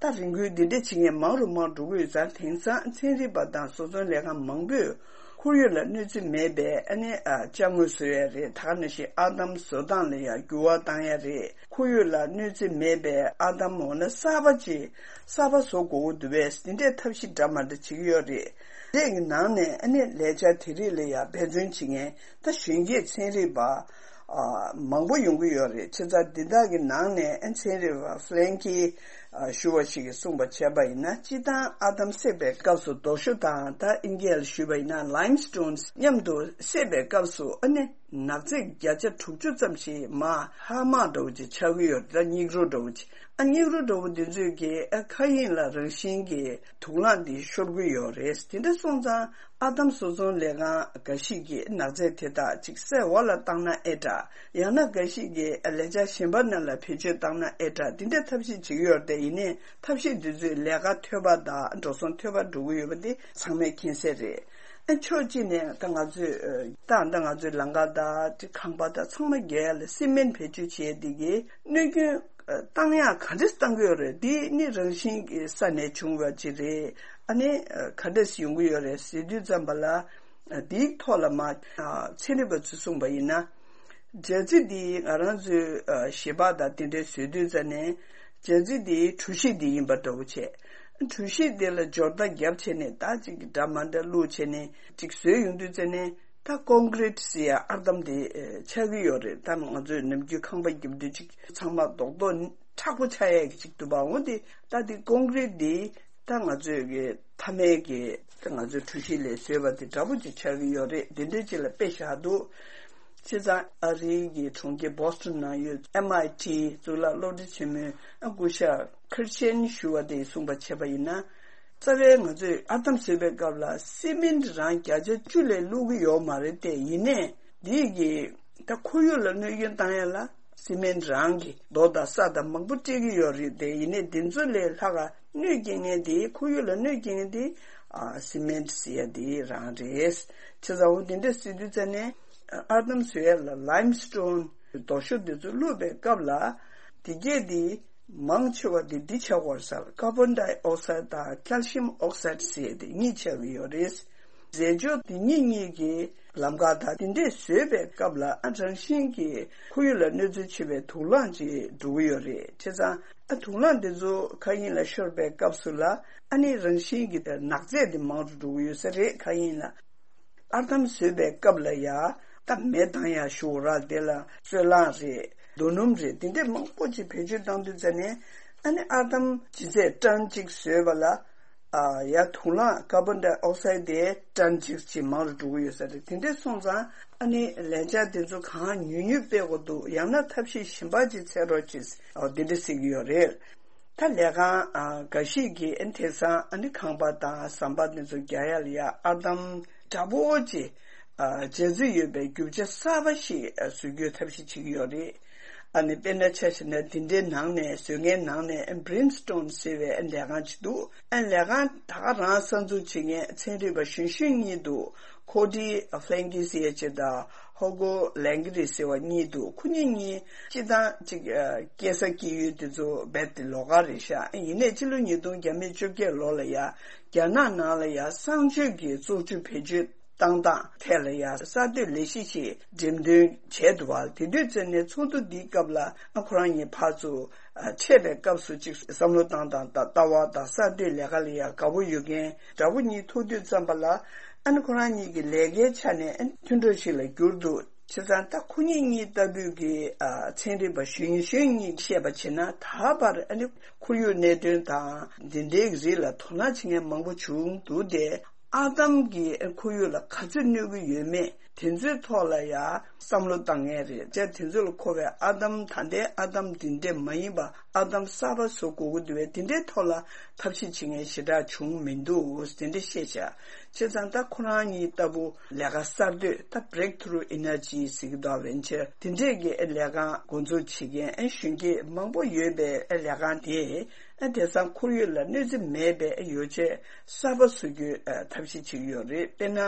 ད་རེ་སྐུལ་འདི་འདྲ་བྱེད་མཁན་མང་རུ་མང་རུ་འགྲོ་གི་ཡོད་ཙང་། དེང་སང་ཚན་རིག་པ་དང་བཟོ་ཚོང་ལས་ཁང་མང་པོས་ཁོར་ཡུག་ལ་གནོད་འཚེ་མེད་པའི་ཨ་ནི་ཨ་ཅ་དངོས་བཟོ་ཡ་རེད། ད་ག་ནང་བཞིན་ཨར་འདམ་བཟོ་སྟངས་ལ་ཡང་འགྱུར་བ་བཏང་ཡ་རེད། ཁོར་ཡུག་ལ་གནོད་འཚེ་མེད་པའི་ཨར་འདམ་འོ་ན་གསར་པ་ཅིག་གསར་པ་བཟོ་དགོས་ཀྱི་འདུག་པས། འདི་འདྲའི་ཐབས་ཤེས་འདྲ་མ་འདྲ་བྱེད་ཀྱི་ཡོད་རེད། དེ་གི་ནང་ནས་ཨ་ནི་ལས་འཆར་དེ་རིགས་ལ་ཡང་འབད་བརྩོན་བྱེད་མཁན་ད་གཞོན་སྐྱེས་ཚན་རིག་པ་ཨ་མང་པོ་ཡོང་གི་ཡོད་རེད། བྱས་ཙང་འདི་དག་གི་ནང་ནས་ཨ་ཚན་རིག་པ་ཧྥི་ལན་ཀི་ཨ་ཞུ་བ་ཞིག་གིས་གསུངས་པ་བྱས་པ་ཡིན་ན། སྤྱིར་བཏང་ཨར་འདམ་བསྲེགས་པའི་སྐབས་སུ་རྡོ་ཞོ་དང་། ད་ཨིན་སྐད་ལ་ཞུས་པ་ཡིན་ན་ལའིམ་སི་ཊོན་མཉམ་དུ་བསྲེས་པའི་སྐབས་སུ་ཨ་ནི་ནག་རྫས་བརྒྱ་ཆ་དྲུག་ཅུ་ཙམ་ཞིག་མར་ཧ་མ་འདྲ་བོ་ཅིག་ཆགས་ཀྱི་ཡོད་རེད། ད་སྙིགས་རོ་འདྲ་བོ་ཅིག་ཨ་སྙིགས་རོ་འདྲ་བོ་འདི་ཚོས་ཀྱིས་ཨ་མཁའ་དབྱིངས་ལ་རང་བཞིན་གྱིས་དུག་རླངས་འདི་ཤོར་གྱི་ཡོད་རེད། དེ་འདྲ་སོང་ཙང་ཨར་འདམ་བཟོ་ཚོང་ལས་ཁང་འགའ་ཞིག་གིས་ནག་རྫས་དེ་དག་ཅིག་སའི་འོག་ལ་བཏང་ན་ཨེ་དྲག་ཡང་ན་འགའ་ཞིག་གིས་ལས་འཆར་གཞན་པ་ནང་ལ་བེད་སྤྱོད་བཏང་ན་ཨེ་དྲག་འདི་འདྲ་ཐབས་ཤེས་བྱེད་ཀྱི་ཡོད་རེད། ཡིན་ནའི་ཐབས་ཤེས་འདི་ཚོས་ལས་ཀ་འཐོལ་པ་དང་འགྲོ་སོང་འཐོལ་པ་འགྲོ་གི་ཡོད་པ་འདི་ཚང་མས་མཁྱེན་གསལ་རེད། ཨ་ཕྱོགས་གཅིག་ནས་ད་ང་ཚོས་ད་ད་ང་ཚོའི་ལམ་ཁ་དང་ཁང་པ་དང་ཚང་མ་རྒྱག་ཡ་ལ་སི་མེན་བེད་སྤྱོད་བྱེད་ཡ་འདི་གིས་གནོད་སྐྱོན་བཏང་ཡག་ག་འདྲས་བཏང་གི་ཡོད་རེད། འདི་ནི་རང་བཞིན་གྱི་ས་ནས་བྱུང་བ་ཅིག་རེད། ཨ་ནི་ག་འདྲས་ཡོང་གི་ཡོད་རེད་ཟེར་དུས་ཙམ་པ་ལ། འདིའི་ཐོག་ལ་མ་ཚན་རིག་པ་ཚོས་གསུངས་པ་ཡིན་ན། སྦྱར་རྩི་འདི་ང་རང་ཚོའི་ཞལ་པར་དང་དེ་འདྲས་བཟོས་དུས་ཙམ་ནས། སྦྱར་རྩི་འདིའི་གྲུ་བཞི་འདི་ཡིན་པ་འདྲ་བོ་བྱས། གྲུ་བཞི་འདི་ལ་སྦྱོར་རྟ་བརྒྱབ་བྱས་ནས་ད་ཅིག་འདྲ་མ་འདྲ་བླུགས་བྱས་ནས་ཅིག་བཟོས་ཡོང་དུས་ཙམ་ནས། ད་ཀོང་ཀྲིད་ཟེར་ཡ་ཨར་འདམ་དེ་ཆགས་ཀྱི་ཡོད་རེད། ད་ང་ཚོས་ནམ་རྒྱུན་ཁང་པ་རྒྱབ་དུས་ཅིག་ཚང་མ་རྡོག་རྡོག་མཁྲེགས་པོ་ཆགས་ཡ་གི་ཅིག་འདུག་པ། འོ་དེ་ད་དེ་ཀོང་ཀྲིད་དེ་ད་ང་ཚོས་གི་མཐའ་མའི་གི་ད་ང་ཚོའི་གྲུ་བཞི་ལས་བཟོས་པ་དེ་འདྲ་པོ་ཅིག་ཆགས་ཀྱི་ཡོད་རེད། དེ་འདྲའི་ཅིག་ལ་དཔེ་བཞག་འདུག་བྱས་ཙང་ཨ་རིའི་གི་གྲོང་ཁྱེར་བྷོ་སི་ཊོན་ནང་ཡོད་ཨེམ་ཨའི་ཊི་གཙུག་ལག་སློབ་གྲྭ་ཆེན་མོའི་སྐུ་ཞབས་ཁིར་ཆེན་ཞུ་བ་དེས་གསུངས་པ་བྱས་པ་ཡིན་ན། རྩ་བའི་ང་ཚོས་ཨར་འདམ་བཟོས་པའི་སྐབས་ལ་སི་མེན་ཊི་རང་བརྒྱ་ཆ་བཅུ་ལས་བླུག་གི་ཡོད་མ་རེད་དེ། ཡིན་ནའི་འདིས་ཀྱི་ད་ཁོར་ཡུག་ལ་གནོད་སྐྱོན་བཏང་ཡ་ལ་སི་མེན་ཊི་རང་གི་རྡོ་དང་ས་དང་མང་པོ་སྤྲད་ཀྱི་ཡོད་རེད་དེ། ཡིན་ནའི་འདི་ཚོ་ལས་ལྷག་ག་གནོད་སྐྱེལ་མཁན་དེ་ཁོར་ཡུག་ལ་གནོད་སྐྱེལ་མཁན་དེ་ཨ་སི་མེན་ཊི་ཟེར་ཡ་དེ་རང་རེད། བྱས་ཙང་འོ་དེ་འདྲ་ཟེར་དུས་ཙམ་ནས་ཨར་འདམ་བཟོ་ཡ་ལ་ལའིམ་སི་ཊོན་རྡོ་ཞོ་དེ་ཚོ་བླུགས་པའི་སྐབས་ལ་དེ་གས་དེ། མང་ཆེ་བ་དེ་འདི་ཆགས་པར་ཟེར། ཀར་བོན་ཌའི་ཨོག་སའིཌ་དང་ཁལ་ཤིམ་ཨོག་སའིཌ་ཟེར་དེ་གཉིས་ཆགས་ཀྱི་ཡོད་རེད། རྫས་སྦྱོར་དེ་གཉིས་གཉིས་ཀྱི་ལམ་ཁ་དང་དེ་འདྲས་བཟོས་པའི་སྐབས་ལ་ཨ་རང་བཞིན་གྱིས་ཁོར་ཡུག་ལ་གནོད་འཚེ་ཆེ་བའི་དུག་རླངས་ཅིག་འགྲོ་གི་ཡོད་རེད། བྱས་ཙང་ཨ་དུག་རླངས་དེ་ཚོ་མཁའ་དབྱིངས་ལ་ཤོར་བའི་སྐབས་སུ་ལ་ཨ་ནི་རང་བཞིན་གྱིས་ནག་རྫས་དེ་མང་རུ་འགྲོ་གི་ཡོད་ས་རེད། མཁའ་དབྱིངས་ལ། ཨར་འདམ་བཟོས་པའི་སྐབས་ལ་ཡ། ད་མེ་བཏང་ཡ་ཞུ་ར་དེ་ལ་སོལ་རླངས་རེད། རྡོ་སྣུམ་རེད། དེ་འདྲས་མང་པོ་ཅིག་བེད་སྤྱོད་བཏང་དུས་ཙམ་ནས་ཨ་ནི་ཨར་འདམ་ལྗིད་ཚད་ཊོན་གཅིག་བཟོས་པ་ལ། ཨ་ཡ་དུག་རླངས་ཀར་བོན་ཌའི་ཨོག་སའིཌ་དེ་ཊོན་གཅིག་ཅིག་མང་རུ་འགྲོ་གི་ཡོད་ས་རེད། དེ་འདྲས་སོང་ཙང་ཨ་ནི་ལས་འཆར་དེ་ཚོ་གང་ཉུང་ཉུང་སྤེལ་དགོས་འདུག་ཡང་ན་ཐབས་ཤེས་གཞན་པ་ཅིག་འཚོལ་རོགས་གྱིས། ཨོ་དེ་འདྲས་ཟེར་གྱི་ཡོད་རེད། ད་ལས་ཁང་ཨ་འགའ་ཞིག་གིས་ཨ་དེང་སང་ཨ་ནི་ཁང་པ་དང་ཟམ་པ་དེ་ཚོ་རྒྱག་ཡ་ལ་ཡ་ཨར་འདམ་འདྲ་པོ་ཅིག་ཨ་སྦྱར་རྩི་ཡོད་པའི་རྒྱུ་ཆ་གསར་པ་ཞིག་ཨ་བཟོ་རྒྱུའི་ཐབས་ཤེས་བྱེད་ཀྱི་ཡོད་རེད། ཨ་ནི་དཔེར་ན་ཆ་བཞག་ན་དེ་འདྲའི་ནང་ནས་བཟོ་མཁན་ནང་ནས་ཨ་Brimstone་ཟེར་བའི་ཨ་ལས་ཁང་ཅིག་འདུག་ཨ་ལས་ཁང་ད་ག་རང་གསར་འཛུགས་བྱེད་མཁན་ཚན་རིག་པ་གཞོན་གཞོན་གཉིས་འདུག་ཁོ་ཌི་ཕླན་ཀི་ཟེར་ཅིག་དང་ཧོ་གོ་ལན་གི་རི་ཟེར་བ་གཉིས་འདུག་ཁོ་གཉིས་གཉིས་སྤྱིར་བཏང་ཅིག་ཨ་སྐྱེས་ས་སྐྱེས་ཡུལ་དེ་ཚོ་རྦད་དེ་ལོགས་ཀ་རེད་ཤག་ཨ་ཡིན་ནའི་ཕྱི་ལོ་ཉིས་སྟོང་བརྒྱ་མེད་བཅོ་བརྒྱད་ལོ་ལ་ཡ་རྒྱ་ནག་ནང་ལ་ཡ་གསང་སྤྱོད་ཀྱི་བཙོག་ཆུ་བེད་སྤྱོད་བཏང་སྟངས་ཐད་ལ་ཡ་གསར་གཏོད་ལས་གཞི་ཞིག་འགྲེམས་སྟོན་བྱས་འདུག་བ། དེ་དུས་ཙམ་ནས་ཚོགས་འདུ་འདིའི་སྐབས་ལ་ཨ་ཁོ་རང་གཉིས་ཕར་ཚུར་ཨ་འཕྲད་པའི་སྐབས་སུ་ཅིག་བསམ་བློ་བཏང་སྟངས་དང་ལྟ་བ་དང་གསར་གཏོད་ལས་ཀ་ལ་ཡ་དགའ་པོ་ཡོད་མཁན་འདྲ་པོ་གཉིས་ཐུག་དུས་ཙམ་པ་ལ་ཨ་ནི་ཁོ་རང་གཉིས་ཀྱི་ལས་ཀའི་ཆ་ནས་ཨ་ནི་མཐུན་གྲོགས་ཤིག་ལ་གྱུར་འདུག་བྱས་ཙང་ད་ཁོ་གཉིས་གཉིས་ལྟ་བུའི་གི་ཨ་ཚན་རིག་པ་གཞོན་གཞོན་གཉིས་བཤད་པ་བྱས་ན་ད་བར་ཨ་ནི་ཁོར་ཡུག་གནད་དོན་དང་འདི་འདྲའི་གི་རིགས་ལ་དོ་སྣང་བྱེད་མཁན་མང་པོ་བྱུང་འདུག་སྟེ། ཨར་འདམ་གྱིས་ཁོར་ཡུག་ལ་ག་ཚོད་གནོད་ཀྱི་ཡོད་མེད་དེ་ཚོའི་ཐོག་ལ་ཡང་བསམ་བློ་བཏང་མཁན་རེད། བྱས་དེ་ཚོ་ལ་མཁོ་བའི་ཨར་འདམ་ད་ལྟའི་ཨར་འདམ་འདི་འདྲས་མ་ཡིན་པ་ཨར་འདམ་གསར་པ་བཟོ་དགོས་ཀྱི་འདུག་པས། དེ་འདྲའི་ཐོག་ལ་ཐབས་ཤེས་བྱེད་མཁན་ཞེ་དྲག་བྱུང་མི་འདུག་དེ་འདྲ་བཤད་བྱས། བྱས་ཙང་ད་ཁོ་རང་གཉིས་ལྟ་བུ་ལས་ཀ་གསར་གཏོད་ད་breakthrough energy་ཟེར་གྱི་འདུག་པ། ཝེན་ཆར་དེ་འདྲས་ཀྱི་ལས་ཀ་འགོ་འཛུགས་བྱེད་མཁན་གཞོན་སྐྱེས་མང་པོ་ཡོད་པའི་ལས་ཀ་དེ། ཨ་དེང་སང་ཁོར་ཡུག་ལ་གནོད་འཚེ་མེད་པའི་ཡོ་བྱད་གསར་པ་བཟོ་རྒྱུའི་ཨ་ཐབས་ཤེས་བྱེད་ཀྱི་ཡོད་རེད། དཔེར་ན་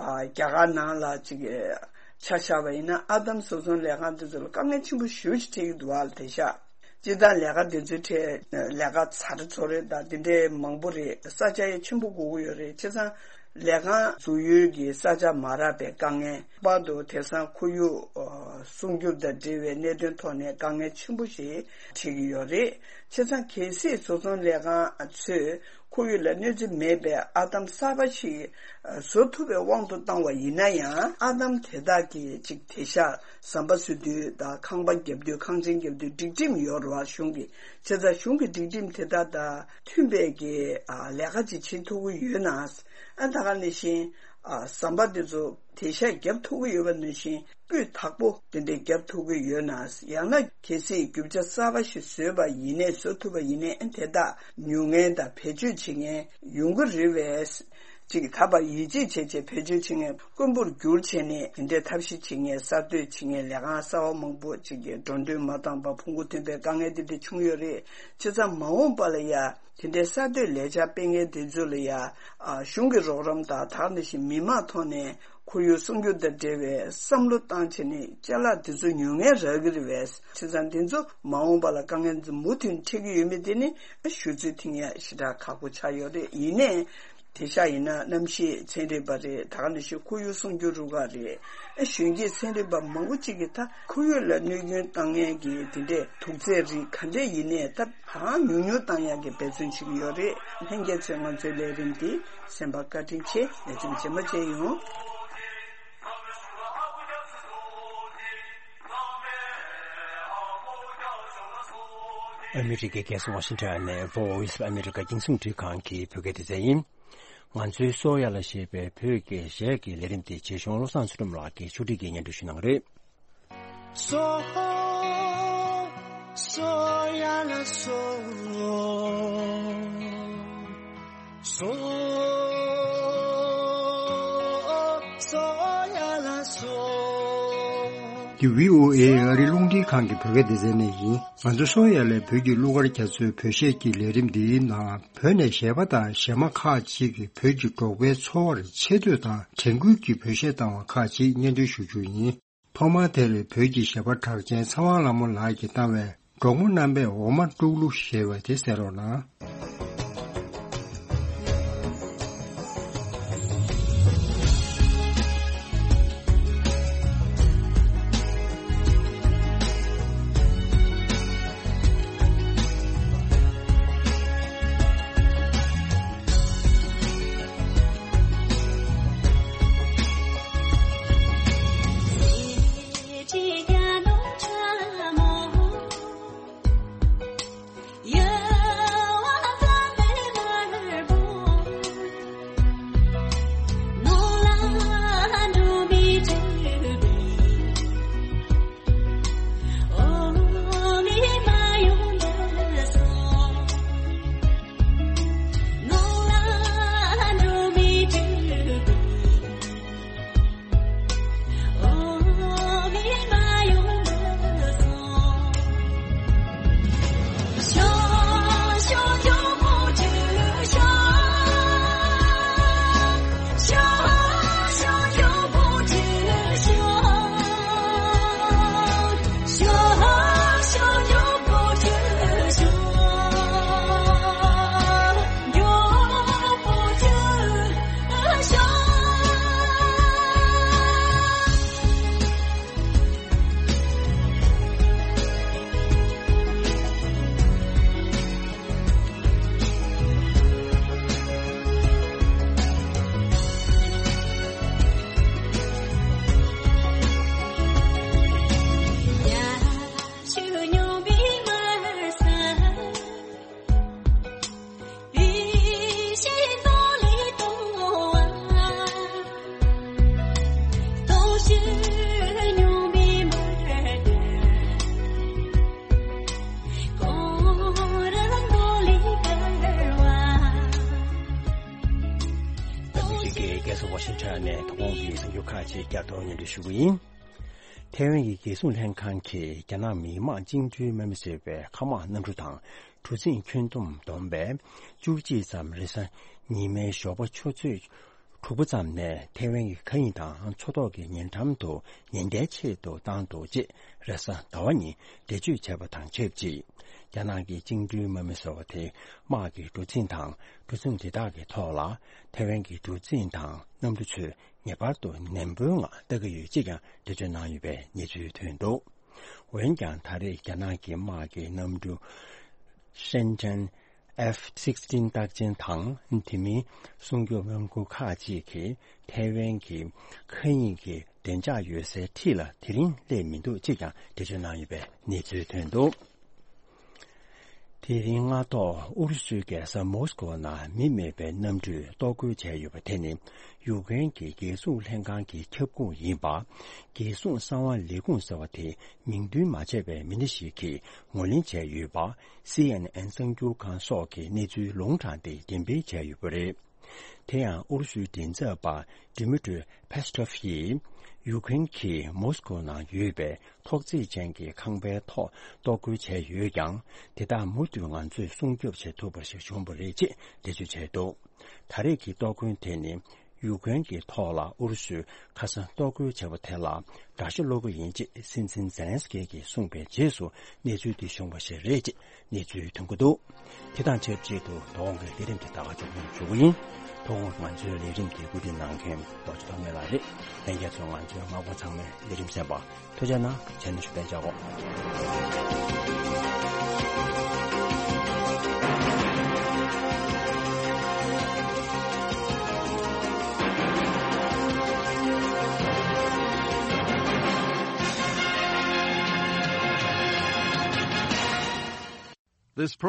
ཨ་རྒྱ་གར་ནང་ལ་ཅིག་ཨ་ཆ་བཞག་པ་ཡིན་ན་ཨར་འདམ་བཟོ་ཚོང་ལས་ཁང་དེ་ཚོ་ལ་དཀའ་ངལ་ཆེན་པོ་ཞེ་པོ་ཅིག་འཕྲད་ཀྱི་འདུག་པ། དེང་སང་སྤྱིར་བཏང་ལས་ཀ་དེ་ཚོའི་གྲས་ལས་ཀ་ཚ་དྲོད་ཚོ་རེད་དང་དེ་འདྲའི་མང་པོ་རེད། ས་ཆ་ཡང་ཆེན་པོ་དགོས་ཀྱི་ཡོད་རེད། བྱས་ཙང་ལས་ཁང་འཛུགས་ཡུལ་གྱི་ས་ཆ་མ་རག་པའི་དཀའ་ངལ། ལྷག་པར་དུ་དེང་སང་ཁོར་ཡུག་ཨ་སྲུང་སྐྱོབ་དང་འབྲེལ་བའི་གནད་དོན་ཐོག་ནས་དཀའ་ངལ་ཆེན་པོ་ཞིག་འཕྲད་ཀྱི་ཡོད་རེད། བྱས་ཙང་གལ་སྲིད་བཟོ་ཚོང་ལས་ཁང་ཚོས་ཁོར་ཡུག་ལ་གནོད་འཚེ་མེད་པའི་ཨར་འདམ་གསར་པ་ཞིག་ཨ་བཟོ་ཐུབ་པའི་དབང་དུ་བཏང་བ་ཡིན་ན་ཡང་། ཨར་འདམ་དེ་དག་གི་ཅིག་དེང་སང་ཟམ་པ་བཟོ་དུས་དང་ཁང་པ་བརྒྱབ་དུས་ཁང་ཆེན་བརྒྱབ་དུས་སྒྲིག་ཁྲིམས་ཡོད་རེད་པ། གཞུང་གི། བྱས་ཙང་གཞུང་གི་སྒྲིག་ཁྲིམས་དེ་དག་དང་མཐུན་པའི་གི་ཨ་ལས་ཀ་ཅིག་བྱེད་ཐུབ་ཀྱི་ཡོད་ན། ཨ་ད་ག་ནང་བཞིན་ཨ་ཟམ་པ་དེ་ཚོ་དེང་སང་བརྒྱབ་ཐུབ་ཀྱི་ཡོད་པ་ནང་བཞིན་སྤུས་དག་པོ་དེ་འདྲའི་བརྒྱབ་ཐུབ་ཀྱི་ཡོད་ན། ཡང་ན་གལ་སྲིད་རྒྱུ་ཆ་གསར་པ་ཞིག་བཟོས་པ་ཡིན་ནའི་བཟོ་ཐུབ་པ་ཡིན་ནའི་ཨ་དེ་དག་ཉོ་མཁན་དང་བེད་སྤྱོད་བྱེད་མཁན་ཡོང་གི་རེད་པས། ཅིག་ད་བར་ཡིད་ཆེས་བྱས་བྱས་བེད་སྤྱོད་བྱེད་མཁན་དཀོན་པོར་གྱུར་བྱས་ནས། དེ་འདྲའི་ཐབས་ཤེས་བྱེད་མཁན། གསར་གཏོད་བྱེད་མཁན། ལས་ཁང་གསར་བ་མང་པོ་ཅིག་གི་འགྲོ་དོན་མ་བཏང་བར་ཕུང་པོ་ཐོན་པའི་དཀའ་ངལ་དེ་འདྲ་བྱུང་ཡོད་རེད། བྱས་ཙང་མ་འོངས་པ་ལ་ཡ་དེ་འདྲའི་གསར་གཏོད་ལས་འཆར་སྤེལ་མཁན་དེ་ཚོ་ལ་ཡ། ཨ། གཞུང་གི་རོགས་རམ་དང་། ད་ག་ནང་བཞིན་མི་མང་ཐོག་ནས་ཁོར་ཡུག་སྲུང་སྐྱོབ་དང་འབྲེལ་བའི་བསམ་བློ་བཏང་བྱས་ནས་ཅ་ལག་དེ་ཚོ་ཉོ་མཁན་རག་གི་རེད་པས། བྱས་ཙང་དེ་ཚོ་མ་འོངས་པ་ལ་དཀའ་ངལ་མུ་མཐུད་འཕྲད་ཀྱི་ཡོད་མེད་དེ་ནི་ཞུ་ཚོད་ཐིང་ཡ་ཞེ་དྲག་ཁག་པོ་ཆགས་ཡོད་རེད། ཡིན་ནའི་དེང་སང་ཡིན་ན་གནམ་གཤིས་ཚན་རིག་པ་རེད། ད་ག་ནང་བཞིན་ཁོར་ཡུག་སྲུང་སྐྱོབ་རུ་ཁག་རེད། གཞོན་སྐྱེས་ཚན་རིག་པ་མང་པོ་ཅིག་གིས་ད་ཁོར་ཡུག་ལ་གནོད་སྐྱོན་བཏང་མཁན་གྱི་དེ་འདྲའི་དུག་རྫས་རིགས་ག་འདྲས་ཡིན་ནའི་ད་གང་ཉུང་ཉུང་བཏང་ཡག་གི་འབད་བརྩོན་བྱེད་ཀྱི་ཡོད་རེད། ལྷན་རྒྱས་ཚོས་ང་ཚོའི་ལས་རིམ་འདི་གསན་པར་བཀའ་དྲིན་ཆེ། ལེགས་ཆུང་རྗེས་མ་མཇལ་ཡོང་། ཨ་མི་རི་ཀའི་རྒྱལ་ས་ཝ་ཤིང་ཊོན་ནས་Voice of America རྒྱང་སྲིང་འཕྲིན་ཁང་གི་བོད་སྐད་སྡེ་ཚན་ཡིན། ང་ཚོའི་སོ་ཡ་ལ་ཞེས་པའི་བོད་ཀྱི་གཞས་ཀྱི་ལས་རིམ་དེ་རྗེ་གཞུང་བློ་བཟང་ཚུལ་ཁྲིམས་ལགས་ཀྱིས་ཕྱོགས་སྒྲིག་གིས་སྙན་སྒྲོན་ཞུ་གནང་གི་རེད། སོ། སོ་ཡ་ལ་སོ། སོ། སོ་ཡ་ལ་སོ། འདི་བྷི་ཨོ་ཨེ་ཨ་རིའི་རླུང་འཕྲིན་ཁང་གི་བོད་སྐད་སྡེ་ཚན་ནས་ཡིན། ང་ཚོ་སོ་ཡ་ལའི་བོད་ཀྱི་གླུ་གར་རྒྱ་མཚོའི་བོད་གཞས་ཀྱི་ལས་རིམ་འདིའི་ནང་བོད་ནས་གཞས་པ་དང་གཞས་མ་ཁག་ཅིག་གིས་བོད་ཀྱི་འབྲོག་པའི་འཚོ་བར་ཆེ་བསྟོད་དང་དྲན་སྐུལ་གྱི་བོད་གཞས་བཏང་བ་ཁག་ཅིག་སྙན་སྒྲོན་ཞུ་རྒྱུ་ཡིན། ཐོག་མར་དེར་བོད་ཀྱི་གཞས་པ་གྲགས་ཅན་ཚེ་དབང་ལྷ་མོ་ལགས་ཀྱིས་བཏང་བའི་འབྲོག་མོ་རྣམ་པས་འོ་མ་དཀྲུག་གླུ་ཞེས་པ་དེ་གསན་རོགས་གནང་། རྒྱལ་ས་ཝ་ཤིང་ཊོན་ནས་ཐོག་ཁོངས་ཀྱི་གསར་འགྱུར་ཁག་ཅིག་བསྐྱར་དུ་སྙན་སྒྲོན་ཞུ་གི་ཡིན། ཐའེ་ཝན་གྱི་རྒྱལ་སྲུང་ལྷན་ཁང་གིས་རྒྱ་ནག་མི་དམངས་བཅིངས་འགྲོལ་དམག་མི་ཟེར་བའི་མཁའ་དམག་གནམ་གྲུ་དང་གྲུ་གཟིངས་ཁྱོན་བསྡོམས་བསྡོམས་པས་བཅུ་གཅིག་ཙམ་རེས་གཟའ་ཉི་མའི་ཞོགས་པ་ཆུ་ཚོད་དྲུག་པ་ཙམ་ནས་ཐའེ་ཝན་གྱི་མཁའ་དབྱིངས་དང་མཚོ་ཐོག་གི་ཉེ་འགྲམ་དུ་ཉེན་བརྡའི་ཆེད་དུ་བཏང་འདུག་ཅེས་རེས་གཟའ་ཟླ་བ་ཉིན་འགྲེལ་བརྗོད་བྱས་པ་དང་ཆབས་ཅིག་རྒྱ་ནག་གི་བཅིངས་འགྲོལ་དམག་མི་ཟེར་བ་དེ་དམག་གི་གྲུ་གཟིངས་དང་གྲུ་གཟིངས་དེ་དག་གི་ཐོག་ལ་ཐའེ་ཝན་གྱི་གྲུ་གཟིངས་དང་གནམ་གྲུ་ཚོས་ངེས་པར་དུ་ནན་པོའི་ངང་ལྟ་གི་ཡོད་ཅེས་ཀྱང་འགྲེལ་བརྗོད་གནང་ཡོད་པའི་གནས་ཚུལ་ཐོན་འདུག་འོན་ཀྱང་ད་རེས་རྒྱ་ནག་གི་དམག་གི་གནམ་གྲུ་ཧྲེན་ཀྲེན་ཨེཕ་སིག་སི་ཊིན་རྟགས་ཅན་དང་དེ་མིན་སྲུང་སྐྱོབ་རླངས་འཁོར་ཁག་ཅིག་གིས་ཐའེ་ཝན་གྱི་མཁའ་དབྱིངས་ཀྱི་བདེ་འཇགས་ཡོད་སའི་འཁྲིས་ལ་དེ་རིང་སླེབས་མི་འདུག་ཅེས་ཀྱང་འགྲེལ་བརྗོད་གནང་ཡོད་པའི་གནས་ཚུལ་ཐོན་འདུག་དེ་རིང་སྔ་ཐོག་ཨུ་རུ་སུའི་རྒྱལ་ས་མོ་སི་ཀོ་ནང་མི་མེད་པའི་གནམ་གྲུས་གཏོར་རྒོལ་བྱས་ཡོད་པ་དེ་ནི་ཡུཀ་རེན་གྱི་རྒྱལ་སྲུང་ལྷན་ཁང་གི་ཁྱབ་ཁོངས་ཡིན་པ། རྒྱལ་སྲུང་གསང་བ་ལས་ཁུངས་ཟེར་བ་དེ་མིང་འདོན་མ་བྱས་པའི་མི་སྣ་ཞིག་གིས་ངོས་ལེན་བྱས་ཡོད་པ། སི་ཨེན་ཨེན་གསར་འགྱུར་ཁང་སོགས་ཀྱིས་གནས་ཚུལ་ལུང་དྲངས་ཏེ་འགྲེམས་སྤེལ་བྱས་ཡོད་པ་རེད། དེ་ཡང་ཨུ་རུ་སུའི་མགྲིན་ཚབ་པ་Dmitry Peskov་ཡིས་ཡུ་ཀེ་རེན་གྱིས་མོ་སི་ཀོ་ནང་ཡོད་པའི་ཐོག་བརྩེགས་ཅན་གྱི་ཁང་པའི་ཐོག་གཏོར་རྒོལ་བྱས་ཡོད་ཀྱང་། དེ་དག་མུ་མཐུད་ང་ཚོས་སྲུང་སྐྱོབ་བྱེད་ཐུབ་པ་ཞིག་བྱུང་བ་རེད་ཅེས་འགྲེལ་བརྗོད་བྱས་འདུག་ད་རེས་ཀྱི་གཏོར་རྒོལ་དེ་ནི་ཡུ་ཀེ་རེན་གྱི་ཐོག་ལ་ཨུ་རུ་སུས་ཁ་སང་གཏོར་རྒོལ་བྱས་པ་དེ་ལ་དགྲ་ཤ་སློག་གི་ཡིན་ཅེས་སྲིད་འཛིན་ཛེ་ལན་སི་ཀི་གིས་གསུངས་པའི་རྗེས་སུ་གནས་ཚུལ་འདི་བྱུང་བ་ཞིག་རེད་ཅེས་གནས་ཚུལ་ཐོན་གྱི་འདུག་དེ་དང་ཆབས་ཅིག་ཏུ་དོ་དགོང་གི་ལས་རིམ་དེ་ད་ག་མཇུག་སྡོམ་ཞུ་གི་ཡིན། དོ་དགོང་ང་ཚོའི་ལས་རིམ་དེ་གོ་སྒྲིག་གནང་མཁན་རྡོ་རྗེ་ཐོགས་མེད་ལགས་རེད། ལྷན་རྒྱས་ཚོས་ང་ཚོའི་མ་འགོར་ཚང་མའི་ལས་རིམ་གསན་པ་ཐུགས་རྗེ་གནང་། བྱས་ན་ཞུ་བདེ་བྱ་གོ། This program